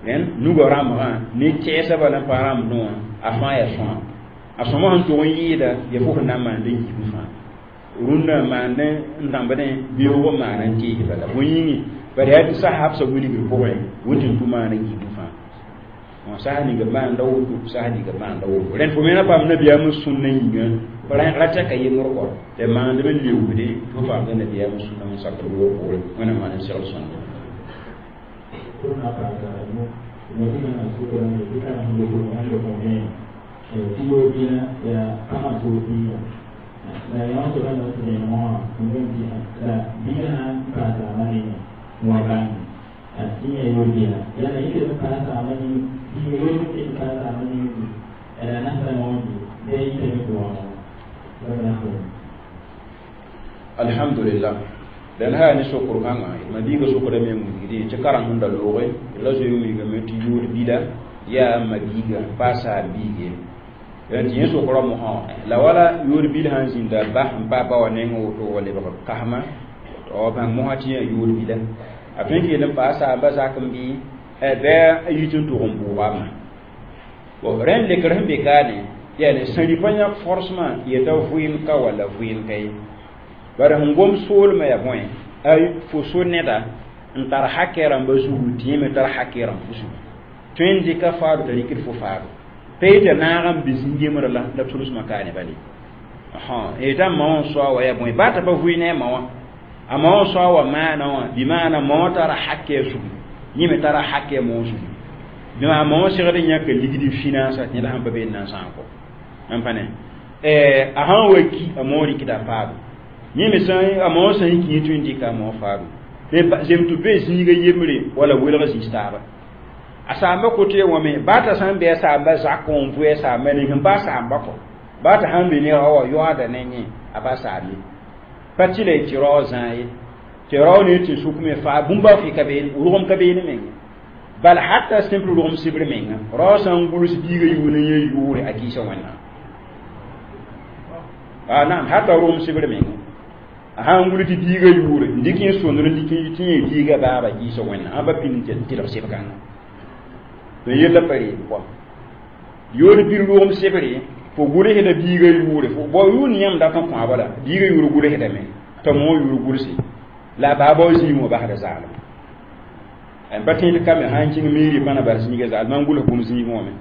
A: rẽnd nugã rãmbgã ne tɛɛsa bala n pa rãmbdẽ wã a fãa yaa sõma a sõma sẽn tʋg n yɩɩda yaa fo sẽn na n maand n yiib fãa rũndã maand n dãmbdẽ beoog n maan n tees bala bõe yĩnge bara yaa tɩ sahabsã wilgr pʋgẽ wẽn tɩ n tʋ maan n yiib fãa sasa ninga maanda woto sasa ninga maanda woto rẽnd fo me na paam nabiyaam sũnna yĩnga ra tɛka yembr kɔ tɩ maandb n leoogde fo paamda nabiyaam sũnna n sakr woor poorẽ wẽnnaam maan n segl sõnda alhamdulillah dan ha ni sokor kãngã d mabiiga sokda me n wilgde tɩ kareng sẽn da looge d la zoe n wilgame tɩ yood bila yaa mabiiga pa a saam biig ye tɩ yẽ sokra mosã la wala yood bil sãn zĩnda ba n pa ba wã neng woto wa lebg kasma wa bãng mosã tɩ yã yood bila a tõe n kell n pa a saamba zak n bɩ bɩ a yit n tʋg n bʋʋgame bon rẽnd lekr sẽn be kaane yaa ne sẽn rɩpa yãk forcement yeta vɩɩm ka walla vɩɩm ka ye bara sẽn gom soolmã yaa bõe a fo so neda n tar hakɛ rãmba zugu tɩ yẽ me tar hakɛ rãmb fo zugu tõe n dɩka faado t'a rɩkd fo faado pa yetɩ naag n be zĩn-gemr la la b sulsmã kaane bale yetã ma wã n soa wa yaa bõe baa t'a pa vʋɩ ne a ma wã a ma wã soa wa maana wã bɩ maana ma wã tara hakɛ zugu yẽ me tara hakɛ moog zugu bɩ maa ma wã segd n yãka ligd finance tɩ yẽla sãn pa bee n na n sãag kɔ n pa ne a sãn wa ki a moog rɩkda faado yẽ me sã a moog sã n kĩ tõe n dɩka a moog faado zem tɩ be zĩiga yembre wala welg zĩis taaba a saamba kote wã me baa t'a sã n bɩ a saamba zak n vʋ a saamba ning n pa a saamba kɔ baa t'a sãn be ne ra wa yoaada ne yẽ a pa saam ye pa tɩ la y tɩ rao zãa ye tɩ rao ne tɩ sʋk me faa bũmba fɩ ka beene rʋgem ka beene menga bal hata simple rʋgem sibr menga rao sã n guls biiga yʋʋn n yẽ yʋʋre a kɩɩsa wẽnnaam a naam hata rʋgem sibr menga a sãn gul tɩ biiga yʋʋre n dɩk yẽ sõndr n dɩk tɩ yẽ biiga baaba kɩɩsa wẽnnaam ãmba pĩnd tɩ tɩlg sɩb-kãngã tɩ yella pa reeb kɔa yood bir rʋgem sebre fo gʋlsda biiga yʋʋre fo bao yʋʋn yãmb dat n kõ bala biiga yʋʋr gʋlsdame t'a moog yʋʋr gʋlse la a baaba wa zĩig wã basda zaalem n pa tẽed kame sã n kẽng miiri pãna bas zĩiga zaal mam gʋls bũmb zĩig wã me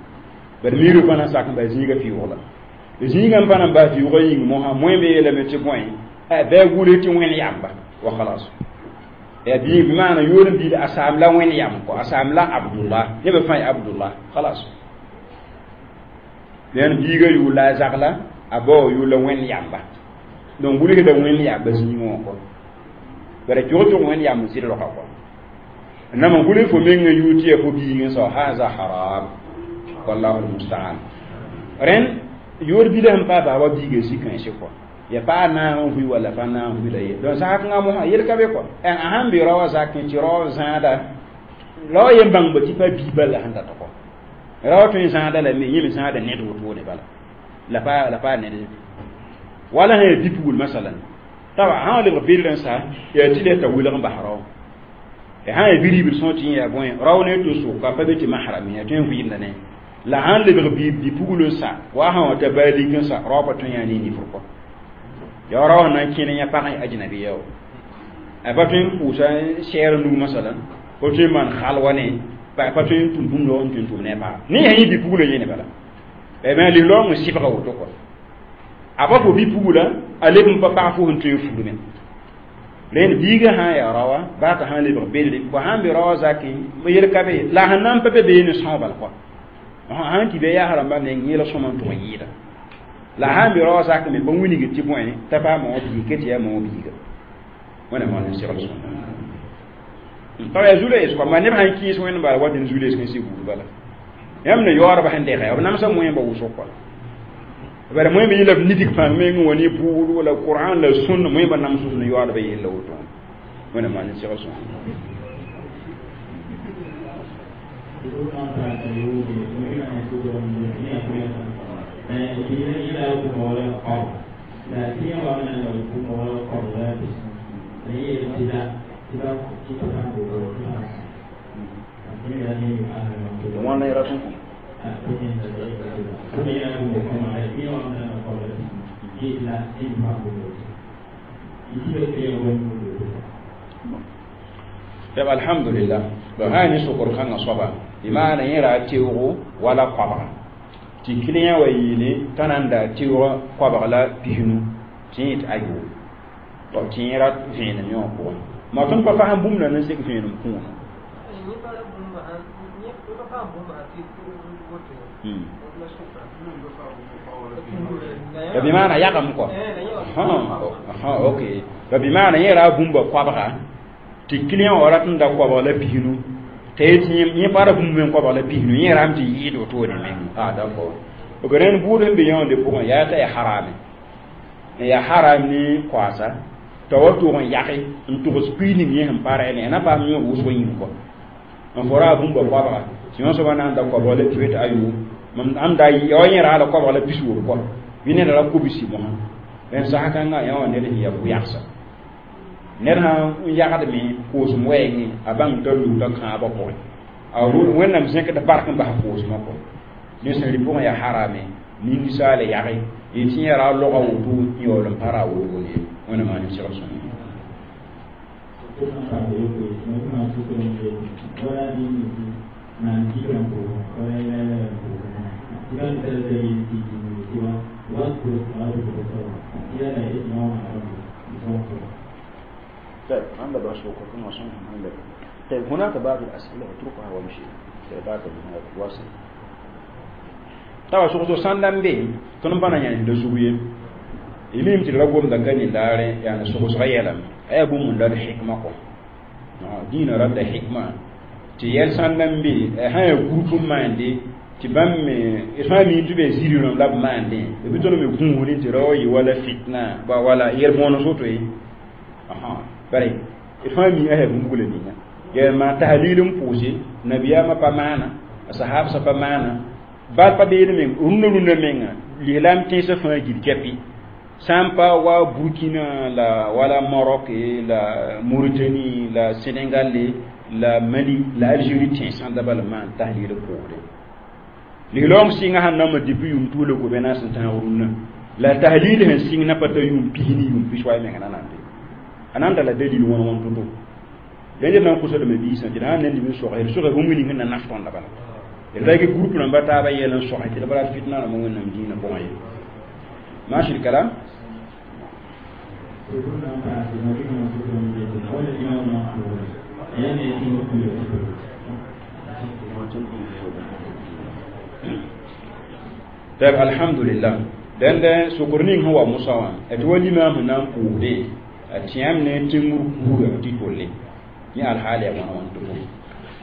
A: bad miiri pãna sak n bas zĩiga fɩʋʋgla Zĩigã n pa na n bas vɩʋʋgã yĩng mosã moẽ me yeelame tɩ bõe bɩ a gʋls tɩ wẽnd yamba wa khalas ya bi bi maana yoor n biid a saam la wẽnd yam kɔ a saam la Abdullah nebã fãa ya Abdullah khalas dẽn biiga yʋʋr la a zagla a bao yʋʋr la wẽnd yamba donc gʋlsda wẽnd yamba zĩigẽ wã kɔ bara tʋg tʋg wẽnd yamb n sɩd roka kɔ nama gʋls fo mengã yʋʋr tɩ yaa fo biigẽ sao haza haram wallahu almustaan rẽnd yoor bila sẽn paa baaba biiga zĩ-kãense kɔ ya pa naag n vʋɩ walla pa naag n vʋɩ la ye donc zak-kãngã mosã yel ka be kɔ a sãn be rao wã zakẽ tɩ rao zãada rao yen bãngba tɩ pa bii bala sẽn dat kɔ rao tõe n zãada lame yẽ me zãada ned wotone bala la pa la pa ned wala sã yaa bi-pugl masalan t'a sã n lebg bell n sa yaa tɩ la t'a welg n bas rao sã n yaa bi-ribl sõor tɩ yẽ yaa bõe rao ne to soka pa be tɩ mahram ya tõe n vɩɩmda ne la sãn lebg bi-pugl n sa wa sã wa t'a baa lik n sa rao pa tõe n yaa ne nifr kɔ ya rao sẽn na n kẽne yã pag n ajnabiya wa a pa tõe n pʋʋsa sɛɛr nug masalan pa tõe n maan halwa ne pa tõe n tʋm bũmb n tõe n tʋm ne a paga ne sã yẽ bi-puglã yẽne bala me lislaoong n sɩbga woto kɔ a pa fo bi-pugla a leb n pa pag fo sẽn tõe n fulme rẽnd biigã sã n yaa raoa baa t'a sã n lebg belle bõ sã n be raoã zakẽ yel ka be la sẽn na n pa be beene sõo bal kɔ sãn tɩ be yaas rãmbã meng yẽl sõma n tʋg n yɩɩda la sã n be raoã zak me pa wilgd tɩ bõe t'a paam wã biig ke tɩ yaa ma wã biiga wẽnnaam wã n segl sõma pa yaa zu-loees kɔ ma neb sãn kɩɩs wẽnd bala wa dẽn zu-loees kẽn sɩ buud bala yãmb ne yaoodbã sẽn dɛgɛ b namsa moẽmba wʋsg kɔ bara moẽmba yɩla b nidg pãng meng wã ne buud wala Qur'an la sũnna moẽmba nams ne yaoodbã yella woto wẽnnaam maan n segl sõma. Wãnda yẽra tõe tɩ alhamdulillah ba sã ne sokr kãngã soaba bɩ maana yẽ ra teoogo wala koabga tɩ client wa yeele t'a na n daa teoogã koabg la pisnu tɩ yẽ tɩ ayo tɩ yẽ ra vẽenem yẽ wã pʋgẽ ma tõnd pa fasẽn bũmb na n sek vẽenem kũuna bɩ maana yagem kɔ ok bɩ maana yẽ ra bũmba koabga tɩ client wã rat n da koabg la pisnu t'a yetɩ yẽ pa ra bũmb me koabg la pisnu yẽ rame tɩ yɩɩd wotone meng ah d'accord ok rẽnd buud sẽn be yõonde pʋgẽ yaa t'a yaa harame n yaa haram ne koaasa t'a wa tʋg n yage n tʋgs pii ning yẽ sẽn pa ra ne na paam yõ wʋsg yĩng kɔ n fo ra bũmba koabga tɩ yõ soaba na n da koabg la piwet ayo mam am da ya yẽ ra la koabg la pis-wob kɔ bɩ ned ra kobsi mosã rẽnd sasa kãngã yã wã ned sẽn yaa kʋ-yagsa ned sã n yagdme koosem wɛɛngẽ a bãng t'a lugda kãabã pʋgẽ a wẽnnaam zẽkd bark n bas koosmã kɔ ne sẽn rɩ pʋgẽ yaa harame ninsaala yage y tɩ yẽ ra loga woto n yaool n pa ra wotone wẽnnaam maan n segl sõma. طيب عند طيب هناك بعض الأسئلة اتركها وامشي بعد واصل tawa sʋgso sãn n be tõnd n pa na yãend zug ye y mim tɩ d ra gomda ka nin-daare yaa sogsga yɛlame a yaa bũmb n dat hikma kɔ dĩinã ratda hikma tɩ yɛl sãn n be sã yaa group n maande tɩ bãmb me d fãa mi tɩ be ziri rãmb la b maandẽ b tõnd me gũusdẽ tɩ ra wa yɩ wala fitna ba wala yɛl bõones woto ye bare d fãa mi a yaa bũmb ninga yaa maa tahlil n pʋʋse nabiyaamã pa maana a sahabsã pa maana bal pa beene meng rũndã rũndã menga lislaam tẽnsã fãa gil kɛpɩ sã n pa wa Burkina la wala Maroc la Mauritanie la Sénégal la Mali la Algérie tẽnsã da bala maan tahlil pʋʋsdẽ lislaoong sɩngã sẽn namba depuis yʋʋm tuula gobe-naas n tãag rũnnã la tahlil sẽn sɩng na pa ta yʋʋm pis ne yʋʋm pis wa menga na nan be a nan da la dalil wãn wãn to-to rẽnd d na n kʋsdame biisã tɩ d sãn nan lib n sogse d sogse bũmb ning na naf tõnda bala d ra groupe rãmba taaba yɛl n sogse tɩ d bara fitna rãmba wẽnnaam dĩinã pʋgẽ ye ماشي الكلام. طيب الحمد لله. دند سكرنين هو مساوان اتولي ما هنا بودي اتيام ne timur kuga ti tolle ni alhali ya wana wanto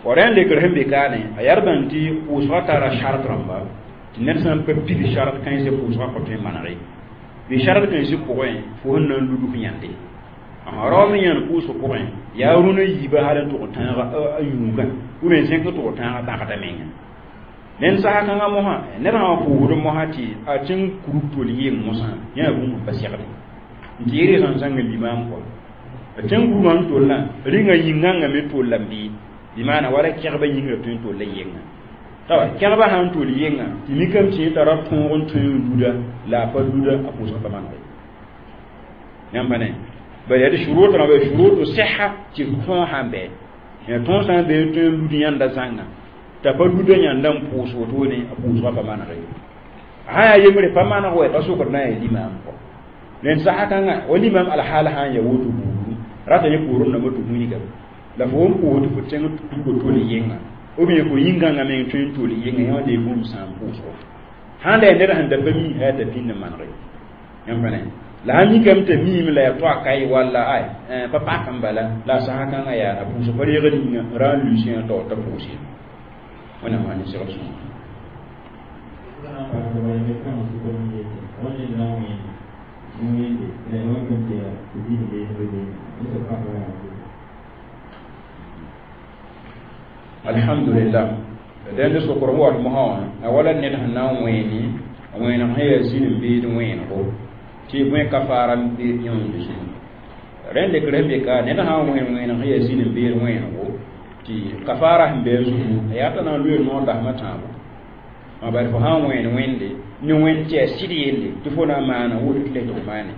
A: oran le graham be kane a yarban ti usra tara shart ramba ti ner san pe pili shart kan se usra ko te manare bi shart kan se ko en fo nan ludu nyande a ro mi yan ku so ko en ya runa yiba halan to tan ga ayuga uben sen ko to tan ga ba ka menga nen saha kãngã mosã ned sã n pʋʋsd mosã tɩ a tɩ n kurub tol yɩng mosã yã bũmb n pa segde n tɩ yɩ sẽn zãng limaam kɔ a tɩ n kurubã n tollã rĩngã yĩngãngã me tollame bɩ bɩ maana wala kɛgbã yĩngrã tõe n tolla yɩnga tawa kɛgbã sã n tol yɩnga tɩ mikame tɩ yẽ tara tõog n tõe n luda la a pa luda a pʋʋsg pa maneg yãmb pa ne bala yaa tɩ shurut rãmba shurutu siha tɩ tõog sã n bɩ ya tõog sã n bɩ tõe n lud yãnda zãnga t'a pa luda yãnda n pʋʋs wotone a pʋʋsgã pa maneg ye sã yaa yembre pa maneg wa pa sokd na n yaa limaam kɔ rẽnd sasa kãngã wa limaam alhaal sã n yaa woto buudu rata yẽ poorẽ rãmbã tɩ wilgame la fo n pʋʋsd fo tẽng tugo tol yɩnga ou bien fo yĩngãngã meng tõe n tol yɩnga yã wã lee bũmb sã n pʋʋsgo sãn la yaa ned sẽn da pa mi yaa t'a pĩnd n maneg ye yãmb pa ne la sã mikame t'a miime la yaa toa kae walla ay pa pak n bala la a sasa kãngã yaa a pʋʋsg pa reegd yĩnga ra n luis yã taoor t'a pʋʋs ye wẽnnaam maa ne segl sõma. Alhamdulillah dẽnd sokr wat mosã wã a wala ned sẽn na n wẽene wẽeneg sẽn yaa zĩn n beed wẽenego tɩ bõe kafaara n be yõende zugu rẽnd lekr sẽn be ka ned sã n wẽen wẽeneg sẽn yaa zĩn n beed wẽenego tɩ kafaara sẽn be a zugu a yaa t'a na n loe noor dasmã tãabo ma bari fo sã n wẽen wẽnde ne wẽnd tɩ yaa sɩd yelle tɩ fo na n maana woto tɩ la tɩ f maane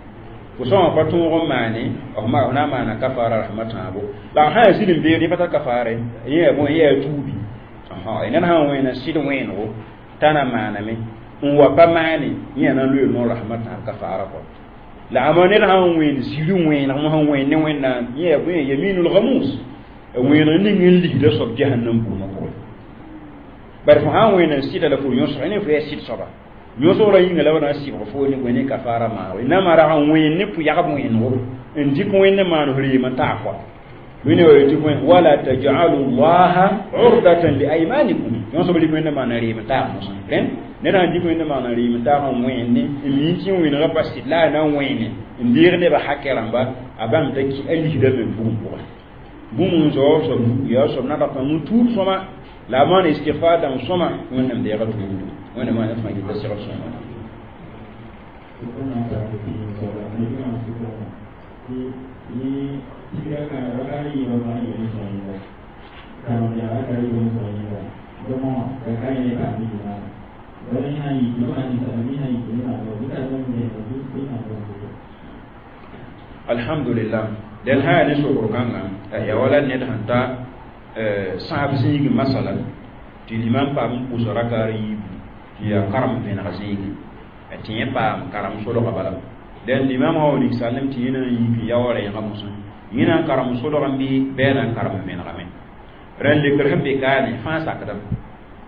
A: fo sõma pa tõog n maane f na n maana kafaara rasmã tãabo la sã yaa zĩn n beed yẽ pa tar kafaara ye yã bõe yã yaa tuubi ned sã n wẽena sɩd wẽenego t'a na maaname n wa pa maane yẽ na n loe noor rasmã tãab kafaara kɔ la ama ned sã n wẽen ziri wẽeneg mosã wẽen ne wẽnnaam yẽ yaa bõe yaminul gamus wẽeneg ning n lisda soab jahannam buumã pʋgẽ bare fo sã n wẽen n sɩda la fo yõsg ne fo yaa sɩd soaba yõsgrã yĩnga la b na n sɩbg fo ne bõe ne kafaara maag naamã rag n wẽen ne pʋyagb wẽenego n dɩk wẽnd maan f reem n taa kɔa wẽne wa yetɩ bõe wala tajalu llaha urdatan li aymanikum yõsb rɩk wẽnd maan n reem n taag mosã rẽnd ned sã n dɩk wẽnd maan n reem n taag n wẽenne n mi tɩ wẽnegã pa sɩd la a na n wẽene n deeg nebã hakɛ rãmba a bãmb t'a ki a lisda me bugum pʋgẽ bũmb n zaoor soab yaa soab nadg n tuub sõma la a maan istigfar dãmb sõma wẽnnaam deega tuubdu wẽnnaam maan fãa gita segl sõma. Alhamdulillah dẽn sã yaa ne sokr kãngã yaa wala ned sẽn ta sãab zĩigẽ masalan tɩ limam paam n pʋʋs rakaar yiibu tɩ yaa karem vẽneg zĩigẽ tɩ yẽ paam karem solga bala dẽn limam wã wa ninsaalem tɩ yẽ na n yik n ya wa rẽegã mosã yẽ na n karem solgã bɩ bɩ a na n karem vẽnegame rẽnd lekr sẽn be kaane fãa sakdame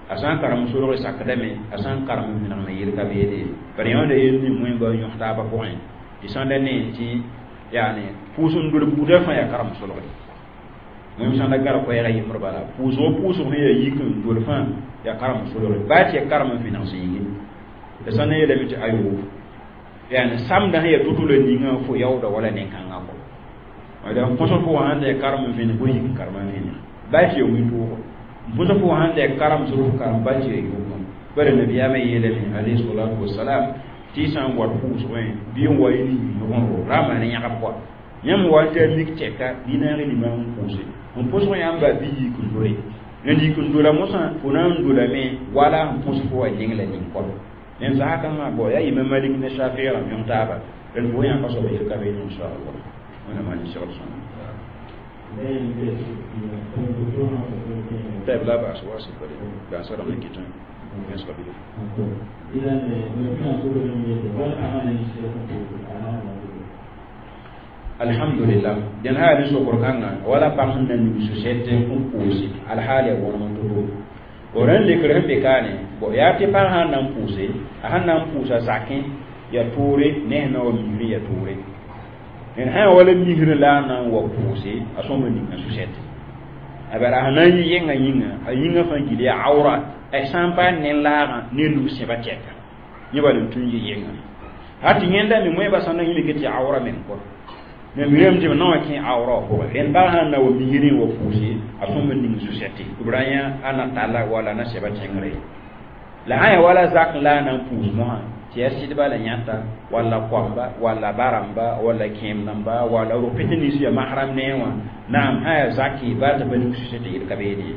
A: a sã n karem solg sakdame a sã n karem vẽnegme yel ka beede bari yãonda yel ning wẽnga n yõs taabã pʋgẽ tɩ sãn da ne tɩ yani pʋʋs n dol buudã fãa yaa karem solge wẽm sãn da gar koɛɛga yembr bala pʋʋsgo pʋʋsg sẽn yaa yik n dol fãa yaa karem solge baa tɩ yaa karem n vẽneg zĩigi la sãn na yeelame tɩ ayo yani samdã sẽn yaa to-to la ningã fo yaooda wala nen-kãngã kɔ d põsg fo wã sãn da yaa karem n vẽneg fo yik n karem n vẽneg baa tɩ yaa wĩntoogo n põsg fo wã sãn da yaa karem sʋd fo karem baa tɩ yaa yʋʋmã bara nabiyaamã yeelame alayhi salatu wasalam tɩ sã n wat pʋʋsgẽ bɩ n wa yẽ ne yĩngr ra maan yãgb kɔa yãmb wa n tɩ a mik tɛka bɩ naag limaam n pʋʋse n pʋsg yãmba bɩ yik n dole n yik n dola mosã fo na n dolame wala n pʋs fo wa ning la ning kɔ rẽnd sasa kãngã bɔ yaa imam Malik ne Shafii rãmb yõng taaba rẽnd fo yãka soaba yel ka beene inchallah wẽnnaam maan segl sõma. طيب لا بأس واصل بأس رمي كتاب. Alhamdulillah den ha ni sokor kanga wala pang na ni société n pʋʋse alhaal ya wõnem n to-to bo rẽnd lekr sẽn be kaane bo yaa tɩ pag sãn na n pʋʋse a sẽn na n pʋʋsa zakẽ ya toore ne sẽn na wa misrẽ ya toore d sã wala misrẽ la a na n wa pʋʋse a sõma ninga susɛte a bara sẽn na n yɩ yẽnga yĩnga a yĩngã fãa gil yaa awra a sã n paam ne laagã ne nug sẽba tɛka yẽ bal n tũ n yɩ yẽnga ha tɩ yẽnda me moẽba sã na yĩmike tɩ awra meng kɔ me mirame tɩ b na wã kẽ awra wã pʋgẽ rẽnd baa sãn na wa misrẽ wa pʋʋse a sõma ning susɛte b ra yã a na talla wala na sɛba tẽngre la sã ya wala zak la a na n pʋʋs mosã tɩ yaa sɩdba la yãta walla koamba walla barãmba walla kẽem-dãmba walla rʋpɩt nins ya mahram nee wã naam sã yaa zaki baa t'a pa ning susɛte yel ka beene ye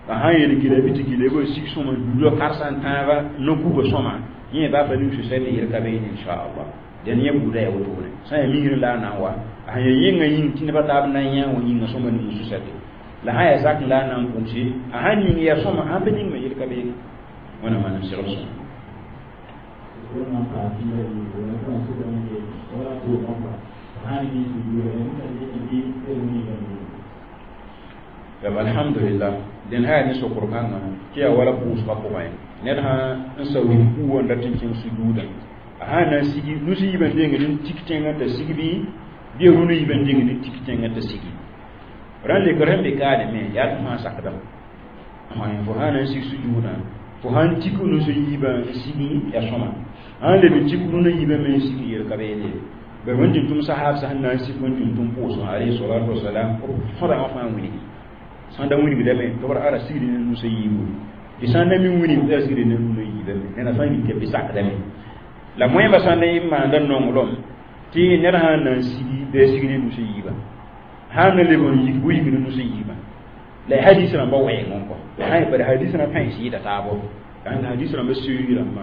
A: la sãn yel gila bɩ tɩ gila b sig sõma duda karsa n tãaba no-kuga sõma yẽ baa pa ning susɛte yel ka beene inchallah dẽn yẽ buuda yaa wotone sã yaa misrẽ la a na n wa a sẽn yaa yẽngã yĩng tɩ nebã taab na n yã wã yĩngã sõma ning susɛte la sã yaa zak la a na n pʋʋse a sãn ning yaa sõma sãn pa ning me yel ka beene wẽna manem segl sõma. Alhamdulillah dẽn sã yaa ne sokr kãngã tɩ yaa wala pʋʋsgã pʋgẽ ned sã n sao ku wã n dat n kẽng sujuudã a sã na n sigi nusi yiibã dengd n tik tẽngã t'a sig bɩ bɩ ya rũnã yiibã dengd n tik tẽngã t'a sigi rãn lekr sẽn be kaane me yaa tɩ fãa sakdame fo sã na n sig sujuudã fo sãn tik nusi yiibã n sigi yaa sõma sãn leb n tik rũnã yiibã me n sigi yel ka beene bari wẽn tɩ tʋm sahaab sẽn na n sik wẽn tɩ tʋm pʋʋsgã alayhi salatu wasalam sõda wã fãa wilgi sãn da wilgdame tɩ b ra sigd ne nusa yiibu tɩ sãn da me wilg ra sigd ne rũnã yiibame neda fãa yik tɩ bɩ sakdame la moẽmba sãn da n maanda nonglem tɩ ned sãn na n sigi bɩ a sig ne nusa yiibã sãn na leb n yik bɩ yik ne nusa yiibã la hadis rãmba wɛɛng n kɔ sã bari hadis rã pãens yɩɩda taabo hadis rãmba seoog rãmbã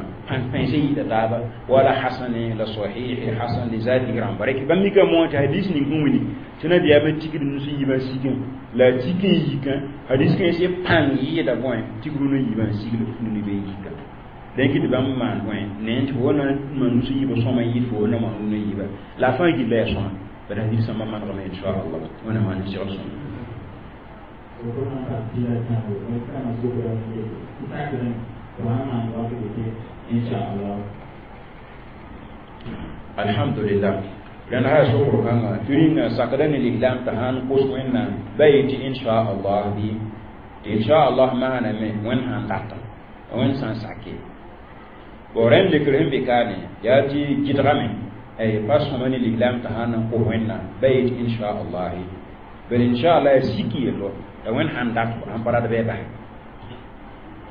A: pãens yɩɩda taaba wala hasane la sahihi hasan li zatihi rãmba rek bãmb mika moã tɩ hadis ning sẽn wilg tɩ nabiyaamã tigd nus yiibã sigẽ la a tik n yikã hadis kãens pãng yɩɩda bõe tɩg rũnã yiibã n sigl nuni bɩ yika dẽn kɩ tɩ bãmb maan bõe ne tɩ fo na maan nus yiibã sõma yɩɩd fo na maan rũnã yiibã la a fãa gilla yaa sõma bari hadis sãmbã manegme inchallah wẽna maan n segl sõma. Alhamdulillah rẽnd sã sokr kãngã tɩ rĩnga sakda ne lislaam t'a sãn kos wẽnnaam ba yetɩ inchallah bɩ tɩ inchallah maaname wẽnd sãn data wẽnd sãn sake bo rẽnd lekr sẽn be kaane yaa tɩ gɩdgame pa sõma ne lislaam t'a sãn n kos wẽnnaam ba yetɩ inchallah bari inchallah yaa sik yello la wẽnd sãn dat sãn pa rat bɩ bas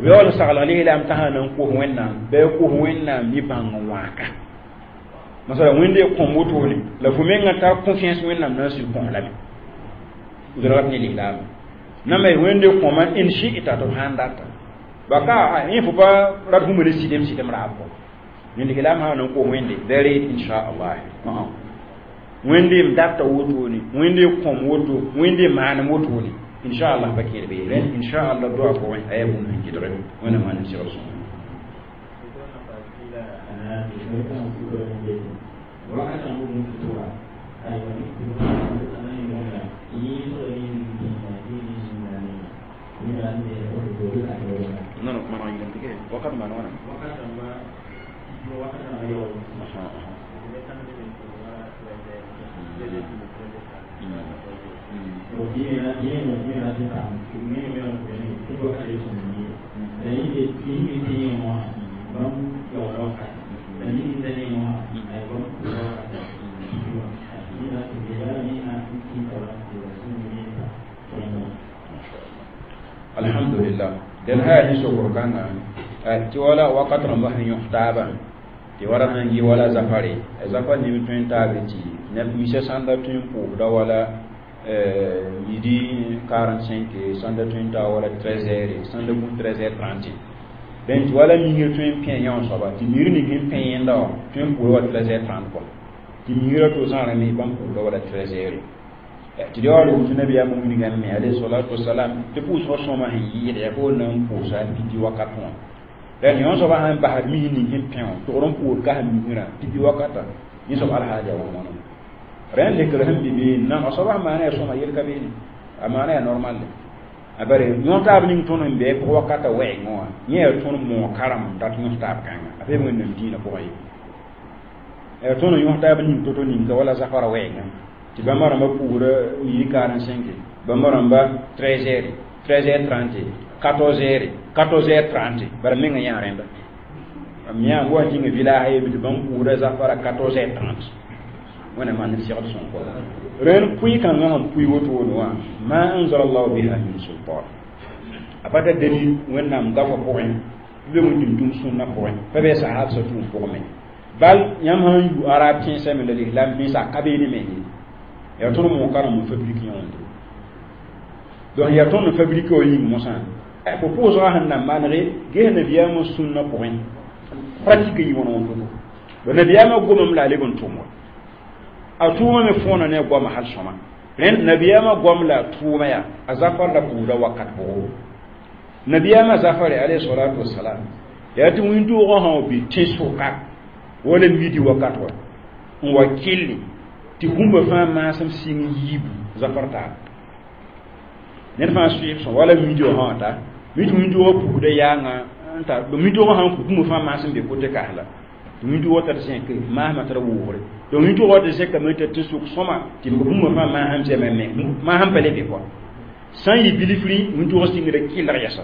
A: b yaool n saglg lislaam t'a sãn n kos wẽnnaam bɩ a kos wẽnnaam ne bãng n wãaka masala wẽnde kõm wotone la fo mengã tar confiance wẽnnaam na n sɩd kõ lame d rat ne lislaam na me wẽnde kõma in shi'ta tɩ b sãn data baka yẽ fo pa rat hũmã ne sɩdem sɩdem raab kɔ ne lislaam sã n kos wẽnde bɩ reet inchallah wẽnde m data wotone wẽnde kõm woto wẽnde maanem wotone inchallah pa kẽed bee rẽnd inchallah doa pʋgẽ a yaa bũmb sẽn gɩdge wẽnna maan n segl sõma. Non non maanaam yéen tike wakat ma noona alhamdulillah den haya ni sokor kãngã tɩ wala wakat rãmba sẽn yõs taabã tɩ wala sãn yɩ wala zafare zafar neb tõe n taabe tɩ neb misa sãn da tõe n pʋʋsda wala midi quarante-cinq sãn da tõe n taa wala treize heures sãn da gũ treize heures trente dẽn tɩ wala misr tõe n pẽ yã soaba tɩ misr ning sẽn pẽ yẽnda wã tõe n pʋʋda wala treize heures trente kɔ tɩ misrã to zãrã me bãmb pʋʋsda wala treize heures tɩ yaool woto nabiyaamã wilgame alayhi salatu wasalam tɩ pʋʋsgã sõma sẽn yɩɩda yaa fo na n pʋʋsa midi wakat wã La yõ soaba sãn basd mis ning sẽn pẽ wã togr n pʋʋd kas misrã pipi wakata yẽ soab alhaal yaa wãn wãna rẽnd lekr sẽn be beene nan a soaba sẽn maana yaa sõma yel ka beene a maana yaa normal a bare yõ taab ning tõnd sẽn be pʋg wakata wɛɛngẽ wã yẽ yaa tõnd moog karem n dat yõs taab kãnga a pa wẽnnaam dĩinã pʋgã ye yaa tõnd n yõs taab ning to-to ninka wala zafara wɛɛngã tɩ bãmba rãmbã puusda midi quarante-cinq bãmba rãmba treize heures treize heures trente quatorze heures quatorze heures trente bara menga yã rẽnda mam yã wa kĩnga village ye tɩ bãmb puusda zafara quatorze heures trente wẽnnaam maan ned segd sõng kɔ rẽnd pʋɩ-kãngã sẽn pʋɩ wotone wã ma anzala llahu biha min sultan a pa tar dalil wẽnnaam gafã pʋgẽ bɩ be wẽnnaam tũm sũnnã pʋgẽ pa bɩ sahab sã tũum pʋgẽ me bal yãmb sãn yu arab tẽnsã me la lislam tẽnsã a ka beene me ye yaa tõnd moog karem n fabrique yõonde donc yaa tõnd n fabrique wa yĩng mosã fo pʋʋsgã sẽn na manege ges nabiyaamã sũnnã pʋgẽ pratique yɩ wãn wãn to-to ba nabiyaamã gomame la a leb n tʋm wa a tʋʋmã me fõona ne a goamã hal sõma rẽnd nabiyaamã goam la a tʋʋma yaa a zafar la pʋʋsda wakat pʋgẽ nabiyaamã zafare alayhi salatu wasalam yaa tɩ wĩntoogã sã wa bɩ tẽn-sʋka wala midi wakat wa n wa kelli tɩ bũmba fãa maasem sɩng yiibu zafar taab ned fãa sʋɩb sõ wala midi wã sã wa ta mi tɩ wĩntoogã pusda yaanga n tar wĩntoogã sãn pus bũmba fãa maasem be kote kas la tɩ wĩntoogã tar zẽk maasmã tara woogre donc wĩntoogã tɩ zẽkame t'a tɩ-sʋk sõma tɩ b bũmba fãa maasem zɛma me maasem pa le be kɔa sã n yɩ bilfri wĩntoogã sɩngda kɩlg yɛsa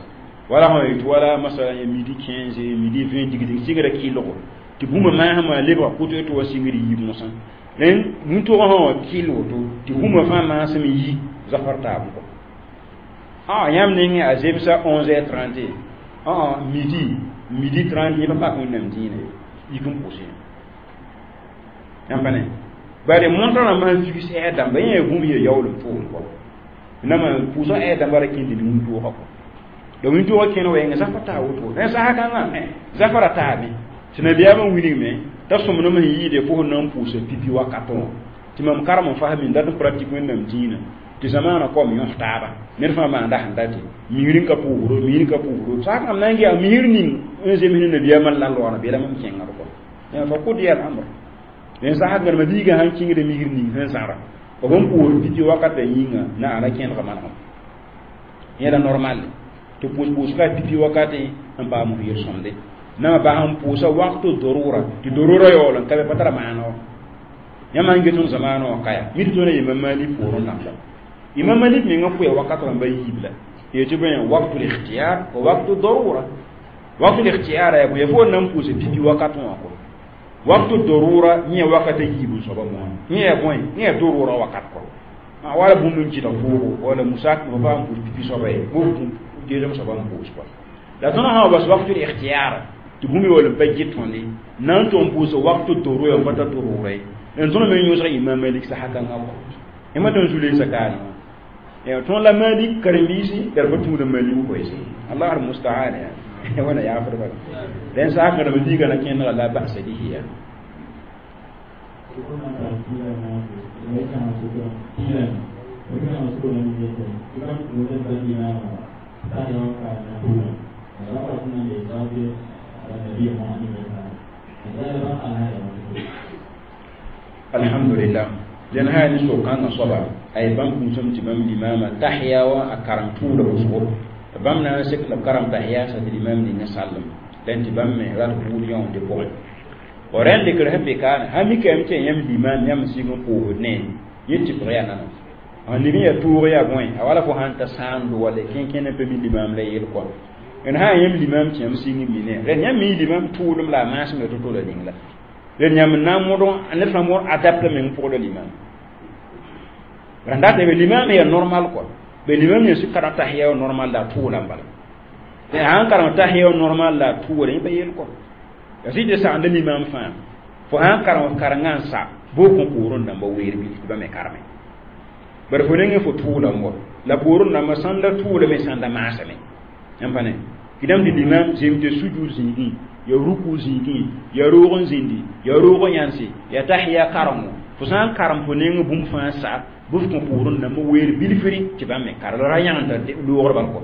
A: wala sã yetɩ wala masala midi quinze midi vingt dig-dig sɩngra kɩlgo tɩ bũmba maasmã lebga koto tɩ wa sɩngd yiib mosã rẽnd wĩntoogã sã wa kɩl woto tɩ bũmba fãa maasem yi zafar taab kɔ ah yãmb nengẽ a zemsa onze heures trente ah midi midi trente yẽ pa pak wẽnnaam dĩinã ye yik n pʋʋsẽ yãmb pa ne bare montrã rãmbã sẽn figs ɛɛr dãmba yẽ yaa bũmb yaa yaool n tʋʋm kɔ nama pʋʋsgã ɛɛr dãmba ra kẽnd ne wĩntoogã kɔ donc wĩntoogã kẽn wɛɛngã zafar taa woto rẽ sasa kãngã zafara taame tɩ nabiyaamã wilgme t'a sõmblem sẽn yɩɩde fo sẽn na n pʋʋsa pipi wakatẽ wã tɩ mam karem n fasme n dat n pratique wẽnnaam dĩinã tɩ zamaanã kom yõs taaba ned fãa maanda sẽn date misr n ka pʋʋsdo misr ka pʋʋsdo sak mam na n gea misr ning n zems ne nabiyaamã la loana bela mam kẽngd kɔ fa qudiya al amr rẽn sasa gãrema biigã sãn kĩngda misr ning sẽn zãra b n pʋʋs pipi wakatã yĩnga na ana kẽndga manegem yẽla normal tɩ pʋʋs-pʋʋsga pipi wakatẽ n paam f yel-sõmde nama bas n pʋʋsa wakto dorura tɩ dorura yaool n ka be pa tara maana wã yãmb sãn get tõnd zamaanã wã kaya mi tɩ tõnd imam malik poorẽ namba imam malik menga pʋya wakat rãmba yiib la yetɩ bõe waktu likhtiyar wa waktu darura waktu likhtiyar yaa bõe fo na n pʋʋsa pipi wakat wã kɔ waktu darura yẽ wakata yiib n soaba moã yẽ yaa bõe yẽ yaa darura wakat kɔ wala bũmb n kɩta foogo wala musak fo pa n pʋʋs pipi soaba ye bo geesem soaba n pʋʋs kɔ la tõnd sã wa bas waktu likhtiyar tɩ bũmb yaool n pa gɩt tõndi na n tʋg n pʋʋsa waktu darura n pa tar darura ye n tõnd me yõsg imam malik sasa kãngã kɔ yãmb tõnd zu-leesa kaane wã ya tõnd la malik karen-biisi la d pa tũuda malik koɛɛse allah al musta'an ya wẽna yaafd bala rẽn sak rãmb biigã na kẽndga la ba'sa bihi ya alhamdulillah dẽn sã ne so-kãngã soaba a ye bãmb kũusem tɩ bãmb limama tahiya wã a karem tʋʋda wʋsgo tɩ bãmb na n sek la b karem tahiya sa tɩ limam ninga sallem dẽn tɩ bãmb me rat buud yõonde pʋgẽ wa rẽnd lekr sẽn be kaane sã mikame tɩ yãmb limam yãmb sig n pʋʋsd ne yẽ tɩpg yaa nana n lig n yaa tʋʋg yaa bõe a wala fo sãn ta sãando wala kẽn-kẽn n pa mi limam la yel kɔa n sã yãmb limam tɩ yãmb sig n mi ne rẽnd yãmb mi limam tʋʋlem la a maasem ya to-to la ning la rẽnd yãmb n na n mõd ned fãa mõr adapte meng pʋgda limam rãn dat be limam yaa normal kɔa be limam yẽ sɩ karem tahiya normal la a tʋʋla n bala sãn karem tahiya normal la a tʋʋla yẽ pa yel kɔa ya sɩ tɩ sagenda limam fãa fo sãn karem karengã n sa boo kõ poorẽ dãmba weer bilf tɩ ba me kareme bara fo nengẽ fo tʋʋla n wa la poorẽ dãmba sãnda tʋʋlame sãnda maasame yãmb pa ne kɩdame tɩ limam zem tɩ sujud zĩigẽ ya ruku zĩigẽ ya roog n zĩndi ya roog n yãnse ya tahiya karengo fo sã n karem fo neng bũmb fãa sa bɩ f kõ poorẽ dãmba weer bilfri tɩ bãmb me kar la ra yãgenta loogr bal kɔ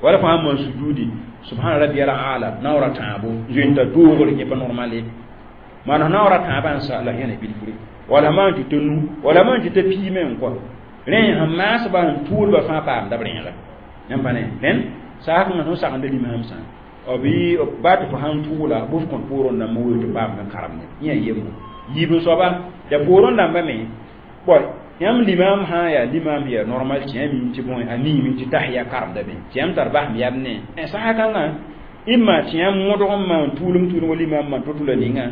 A: Wala fo sãn maan sujudi, subhana rabbiyal a'la, naoora tãabo zoeenta doogre, yẽ pa normal ye. Maan naoora tãabã n sa la yẽne bilfre, wala maan tɩ t'a nu, wala maan tɩ t'a piime n kɔ rẽ sẽn maasba n tʋʋlba fãa paamda b rẽega. Yãmb pa ne rẽnd saakẽngã sẽn sagenda limam sã b yɩ baa tɩ fo sãn tʋʋla bʋ f kõt poorẽ dãmbã weel tɩ paam n karemde yẽ yaa yembo. Yiib n soaba ya poorẽ dãmbã me bõe yãmb limam sã n yaa limam yaa normal tɩ yã mim tɩ bõe a miime tɩ tahiya karemda be tɩ yãmb tar basem yam ne sã kãngã imma tɩ yãmb modg n maan tuulem tuulem wa limam maan to-to la ninga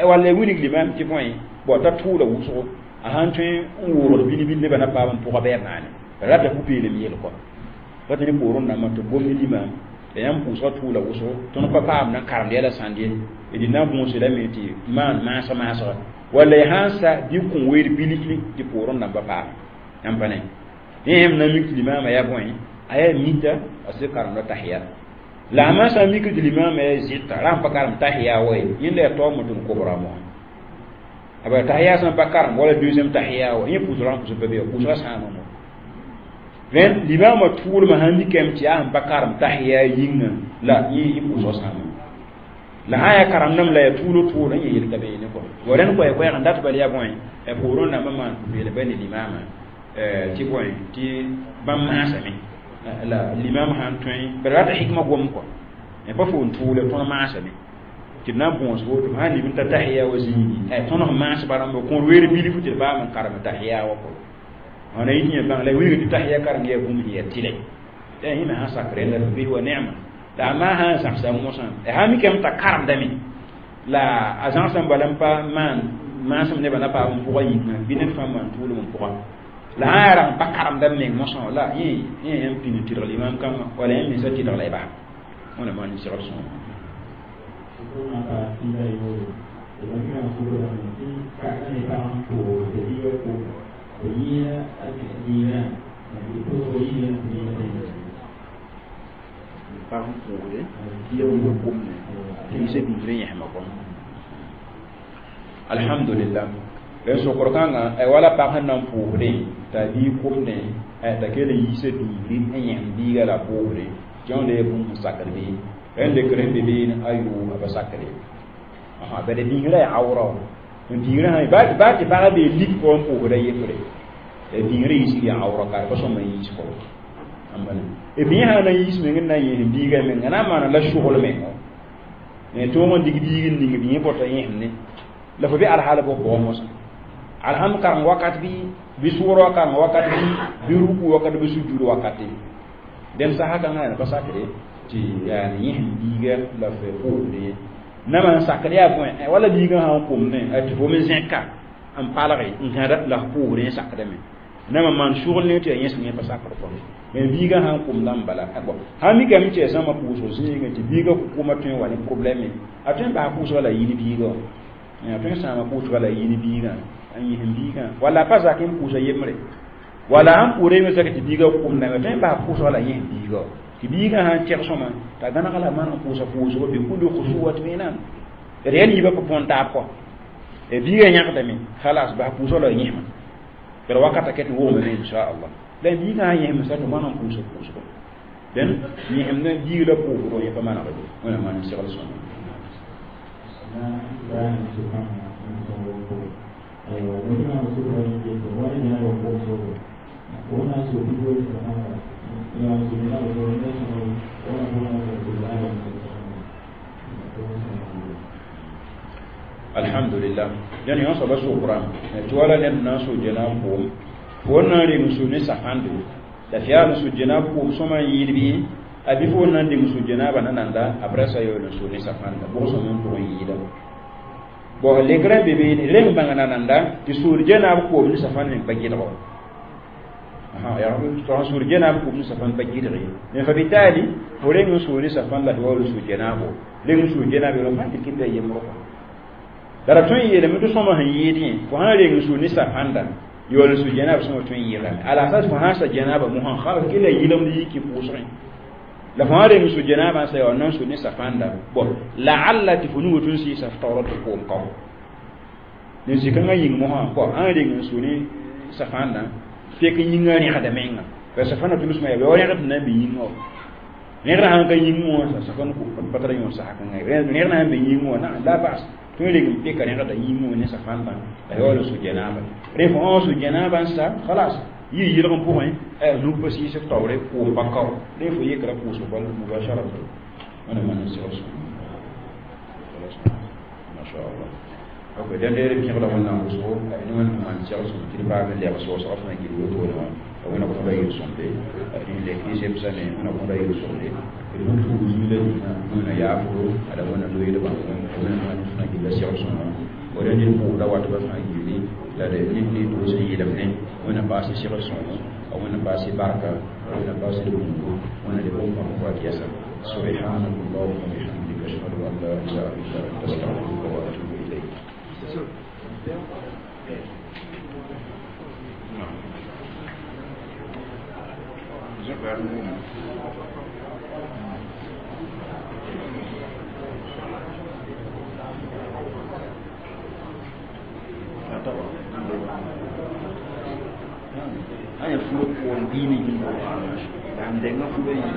A: walla ya wilg limam tɩ bõe bõ t'a tʋʋla wʋsgo a sãn tõe n woogd bil-bil nebã na paam n pʋga bɛɛb naane rata pʋ-peelem yel kɔ pa tɩ ne poorẽ dãmbã tɩ gom ne limam la yãmb pʋʋsgã tʋʋla wʋsgo tõnd pa paam na karemd yɛla sãnd ye d na n võose lame tɩ maan maasg maasga walla y sãn sa bɩ kõ weer bilfri tɩ poorẽ dãmba paam. Yãmb pa ne yẽ yãmb na n mik tɩ limaamã yaa bõe a yaa mita a sɩd karemda tahiya la a maan sã n mik tɩ limaamã yaa zɩta ra n pa karem tahiya wa ye yẽnda yaa taoom tɩ n kobra moa a ba tahiya sãn pa karem wala deuxième tahiya wa yẽ pʋʋsgrã n pʋsg pa be pʋʋsgã sãama mo. Rẽnd limaamã tʋʋlmã sãn mikame tɩ yaa sẽn pa karem tahiya yĩngã la yẽ pʋʋsgã sãama la sã yaa karemdame la yaa tʋʋl tʋʋl n yẽ yel ka beene kɔ wa rẽnd koɛ koɛɛg n dat bal yaa bõe poorẽ dãmbã maan pʋ-peelem ba ne limaamã tɩ bõe tɩ bãmb maasame la limam sãn tõe bara rata hikma gom kɔ pa fo n tʋʋle tõnd maasame tɩ d na n bõos woto sãn lib n ta tahiya wa zĩigi tõnd sẽn maasba rãmba kõor weer bilfu tɩ d baam n karem tahiya wa kɔ wãna yit yẽ bãng la wilg tɩ tahiya kareng yaa bũmb sẽn yaa tɩlɛ yaa yẽ me sãn sak rẽnda f wa neema la a maa sã n zãgsa mosã sã mikame t'a karemdame la a zãgsã bala n pa maan maasem nebã na paam n pʋga yĩngã bɩ ned fãa maan tʋʋlem n pʋga la sã yaa rag n pa karemda meng mosã la yẽ yẽ yãmb pĩnd n tɩdg limam kãngã wala yãmb mensa tɩdg la y bas wẽna maan segd sõoma. Pag n pʋʋsde bɩa wilg komne tɩ yisa biisrã yẽsmã kɔ. Alhamdulillah, rẽn sokr kãngã wala pag sẽn na n pʋʋsdẽ t'a biig komdẽ t'a kell n yiisa biisri n yẽsem biiga la pʋʋsde tɩ wãnda yaa bũmb sẽn sakd bɩ rẽnd lekr sẽn be beene ayo a pa sakre bala biisrã yaa awra biisrã sã baa tɩ pagã bee lik pʋgẽ n pʋʋsda yembre biisrã yiisg yaa awra ka pa sõma n yiis kɔ b yẽ sã na n yiis meng n na n yẽsem biigã menga na n maana la sogl mengo tõog n dig biig n ning b yẽ bota yẽsem ne la fo be alhaal bʋg pʋgẽ mosã alham kareng wakat bɩ bɩ sʋʋr wa kareng wakat bɩ bɩ ruku wakat bɩ sujud wakate dẽn sasa kãngã yaa pa sakre tɩ yaa yẽsem biiga la f pʋʋsde ye nama n sakd yaa bõe wala biigã sã n komdẽ tɩ fo me zẽka n palge n gãda la f pʋʋsdẽ yẽ sakdame nama maan sugl ne tɩ yaa yẽsem yẽ pa sakd kɔ mais biigã sã n komdã n bala sã mikame tɩ yaa zãma pʋʋsg zĩigẽ tɩ biigã kʋma tõe n wa ne problɛme a tõe n bas pʋʋsga la yĩn biigã a tõe n sãama pʋʋsga la yĩn biigã n yẽsem biigã wala a pa zak n pʋʋsa yembre wala sãn pʋʋra yembre sak tɩ biigã komdame a tõe n bas pʋʋsga la yẽsem biigã tɩ biigã sã n tɛg sõma t'a gãneg la maan n pʋʋsa pʋʋsgo bɩ kul khusuwat menam d yaa niibã pa põn taab kɔ biigã yãgdame khalas bas pʋʋsga la yẽsema bara wakata ket wogme inchallah la biigã sã yẽsem sa tɩ maan n pʋʋsa pʋʋsgo dẽn yẽsem ne biig la pʋʋsgo yẽ pa manegde wẽna maan n segl sõma. Alhamdulillah, dẽn yõ soaba sokra tɩ wala ned na n so jena n pʋʋm fo n na n reng su ne safãnde la f yaa n su jena pʋʋm sõma n yɩɩd bɩ a bɩ fo n na n deng su jenaabã na nanda après ça yaool n su ne safãnda bʋg sõm n pʋgẽ yɩɩda bõ lekrã be beene reng bãng na nanda tɩ soor jenaab koom ne safãnd meng pa gɩdgo tɩ soor jenaab koom ne safãnd pa gɩdg ye mais fa bitaali fo reng n soo ne safãnd la tɩ waool n soo jenaabo reng n soo jenaab yel fãa tɩ kɩta yembrõ la ra tõe n yeelame tɩ sõma sẽn yɩɩd yẽ fo sãn reng n sũ ne safãnda yaool n sũ janaab sõma tõe n yɩlame ala asas fo sãn sa janaaba mosã khalas kɩla yɩlemd yiki pʋʋsgẽ la fo sãn reng n sũ janaabã n sa yaool na n sũ ne safãnda bon laalla tɩ fo nugã tʋ n sɩɩsa f taoora tɩ koom kao ne zĩ-kãngã yĩng mosã bõ sãn reng n sũ ne safãndã fek yĩngã rẽgda menga la safãnda tʋlsmã yaa wa rẽgd na n be yĩngã wa Rẽgr sãn ka yĩngẽ wã sã pa tara yõ sak rẽgr na n be yĩngẽ wã na la bas tõe reg n peka rẽgda yĩngẽ wã ne safãndã la yaool n sũ janaaba rẽ fo õ sũ janaaba n sa khalas yɩ yɩlg n pʋgẽ nug pa sɩɩsg taoore kʋʋs pa kao rẽ fo yekra kʋʋsg bal mubasharatan wẽna maan n segl sõma mashallah ok dẽnde d pẽgda wẽnnaam wʋsgo ne wẽnd maan segl sõm tɩ d paam n lɛg soosgã fãa gil wotone wã wẽna kõda yel-sõmde rẽ lek zemsame wẽna kõda yel-sõmde d bũmb tʋʋg zuila ningã wẽna yaafdo ala wẽna loeed bãmb wẽna maan fãa gilla segl sõma wa rẽnd d pʋʋsda watba fãa gilli la d ned ne doos n yelemdẽ wẽna paas segl sõmo wẽna paas barka wẽna paas d bũmbu wẽna d bũmb pãmb wat yɛsa سبحانك اللهم وبحمدك اشهد ان لا اله الا انت استغفرك واتوب اليك
C: Aya fulo ko dini jimbo. Am denga fulo yi.